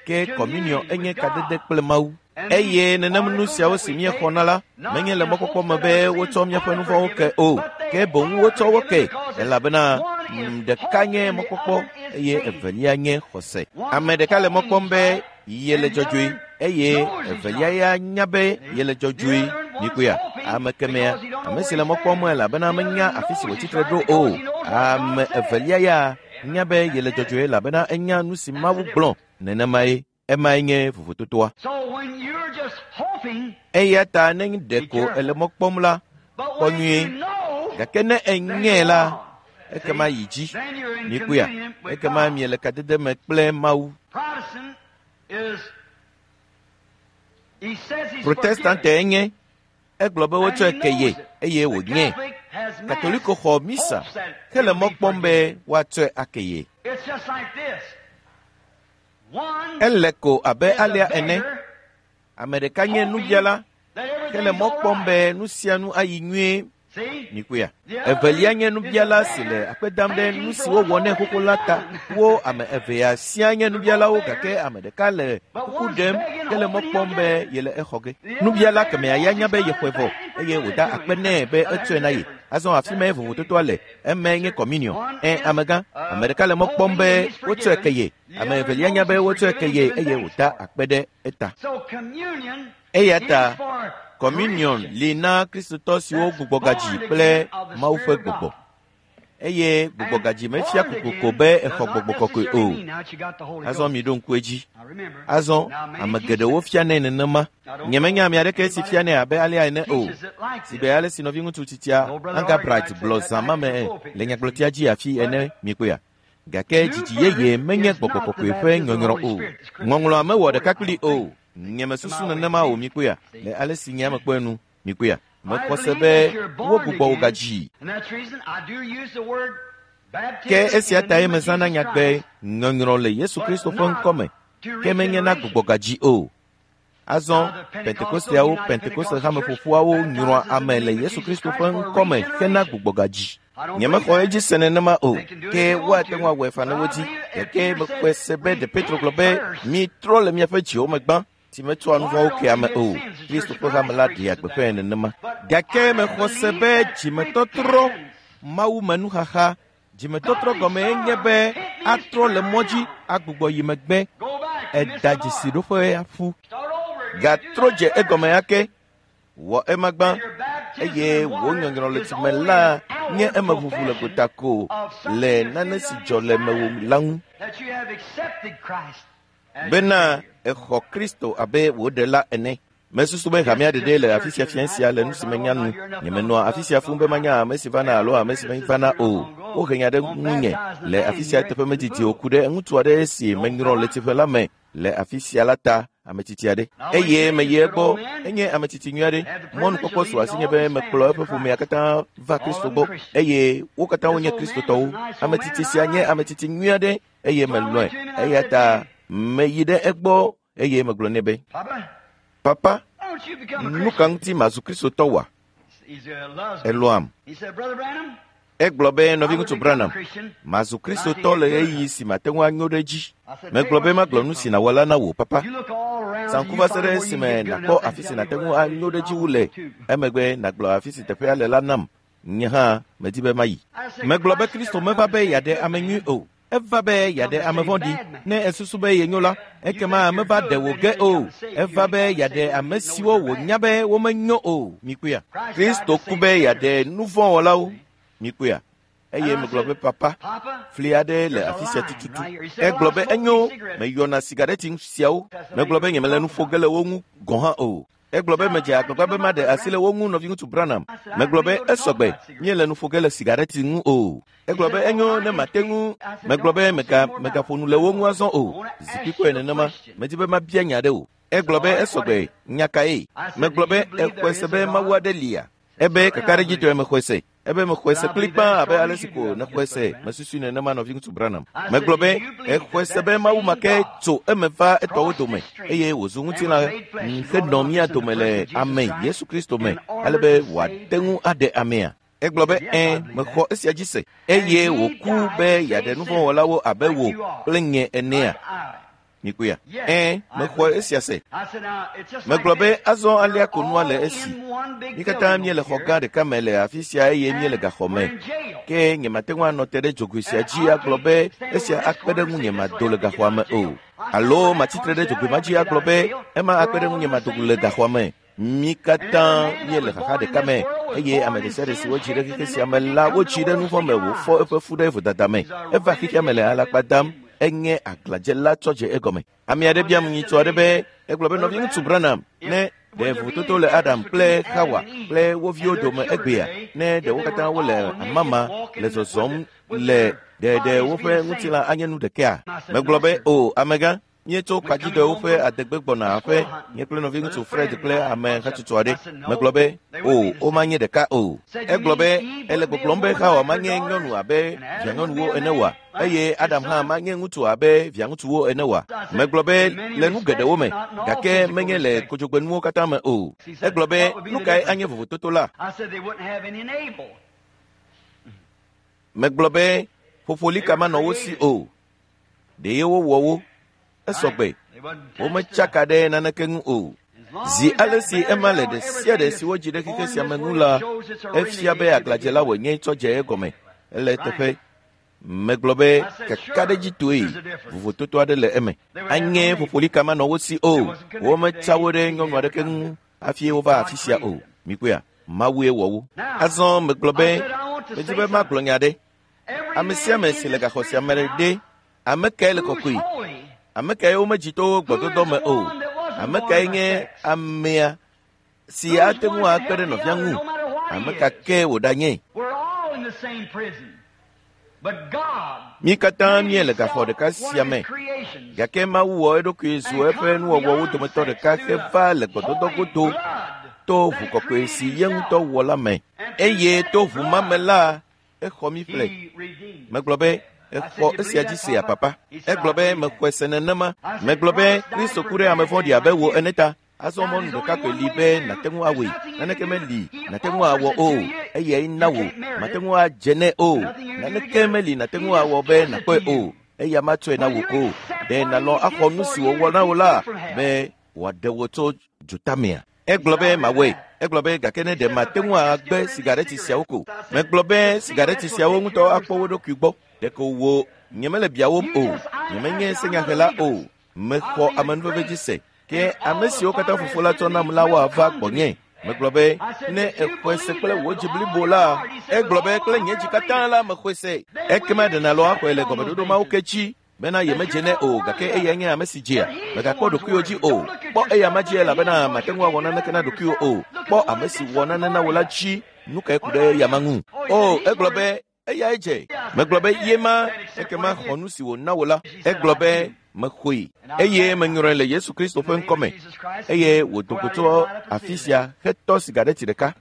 Ke kɔminiɔ enye kadede kple Mawu. Eye nenem nu siawo si míexɔna la menye le mɔkpɔkpɔ me be wotsɔ míaƒe nu vɔ̃wo ke o, ke boŋ wotsɔ wo ke elabena ɖeka nye mɔkpɔkpɔ eye evelia nye xɔse. Ame ɖeka le mɔ kpɔm be yele dzɔdzɔe eye evelia ya nya be yele dzɔdzɔe. Mikpɔea, ame kemɛa, ame si le mɔ kpɔm elabena menya afi si wòtsitre ɖo o. Ame evelia ya nya be yele dzɔdzɔe elabena enya nu si Mawu gblɔ. Nenemae emae nye vovototoa. Eya ta ne ɖeko ele mɔ kpɔm la, kpɔ nyuie. Gake ne enyae la, ekema yi dzi. Mikpɔea, ekema miele kadede me kple Mawu. Protestante enye. Egblɔ be wotsɔe ke ye eye wònyae. Katoliko xɔ misa hele mɔ kpɔm be woatsɔe ake ye. Ele ko abe alea ene. Ame ɖeka nye nubiala hele mɔ kpɔm be nu sia nu ayi nyuie. Mikpɔea, evelia nye nubiala si le akpe dam ɖe nu si wowɔ nɛ xoxo la ta. Wo ame evea siaa nye nubialawo gake ame ɖeka le kuku ɖem hele mɔ kpɔm be yele exɔ ge. Nubiala kemɛa ya nya be yexɔe vɔ eye wòda akpe nɛ be etsɔe na ye. Azɔ afi mae vovototoa le. Emae nye kɔminiɔ. Ẽ, amegã, ame ɖeka le mɔ kpɔm be wotsɔe ke ye. Ame evelia nya be wotsɔe ke ye eye wòda akpe ɖe eta. Eya ta kɔminiɔn li na Kristotɔ siwo gbugbɔgadzi kple Mawu ƒe gbɔgbɔ. Eye gbugbɔgadzi mefia kokoko be exɔ gbɔgbɔ kɔkɔe o. Azɔ miɖo ŋku edzi. Azɔ ame geɖewo fianɛ nenema. Nyemenya ame aɖeke si fianɛ abe alea ene o. Si be ale si nɔviŋutsu tsitsia Angabright gblɔ zã ma me le nyagblɔtia dzi afi ene mikpɔea. Gake dzidzi yeye menye gbɔgbɔ kɔkɔe ƒe nyɔnyrɔ o. Ŋɔŋlɔa mewɔ ɖeka kpli o. Nyemesusu nenema o mikpɔea, le ale si nye ame kpɔe nu mikpɔea. Mexɔ se be wogbugbɔ wò gadzi. Ke esia tae mezãna nyagbe nyɔnyrɔ le Yesu Kristo ƒe ŋkɔ me, ke menye na gbugbɔgadzi o. Azɔ Pentekosteawo, Pentekoste hameƒoƒuawo nyrɔa ame le Yesu Kristo ƒe ŋkɔ me hena gbugbɔgadzi. Nyemexɔ edzi se nenema o, ke woate ŋu awɔe faa ne wodi. Gake mexɔe se be ɖe Petro gblɔ be, mitrɔ le miaƒe dziwo me gbã, si metsɔa nu vɔ̃wo kea ame o. Kristo ƒe hame la ɖea gbeƒãe nenema. Gake mexɔ se be dzimetɔtrɔ, Mawu me nuxaxa, dzimetɔtrɔ gɔmee nye be atrɔ le mɔ dzi agbugbɔ yi megbe. Eda dzesiɖoƒea ƒu. Gatrɔ dze egɔme ake. Wɔ ema gbã eye wò nyɔnyrɔ le tsime la nye emeʋuʋu le gota ko le nane si dzɔ le mewò la ŋu. Bena exɔ Kristo abe wò ɖela ene. Mesusu be hamea ɖeɖe le afi sia fia sia le nu si menya nu. Nyemenɔa afi sia fũu be manya ame si vana alo ame si mevana o. Wohe nya ɖe ŋunye le afi sia eteƒe medidi o ku ɖe ŋutsu aɖe si menyrɔ le tsiƒe la me le afi sia la ta, ame tsitsi aɖe. Eye meyi egbɔ, enye ame tsitsi nyui aɖe. Mɔnukpɔkpɔ su asinye be mekplɔ eƒe ƒomea katã va Kristo gbɔ eye wo katã wonye Kristotɔwo. Ame tsitsi sia nye ame tsitsi nyui aɖe eye melɔ̃e. Eya ta meyi ɖe egbɔ eye megblɔ nɛ be, Papa, nu ka ŋuti mazu Kristotɔ wa? Elɔ̃am. Egblɔ be, nɔviŋutsu Branham, mazu Kristotɔ le ɣeyiɣi si mate ŋu anyo ɖe edzi. Megblɔ be magblɔ nu si nàwɔ la na wò, papa. Saŋku va se ɖe esime nàkpɔ afi si nàte ŋu anyo ɖe edzi wu le, emegbe nàgblɔ afi si teƒea le la nam. Nye hã medi be mayi. Megblɔ be Kristo meva be yeaɖe ame nyui o. Eva be yeaɖe ame vɔ̃ɖi. Ne èsusu be yenyo la, ekema meva ɖe wò ge o. Eva be yeaɖe ame siwo wònya be womenyo o. Mikpɔea? Kristo ku be yeaɖe nu vɔ̃ wɔlawo. Mikpɔea? Eye megblɔ be, Papa, fli aɖe le afi sia tututu. Egblɔ be, Enyo, meyɔna sigareti siawo. Megblɔ be nyemele nu ƒo ge le wo ŋu gɔ̃ hã o. Egblɔ be medze agbagba be maɖe asi le wo ŋu, nɔviŋutsu Branham. Megblɔ be, Esɔgbe, míele nu ƒo ge le sigareti ŋu o. Egblɔ be, Enyo, ne mate ŋu. Megblɔ be, Mega, megaƒo nu le wo ŋu azɔ o. Zikpui kɔe nenema. Medi be mabia nya aɖe wò. Egblɔ be, Esɔgbe, nya kae? Megblɔ be, Èxɔe se be Mawu aɖe lia? Ebe, Kakaɖedzitɔe mexɔe se. Ebe mexɔe se kplikpaa abe ale si ko nèxɔe se. Mesusui nenema, nɔviŋutsu Branham. Megblɔ be, Èxɔe se be Mawu ma ke tso eme va etɔwo dome eye wòzu ŋutilã henɔ mía dome le ame Yesu Kristo me ale be wòate ŋu aɖe amea? Egblɔ be, Ɛ̃, mexɔ esia dzi se. Eye wòku be yeaɖe nuvɔ̃wɔlawo abe wò kple nye enea? Mikpɔea? Ɛ̃, mexɔ esia se. Megblɔ be, Azɔ alea ko nua le esi. Mí katã míele xɔ gã ɖeka me le afi sia eye míele gaxɔ me. Ke nyemate ŋu anɔ te ɖe dzogoe sia dzi agblɔ be esia akpe ɖe ŋunye mado le gaxɔa me o. Alo matsi tre ɖe dzogoe ma dzi agblɔ be ema akpe ɖe ŋunye mado le gaxɔa me. Mí katã míele xaxa ɖeka me eye ame ɖe sia ɖe si wodzi ɖe xexe sia me la, wodzi ɖe nuvɔ̃ me wòfɔ eƒe fu ɖe vodada me. Eva xexea me le alakpa dam, enye aglãdzela tsɔ dze egɔme. Ame aɖe biam nyitɔ aɖe be, egblɔ be, Nɔviŋutsu Branham, ne ɖe vovototo le Adam kple Xawa kple wo viwo dome egbea, ne ɖe wo katã wole amama le zɔzɔm le ɖe ɖe woƒe ŋutilã anye nu ɖekea? Megblɔ be, O, amegã, míetso kpadziɖewo ƒe adegbe gbɔna aƒe, nye kple nɔviŋutsu Fred kple ame hatsotso aɖe. Megblɔ be, O, womanye ɖeka o. Egblɔ be, Èle gbɔgblɔm be Xawa manye nyɔnu abe vianyɔnuwo ene oa? Eye Adam hã manye ŋutsu abe viaŋutsuwo ene oa? Megblɔ be, Le nu geɖewo me, gake menye le kodzogbenuwo katã me o. Egblɔ be, Nu kae anye vovototo la? Megblɔ be, Ƒoƒolika manɔ wo si o. Ɖe wowɔ wo. Esɔgbe. Wometsaka ɖe naneke ŋu o. Zi ale si ema le ɖe sia ɖe si wodzi ɖe xexe sia me ŋu la, efia be aglãdzela wònye tsɔ dze egɔme. Ele eteƒe. Megblɔ be kakaɖedzitɔe vovototo aɖe le eme. Anye ƒoƒolika manɔ wo si o. Wometsa wo ɖe nyɔnu aɖeke ŋu hafi wova afi sia o. Mikpɔea? Mawue wɔ wo. Azɔ megblɔ be, medi be magblɔ nya aɖe. Ame sia ame si le gaxɔ sia me ɖe, ame kae le kɔkɔe? Ame kae womedzi to gbɔdɔdɔ me o? Ame kae nye amea si ate ŋu akpe ɖe nɔvia ŋu? Ame ka ke wòɖanye? Mí katã míele gaxɔ ɖeka sia me, gake Mawu wɔ eɖokui zu eƒe nuwɔwɔwo dometɔ ɖeka heva le gbɔdɔdɔ godo to ʋu kɔkɔe si ye ŋutɔ wɔ la me. Eye to ʋu ma me la, exɔ mí ƒle. Megblɔ be, Èxɔ esia dzi sea, Papa? Egblɔ be, Mexɔe se nenema. Megblɔ be, Kristo ku ɖe ame vɔ̃ɖi abe wò ene ta. Azɔ mɔnu ɖeka koe li be nàte ŋu awɔe. Naneke meli nàte ŋu awɔ o. Eyae na wò. Màte ŋu adze nɛ o. Naneke meli nàte ŋu awɔ be nàkpɔe o. Eya matsɔe na wò o. Ɖe nàlɔ̃ axɔ nu si wòwɔ na wò la be wòaɖe wò tso dzotamea? Egblɔ be, Mawɔe. Egblɔ be, Gake ne ɖe mate ŋu agbe sigareti siawo ko. Megblɔ be, Sigareti siawo ŋutɔ akpɔ wo ɖokui gbɔ. Ɖeko wò, nyemele biawòm o. Nyemenye senyahela o. Mexɔ amenuveve dzi se. Ke ame siwo katã Fofo la tsɔ nam la woava gbɔnye. Megblɔ be, Ne èxɔe se kple wò dzi blibo la, egblɔ be, Kple nye dzi katã la mexɔe se. Ekema ɖe nàlɔ̃ axɔe le gɔmeɖoɖo mawo ke dzi bena yemedze nɛ o, gake eyae nye ame si dzea. Mègakpɔ ɖokuiwò dzi o. Kpɔ eya ma dzi elabena màte ŋu awɔ naneke na ɖokuiwò o. Kpɔ ame si wɔ nane na wò la dzi. Nu kae ku ɖe eya ma ŋu? O, egblɔ be, Eyae dze. Megblɔ be, Ye ma, ekema xɔ nu si wòna wò la. Egblɔ be, Mexɔe, eye menyrɔe le Yesu Kristo ƒe ŋkɔ me. Eye wòdo go tso afi sia hetɔ sigareti ɖeka.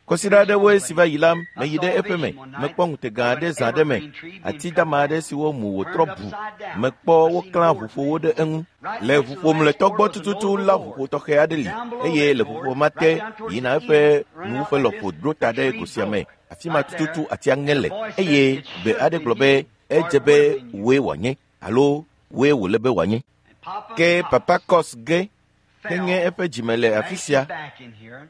Kɔsiɖa aɖewoe si va yi la, meyi ɖe eƒe me. Mekpɔ ŋutega aɖe zã aɖe me, ati dama aɖe si womu wòtrɔ bu. Mekpɔ woklã ʋuƒowo ɖe eŋu. Le ʋuƒo mlɔetɔ gbɔ tututu la ʋuƒo tɔxɛ aɖe li, eye le ʋuƒo ma te yina eƒe nuwuƒe lɔƒo ɖo ta ɖe go sia me. Afi ma tututu atia ŋe le, eye gbe aɖe gblɔ be, Edze be wòe wòanye, alo wòe wòle be wòanye. Ke Papa Kos ge heŋe eƒe dzime le afi sia,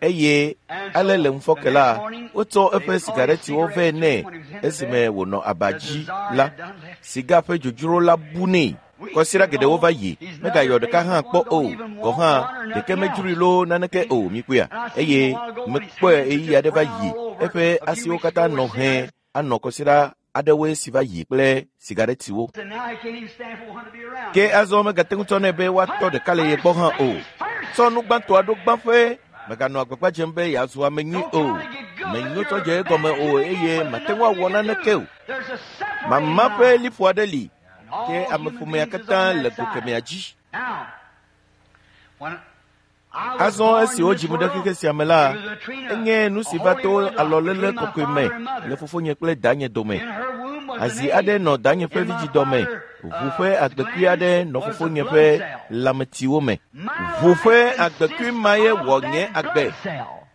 eye ale le ŋufɔke la, wotsɔ eƒe sigaretiwo vɛ nɛ esime wònɔ aba dzi la, siga ƒe dzodzro la bu nɛ. Kɔsiɖa geɖewo va yi, megayɔ ɖeka hã kpɔ o, gɔ̃ hã ɖeke medzroe loo naneke o, mikpɔea? Eye mekpɔe ɣeyiɣi aɖe va yi, eƒe asiwo katã nɔ hẽ anɔ kɔsiɖa aɖewoe si va yi kple sigaretiwo. Ke azɔ megate ŋu tsɔ nɛ be woatɔ ɖeka le ye gbɔ hã o. Tsɔ nu gbãtɔa ɖo gbãƒe, mèganɔ agbagba dzem be yeazu ame nyui o. Menyo tsɔ dze egɔme o eye màte ŋu awɔ naneke o. Mama ƒe liƒo aɖe li, ke ameƒomea katã le go kemɛa dzi. Azɔ esi wodzim ɖe xexe sia me la, enye nu si va to alɔléle kɔkɔe me le fofonye kple danye dome. Azi aɖe nɔ danye ƒe vidzidɔ me, ʋu ƒe agbekui aɖe nɔ fofonye ƒe lãmetiwo me. Ʋu ƒe agbekui ma ye wɔ nye agbe,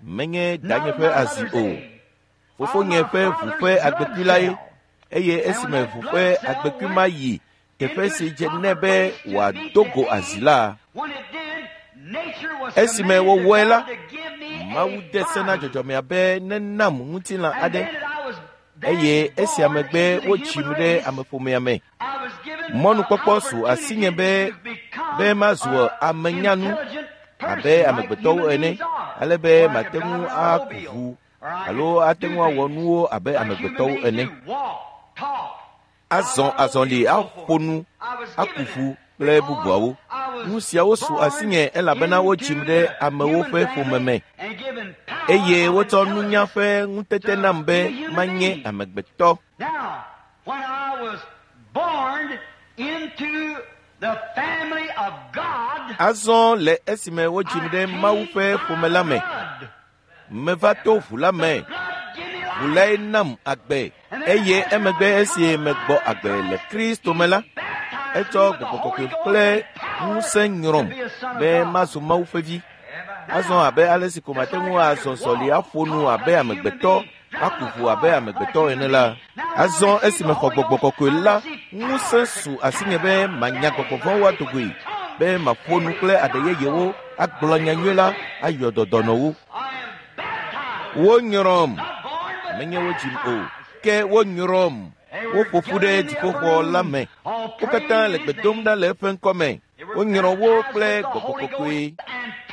menye danye ƒe azi o. Fofonye ƒe ʋu ƒe agbekui la ye, eye esime ʋu ƒe agbekui ma yi teƒe si dze nɛ be wòado go azi la, esime wòwɔe la, Mawu de se na dzɔdzɔmea be nenam ŋutilã aɖe, eye esia megbe wodzim ɖe ameƒomea me. Mɔnukpɔkpɔ su asinye be be mazu ame nyanu abe amegbetɔwo ene, ale be mate ŋu aku ʋu alo ate ŋu awɔ nuwo abe amegbetɔwo ene. Azɔ azɔli aƒo nu, aku ʋu kple bubuawo. Nu siawo su asinye elabena wodzim ɖe amewo ƒe ƒome me eye wotsɔ nunya ƒe ŋutete nam be manye amegbetɔ. Azɔ le esime wodzim ɖe Mawu ƒe ƒome la me, meva to ʋu la me. Ʋu lae nam agbe eye emegbe esi megbɔ agbe le Kristo me la, etsɔ gbɔgbɔ kɔkɔe kple ŋusẽ nyrɔm be mazu Mawu ƒe vi. Azɔ abe ale si ko mate ŋu azɔ zɔli aƒo nu abe amegbetɔ, aku ʋu abe amegbetɔ ene la. Azɔ esi mexɔ gbɔgbɔ kɔkɔe la, ŋusẽ su asinye be manya gbɔgbɔ vɔ̃wo ado goe, be maƒo nu kple aɖe yeyewo, agblɔ nyanyui la, ayɔ dɔ dɔnɔwo. Wonyrɔm, menye wodzim o, ke wonyrɔm. Woƒo ƒu ɖe dziƒoxɔ la me. Wo katã le gbe dom ɖa le eƒe ŋkɔme. Wonyrɔ wo kple gbɔgbɔ kɔkɔe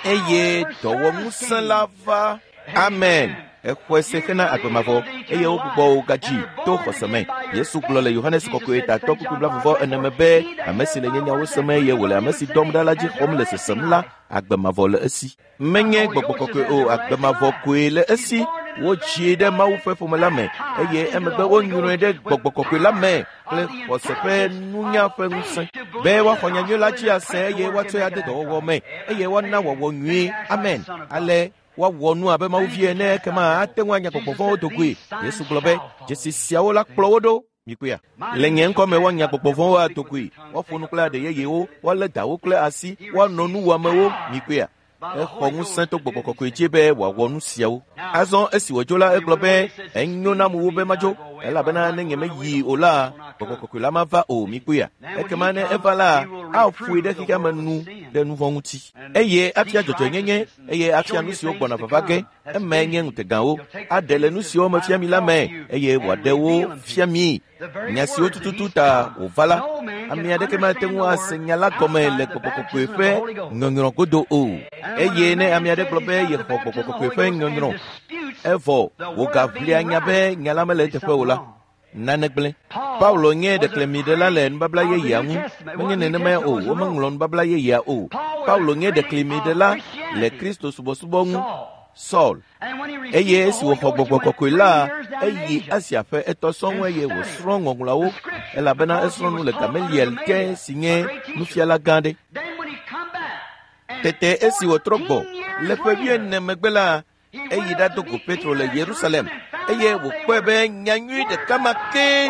eye dɔwɔŋusẽ la va. Amen. Exɔe se hena agbe mavɔ eye wogbugbɔ wo gadzi to xɔse me. Yesu gblɔ le Yohanes kɔkɔe tatɔ kpukpui blaeve-vɔ-ene me be, ame si le nye nyawo sem eye wòle ame si dɔm ɖa la dzi xɔm le sesem la, agbe mavɔ le esi. Menye gbɔgbɔ kɔkɔe o, agbe mavɔ koe le esi. Wodzie ɖe Mawu ƒe ƒome la me eye emegbe wonyrɔe ɖe gbɔgbɔ kɔkɔe la me kple xɔse ƒe nunya ƒe ŋusẽ be woaxɔ nyanyui la dzi ase eye woatsɔe ade dɔwɔwɔ me eye woana wɔwɔ nyuie. Amen. Ale woawɔ nu abe Mawu vi ene ekema ate ŋu anya gbɔgbɔ vɔ̃wo do goe. Yesu gblɔ be dzesi siawo la kplɔ wo ɖo. Mikpɔea? Le nye ŋkɔ me woanya gbɔgbɔ vɔ̃wo ado goe, woaƒo nu kple aɖe yeyewo, woalé dawo kple asi, woanɔ nu wɔamewo. Mikpɔea? Exɔ ŋusẽ to gbɔgbɔ kɔkɔe dzi be wòawɔ nu siawo. Azɔ esi wòdzo la, egblɔ be, enyo nam wu be madzo, elabena ne nyemeyi o la, gbɔgbɔ kɔkɔe la mava o. Mikpɔea? Ekema ne eva la, aƒoe ɖe xexea me nu ɖe nu vɔ̃ ŋuti, eye afia dzɔdzɔenyenye, eye afia nu siwo gbɔna vava ge. Emae nye ŋutegawo. Aɖe le nu siwo mefia mi la me, eye wòaɖe wo fia mi. Nya siwo tututu ta wòva la, ame aɖeke mate ŋu ase nya la gɔme le gbɔgbɔ kɔkɔe ƒe nyɔnyrɔ godo o. Eye ne ame aɖe gblɔ be yexɔ gbɔgbɔ kɔkɔe ƒe nyɔnyrɔ, evɔ wògaʋlia nya be nya la mele eteƒe o la, nane gblẽ. Paulo nye ɖeklemiɖela le nubabla yeyea ŋu. Menye nenemae o, womeŋlɔ nubabla yeyea o. Paulo nye ɖeklemiɖela le Kristo subɔsubɔ ŋu. Saul. Eye esi wòxɔ gbɔgbɔ kɔkɔe la, eyi Asia ƒe etɔ sɔŋ eye wòsrɔ̃ ŋɔŋlɔawo, elabena esrɔ̃ nu le Gamaliel ke si nye nufiala gã aɖe. Tete esi wòtrɔ gbɔ le ƒe wuiene megbe la, eyi ɖado go Petro le Yerusalem eye wòkpɔe be nyanyui ɖeka ma ke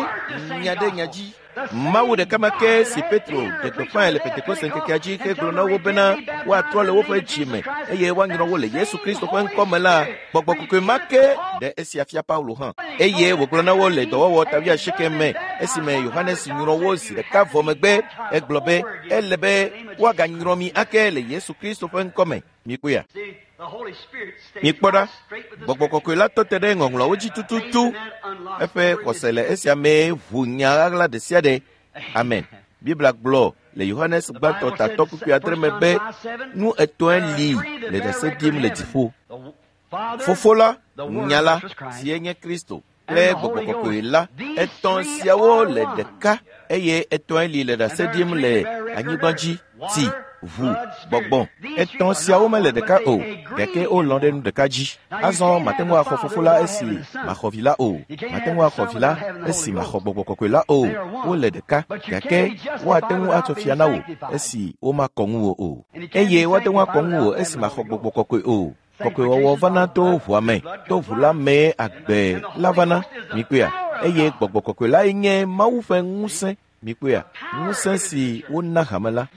nya ɖe nya dzi. Mawu ɖeka ma ke si Petro ɖe gbeƒãe le Pentekoste ŋkekea dzi hegblɔ na wo bena woatrɔ le woƒe dzi me eye woanyrɔ wo le Yesu Kristo ƒe ŋkɔ me la, gbɔgbɔ kɔkɔe ma ke ɖe esia fia Paulo hã. Eye wògblɔ na wo le dɔwɔwɔ ta wuiasieke me esime Yohanes nyrɔ wo zi ɖeka vɔ megbe, egblɔ be ele be woaganyrɔ mi ake le Yesu Kristo ƒe ŋkɔ me. Mikpɔea? Mikpɔ ɖa, gbɔgbɔ kɔkɔe la tɔ te ɖe ŋɔŋlɔawo dzi tututu. Eƒe xɔse le esia mee ʋu nya ɣaɣla ɖe sia ɖe. Amen. Biblia gblɔ le Yohanes gbãtɔ tatɔ kpukpui adre me be nu etɔ̃e li le ɖase ɖim le dziƒo. Fofo la, Nya la, sie nye Kristo kple Gbɔgbɔ Kɔkɔe la, etɔ̃ siawo le ɖeka eye etɔ̃e li le ɖase ɖim le anyigba dzi, tsi, ʋu, gbɔgbɔ. Etɔ̃ siawo mele ɖeka o, gake wolɔ̃ ɖe nu ɖeka dzi. Azɔ mate ŋu axɔ Fofo la esi maxɔ Vi la o. Mate ŋu axɔ Vi la esi maxɔ Gbɔgbɔ Kɔkɔe la o. Wole ɖeka, gake woate ŋu atsɔ fia na wò esi womakɔ ŋuwò o. Eye woate ŋu akɔ ŋuwò esi maxɔ Gbɔgbɔ Kɔkɔe o. Kɔkɔewɔwɔ vana to ʋua me, to ʋu la mee agbe la vana. Mikpɔea? Eye Gbɔgbɔ Kɔkɔe lae nye Mawu ƒe ŋusẽ. Mikpɔea? Ŋusẽ si wona hame la.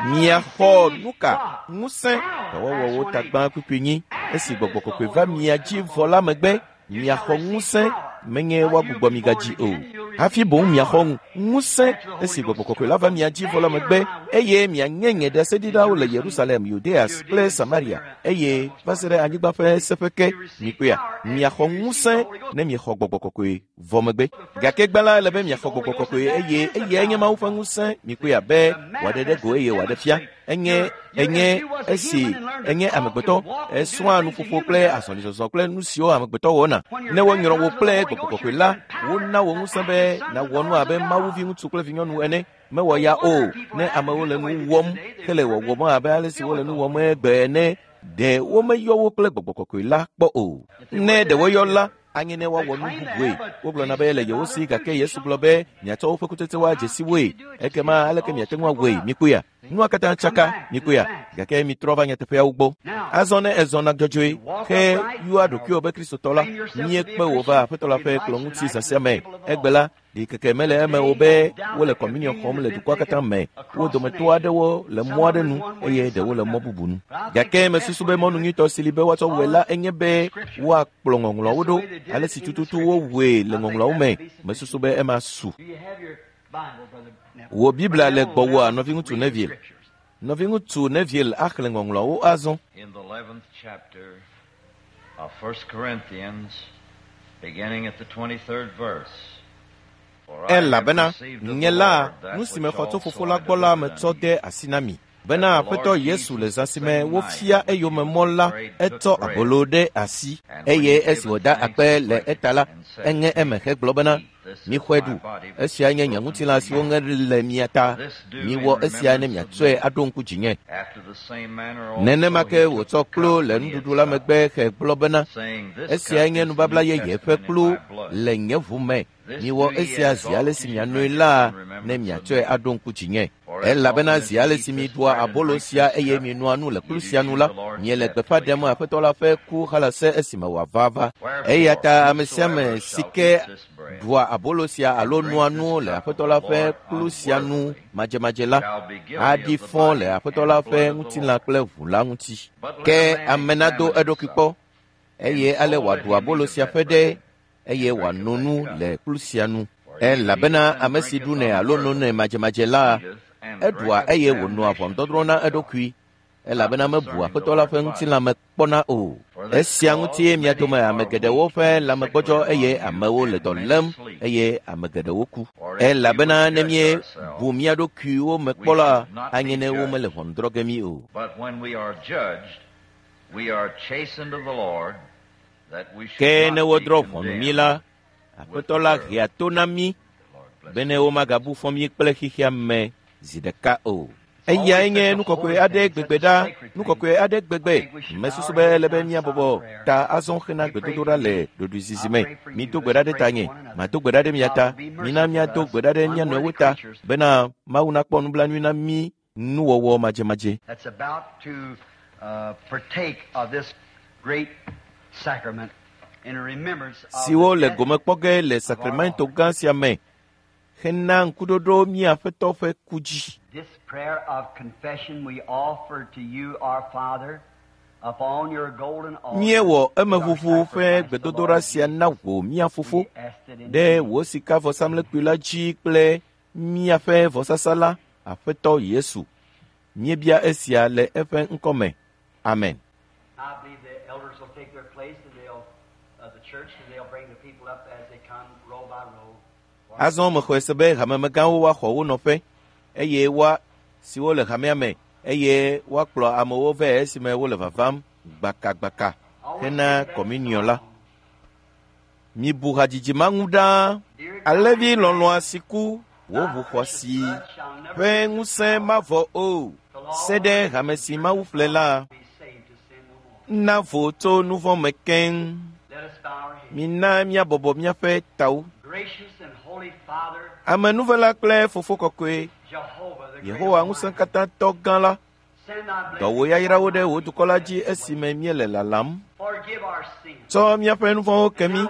Miaxɔ nu ka? Ŋusẽ. Dɔwɔwɔwo tagbã kpukpui nyi. Esi Gbɔgbɔ Kɔkɔe va mia dzi vɔ la megbe, miaxɔ ŋusẽ, menye woagbugbɔ mi gadzi o. Hafi boŋ miaxɔ ŋusẽ esi Gbɔgbɔ Kɔkɔe la va mia dzi vɔ la megbe, eye mianye nye ɖaseɖilawo le Yerusalem, Yudea kple Samaria, eye va se ɖe anyigba ƒe seƒe ke. Mikpɔea? Miaxɔ ŋusẽ ne miexɔ Gbɔgbɔ Kɔkɔe vɔ megbe. Gake gbã la, ele be miaxɔ Gbɔgbɔ Kɔkɔe, eye eyae nye Mawu ƒe ŋusẽ. Mikpɔea? Be wòaɖe ɖe go eye wòaɖe fia. Enye, enye esi enye amegbetɔ, esrɔ̃a nuƒoƒo kple azɔlizɔzɔ kple nu siwo amegbetɔ wɔna. Ne wonyrɔ wò kple Gbɔgbɔ Kɔkɔe la, wona wò ŋusẽ be nàwɔ nu abe Mawu viŋutsu kple vinyɔnu ene. Mewɔ ya o, ne amewo le nu wɔm hele wɔwɔm abe ale si wole nu wɔm egbe ene, ɖe womeyɔ wo kple Gbɔgbɔ Kɔkɔe la kpɔ o. Ne ɖe woyɔ la, anye ne woawɔ nu bubue. Wogblɔna be le yewo si, gake Yesu gblɔ be miatsɔ woƒe kutsetsewo adze si woe. Ekema aleke miate ŋu awɔe? Mikpɔea? Nua katã tsaka, mikpɔea? Gake mitrɔ va nyateƒeawo gbɔ. Azɔ ne èzɔna dzɔdzɔe he yɔa ɖokuiwò be Kristotɔ la, míekpe wò va Aƒetɔ la ƒe kplɔ̃ ŋuti zã sia me. Egbe la, ɖikeke mele eme o be wole kɔmuniɔ xɔm le dukɔa katã me. Wo dometɔ aɖewo le mɔ aɖe nu eye ɖewo le mɔ bubu nu. Gake mesusu be mɔnu nyuitɔ si li be woatsɔ wɔe la enye be woakplɔ ŋɔŋlɔawo ɖo ale si tututu wowɔe le ŋɔŋlɔawo me. Mesusu be ema su. Wò Biblia le gbɔwòa, nɔviŋutsu Neville? Nɔviŋutsu Neville axlẽ ŋɔŋlɔawo azɔ. In the 11th chapter of 1 Corinthians, beginning at the 23rd verse. For I have Elabena received of nye the la, Lord that nu si which mexɔ tso also Fofo I la gbɔ la delivered metsɔ unto de you. asi na mi. Bena Aƒetɔ Yesu le zã si me wofia eyome mɔ la, etsɔ abolo ɖe asi, eye esi wòda akpe le eta la, eŋe eme hegblɔ bena, Mixɔe ɖu, esia nye nye ŋutilã si woŋe le mia ta. Miwɔ esia ne miatsɔe aɖo ŋku dzinye. After the same manner also Nenema ke he wòtsɔ took the kplu cup le when he had nuɖuɖu la supped, megbe hegblɔ bena, saying, This Esiae cup nye is the nubabla New yeye ƒe Testament in kplu my blood. le nye ʋu me. This Miwɔ do ye esia as zi oft ale as si you mianoe drink it la in ne remembrance of miatsɔe me. aɖo ŋku dzinye. For as Elabena often as zi ye ale eat si this miɖua bread and abolo drink sia this eye cup, mienoa nu le kplu ye do sia nu shew la, the Lord's miele death gbeƒã till he ɖem come. Aƒetɔ la ƒe ku halase esime wòava va. Eya Wherefore, ta ame sia ame whosoever si shall ke eat this bread ɖua abolo sia and alo drink noa this nu le cup of Aƒetɔ the la ƒe Lord kplu sia nu unworthily madzemadze la, shall be guilty aɖi of the fɔ le body Aƒetɔ and la ƒe blood of the ŋutilã Lord. kple ʋu la ŋuti. But let Ke a man ame nado examine eɖokui himself, kpɔ, and eye ale so let wòaɖu him abolo eat of sia that ƒe ɖe, bread eye and drink of wòano that nu cup. le kplu sia nu. For he who Elabena eateth and ame si drinketh ɖunɛ alo nonɛ unworthily madzemadze la, eateth and eɖua drinketh eye wònoa damnation to ʋɔnudɔdrɔ̃ na himself, eɖokui, not elabena mebu discerning the Aƒetɔ la Lord's ƒe body. ŋutilã me kpɔna o. For this Esia cause ŋutie mia many dome ame are geɖewo weak ƒe and lãme sickly gbɔdzɔ eye among you, amewo le and dɔ many lém sleep. eye ame geɖewo ku. For if we would Elabena ne judge míebu ourselves, mía ɖokuiwo me we kpɔ la, should not anye be ne womele judged. ʋɔnu drɔ̃ ge mí o. But when we are judged, we are chastened of the Lord, that we should Ke ne not be wodrɔ̃ ʋɔnu mí condemned la, with Aƒetɔ the la world. hea to na mí The Lord bless bene you. womagabu fɔ mí kple xexea me zi ɖeka o. It's Eyae always nye such a nu kɔkɔe holy aɖe thing, such gbegbe a ɖa, sacred nu thing. kɔkɔe aɖe I gbegbe. think we should bow Mesusu our be heads ele be now in míabɔbɔ silent prayer. ta azɔ hena We pray gbedodoɖa for le you. ɖoɖoezizi I me. pray for you. Mido gbe Let's ɖa ɖe pray for tanye, one another. mado gbe ɖa ɖe mia God ta. will be Mina merciful to míado us, gbe ɖa ɖe mía nɔewo unworthy ta creatures. bena Mawu nakpɔ nublanui na mí nuwɔwɔ madzemadze. That's about to partake of this great sacrament in remembrance of the siwo le death gome kpɔ ge le of our sakramento Lord. gã sia me hena ŋkuɖoɖo mía Aƒetɔ ƒe ku dzi. This prayer of confession we offer to you, our Father, upon your golden altar Míewɔ with our emeʋuʋu ƒe sacrifice, the gbedodoɖa Lord sia Jesus. na wò, mía Fofo, We ask it in ɖe your name. wò sikavɔsamlekpui la dzi kple míaƒe vɔsasa la, Aƒetɔ Yesu. Míebia esia le eƒe ŋkɔ me. Amen. I believe the elders will take their place and they'll of the church and they'll bring the people up as they come row by row. Azɔ mexɔe se be hamemegãwo woaxɔ wo nɔƒe eye woa siwo le hamea me eye woakplɔ amewo vɛ esime wole vavam gbakagbaka hena kɔminiɔ la. Mibu hadzidzi ma ŋu ɖaa. Alẽvi lɔlɔ̃a si ku wò ʋu xɔasi ƒe ŋusẽ mavɔ o se ɖe hame si Mawu ƒle la na vo tso nu vɔ̃ me keŋ. Mina míabɔbɔ míaƒe tawo. Amenuvela kple fofo kɔkɔe, Yehowa ŋusẽkatãtɔ gã la, dɔ wò yayrawo ɖe wò dukɔ la dzi esime míele lalam. Tsɔ míaƒe nu vɔ̃wo ke mí,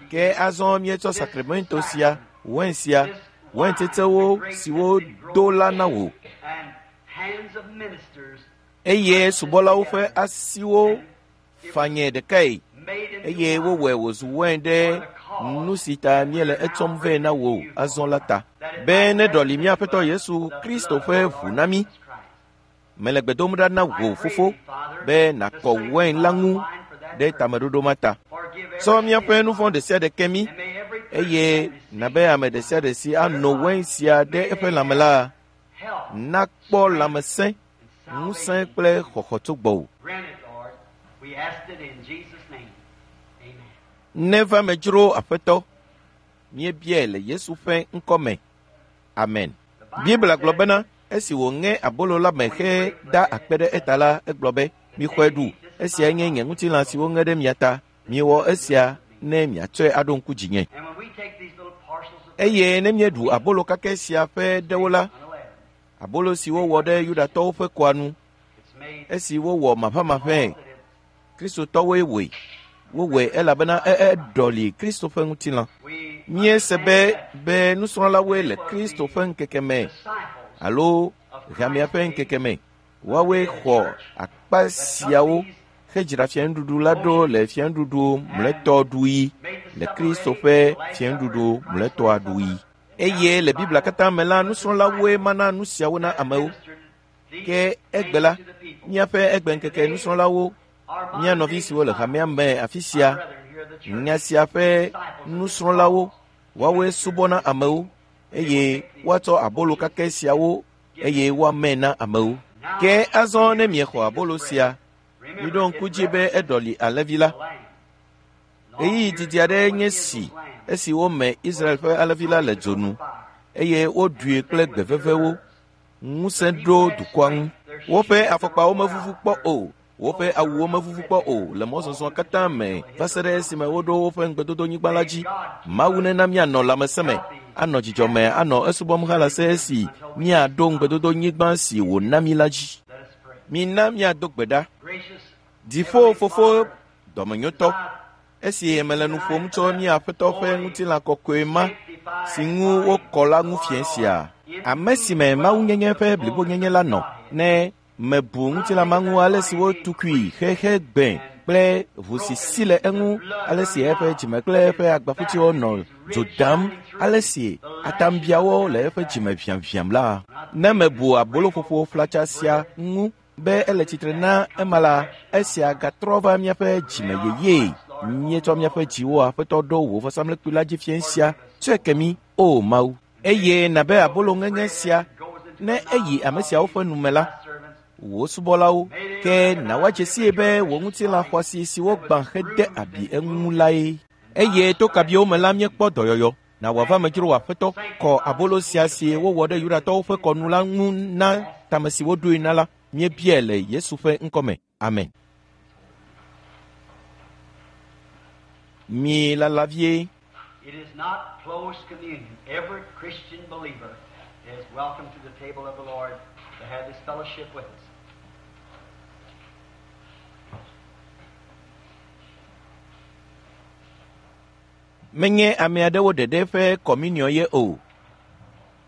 ke azɔ míetsɔ sakramento sia, wain sia, waintsetsewo siwo do la na wò. Eye subɔlawo ƒe asiwo fanyɛ ɖekae eye wowɔe wòzu wain ɖe nu si ta míele etsɔm vɛ na wò azɔ la ta, be neɖɔli mía Aƒetɔ Yesu Kristo ƒe ʋu na mí. Mele gbe dom ɖa na wò, Fofo, be nàkɔ wain la ŋu ɖe tameɖoɖo ma ta. Tsɔ míaƒe nu vɔ̃ ɖe sia ɖe ke mí, eye nàbe ame ɖe sia ɖe si ano wain sia ɖe eƒe lãme la nakpɔ lãmesẽ, ŋusẽ kple xɔxɔ tso gbɔwò. Neva me dzro, Aƒetɔ, míebiae le Yesu ƒe ŋkɔ me. Amen. Biblia gblɔ bena esi wòŋe abolo la me heda akpe ɖe eta la, egblɔ be, Mixɔe ɖu, esiae nye nye ŋutilã si woŋe ɖe mia ta. Miwɔ esia ne miatsɔe aɖo ŋku dzinye. Eye ne míeɖu abolo kakɛ sia ƒe ɖewo la, abolo si wowɔ ɖe Yudatɔwo ƒe kɔa nu, esi wowɔ maʋamaʋãe, Kristotɔwoe wɔe. Wowɔe elabena eɖɔli Kristo ƒe ŋutilã. Míese be be nusrɔ̃lawoe le Kristo ƒe ŋkeke me alo hamea ƒe ŋkeke me. Woawoe xɔ akpa siawo hedzra fianuɖuɖu la ɖo le fianuɖuɖu mlɔetɔ ɖuɣi, le Kristo ƒe fianuɖuɖu mlɔetɔa ɖuɣi. Eye le Biblia katã me la, nusrɔ̃lawoe mana nu siawo na amewo. Ke egbe la, míaƒe egbeŋkeke nusrɔ̃lawo, mía nɔvi siwo le hamea me afi sia, nya sia ƒe nusrɔ̃lawo, woawoe subɔna amewo eye woatsɔ abolo kakɛ siawo eye woamee na amewo. Ke azɔ ne miexɔ abolo sia, miɖo ŋku dzi be eɖɔli alẽvi la. Ɣeyiɣi didi aɖee nye si esi wome Israel ƒe alẽvi la le dzo nu eye woɖui kple gbe vevewo. Ŋusẽ ɖo dukɔa ŋu. Woƒe afɔkpawo mevuvu kpɔ o, woƒe awuwo mevuvu kpɔ o le mɔzɔzɔ katã me va se ɖe esime woɖo woƒe ŋugbedodonyigba la dzi. Mawu nena míanɔ lãmesẽ me, anɔ dzidzɔ me, anɔ esubɔm halase esi míaɖo ŋugbedodonyigba si wòna mí la dzi. Mina míado gbe ɖa. Dziƒo Fofo dɔmenyotɔ, esi mele nu ƒom tso mía Aƒetɔ ƒe ŋutilã kɔkɔe ma si ŋu wokɔ la ŋu fiẽ sia, ame si me mawunyenye ƒe blibonyenye la nɔ, ne mebu ŋutilã ma ŋu ale si wotukui xexe gbẽ kple ʋu si si le eŋu, ale si eƒe dzime kple eƒe agbaƒutiwo nɔ dzo dam, ale si atambiawo le eƒe dzime ʋiaʋiam la, ne mebu aboloƒoƒo flatsa sia ŋu be ele tsitre na ema la, esia gatrɔ va míaƒe dzime yeyee. Míetsɔ míaƒe dziwo Aƒetɔ ɖo wò vɔsamlekpui la dzi fiẽ sia. Tsɔe ke mí, O Mawu. Eye nàbe abolo ŋeŋe sia, ne eyi ame siawo ƒe nu me la, wò subɔlawo, ke na woadze sii be wò ŋutilã xɔasi si wogbã hede abi eŋu lae. Eye to kabiwo me la míekpɔ dɔyɔyɔ. Na wòava me dzro wò Aƒetɔ, kɔ abolo sia si wowɔ ɖe Yudatɔwo ƒe kɔnu la ŋu na tame si woɖoe na la. Míebiae le Yesu ƒe ŋkɔ me. Amen. Mi lala vie. It is not closed communion. Every Christian believer is welcome to the table of the Lord to have this fellowship with us. Menye ame aɖewo ɖeɖe ƒe kɔminiɔ ye o.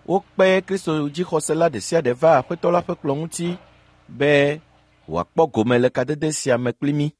Wokpe Kristo dzixɔsela ɖe sia ɖe va Aƒetɔ la ƒe kplɔ̃ ŋuti be wòakpɔ gome le kadede sia me kpli mí.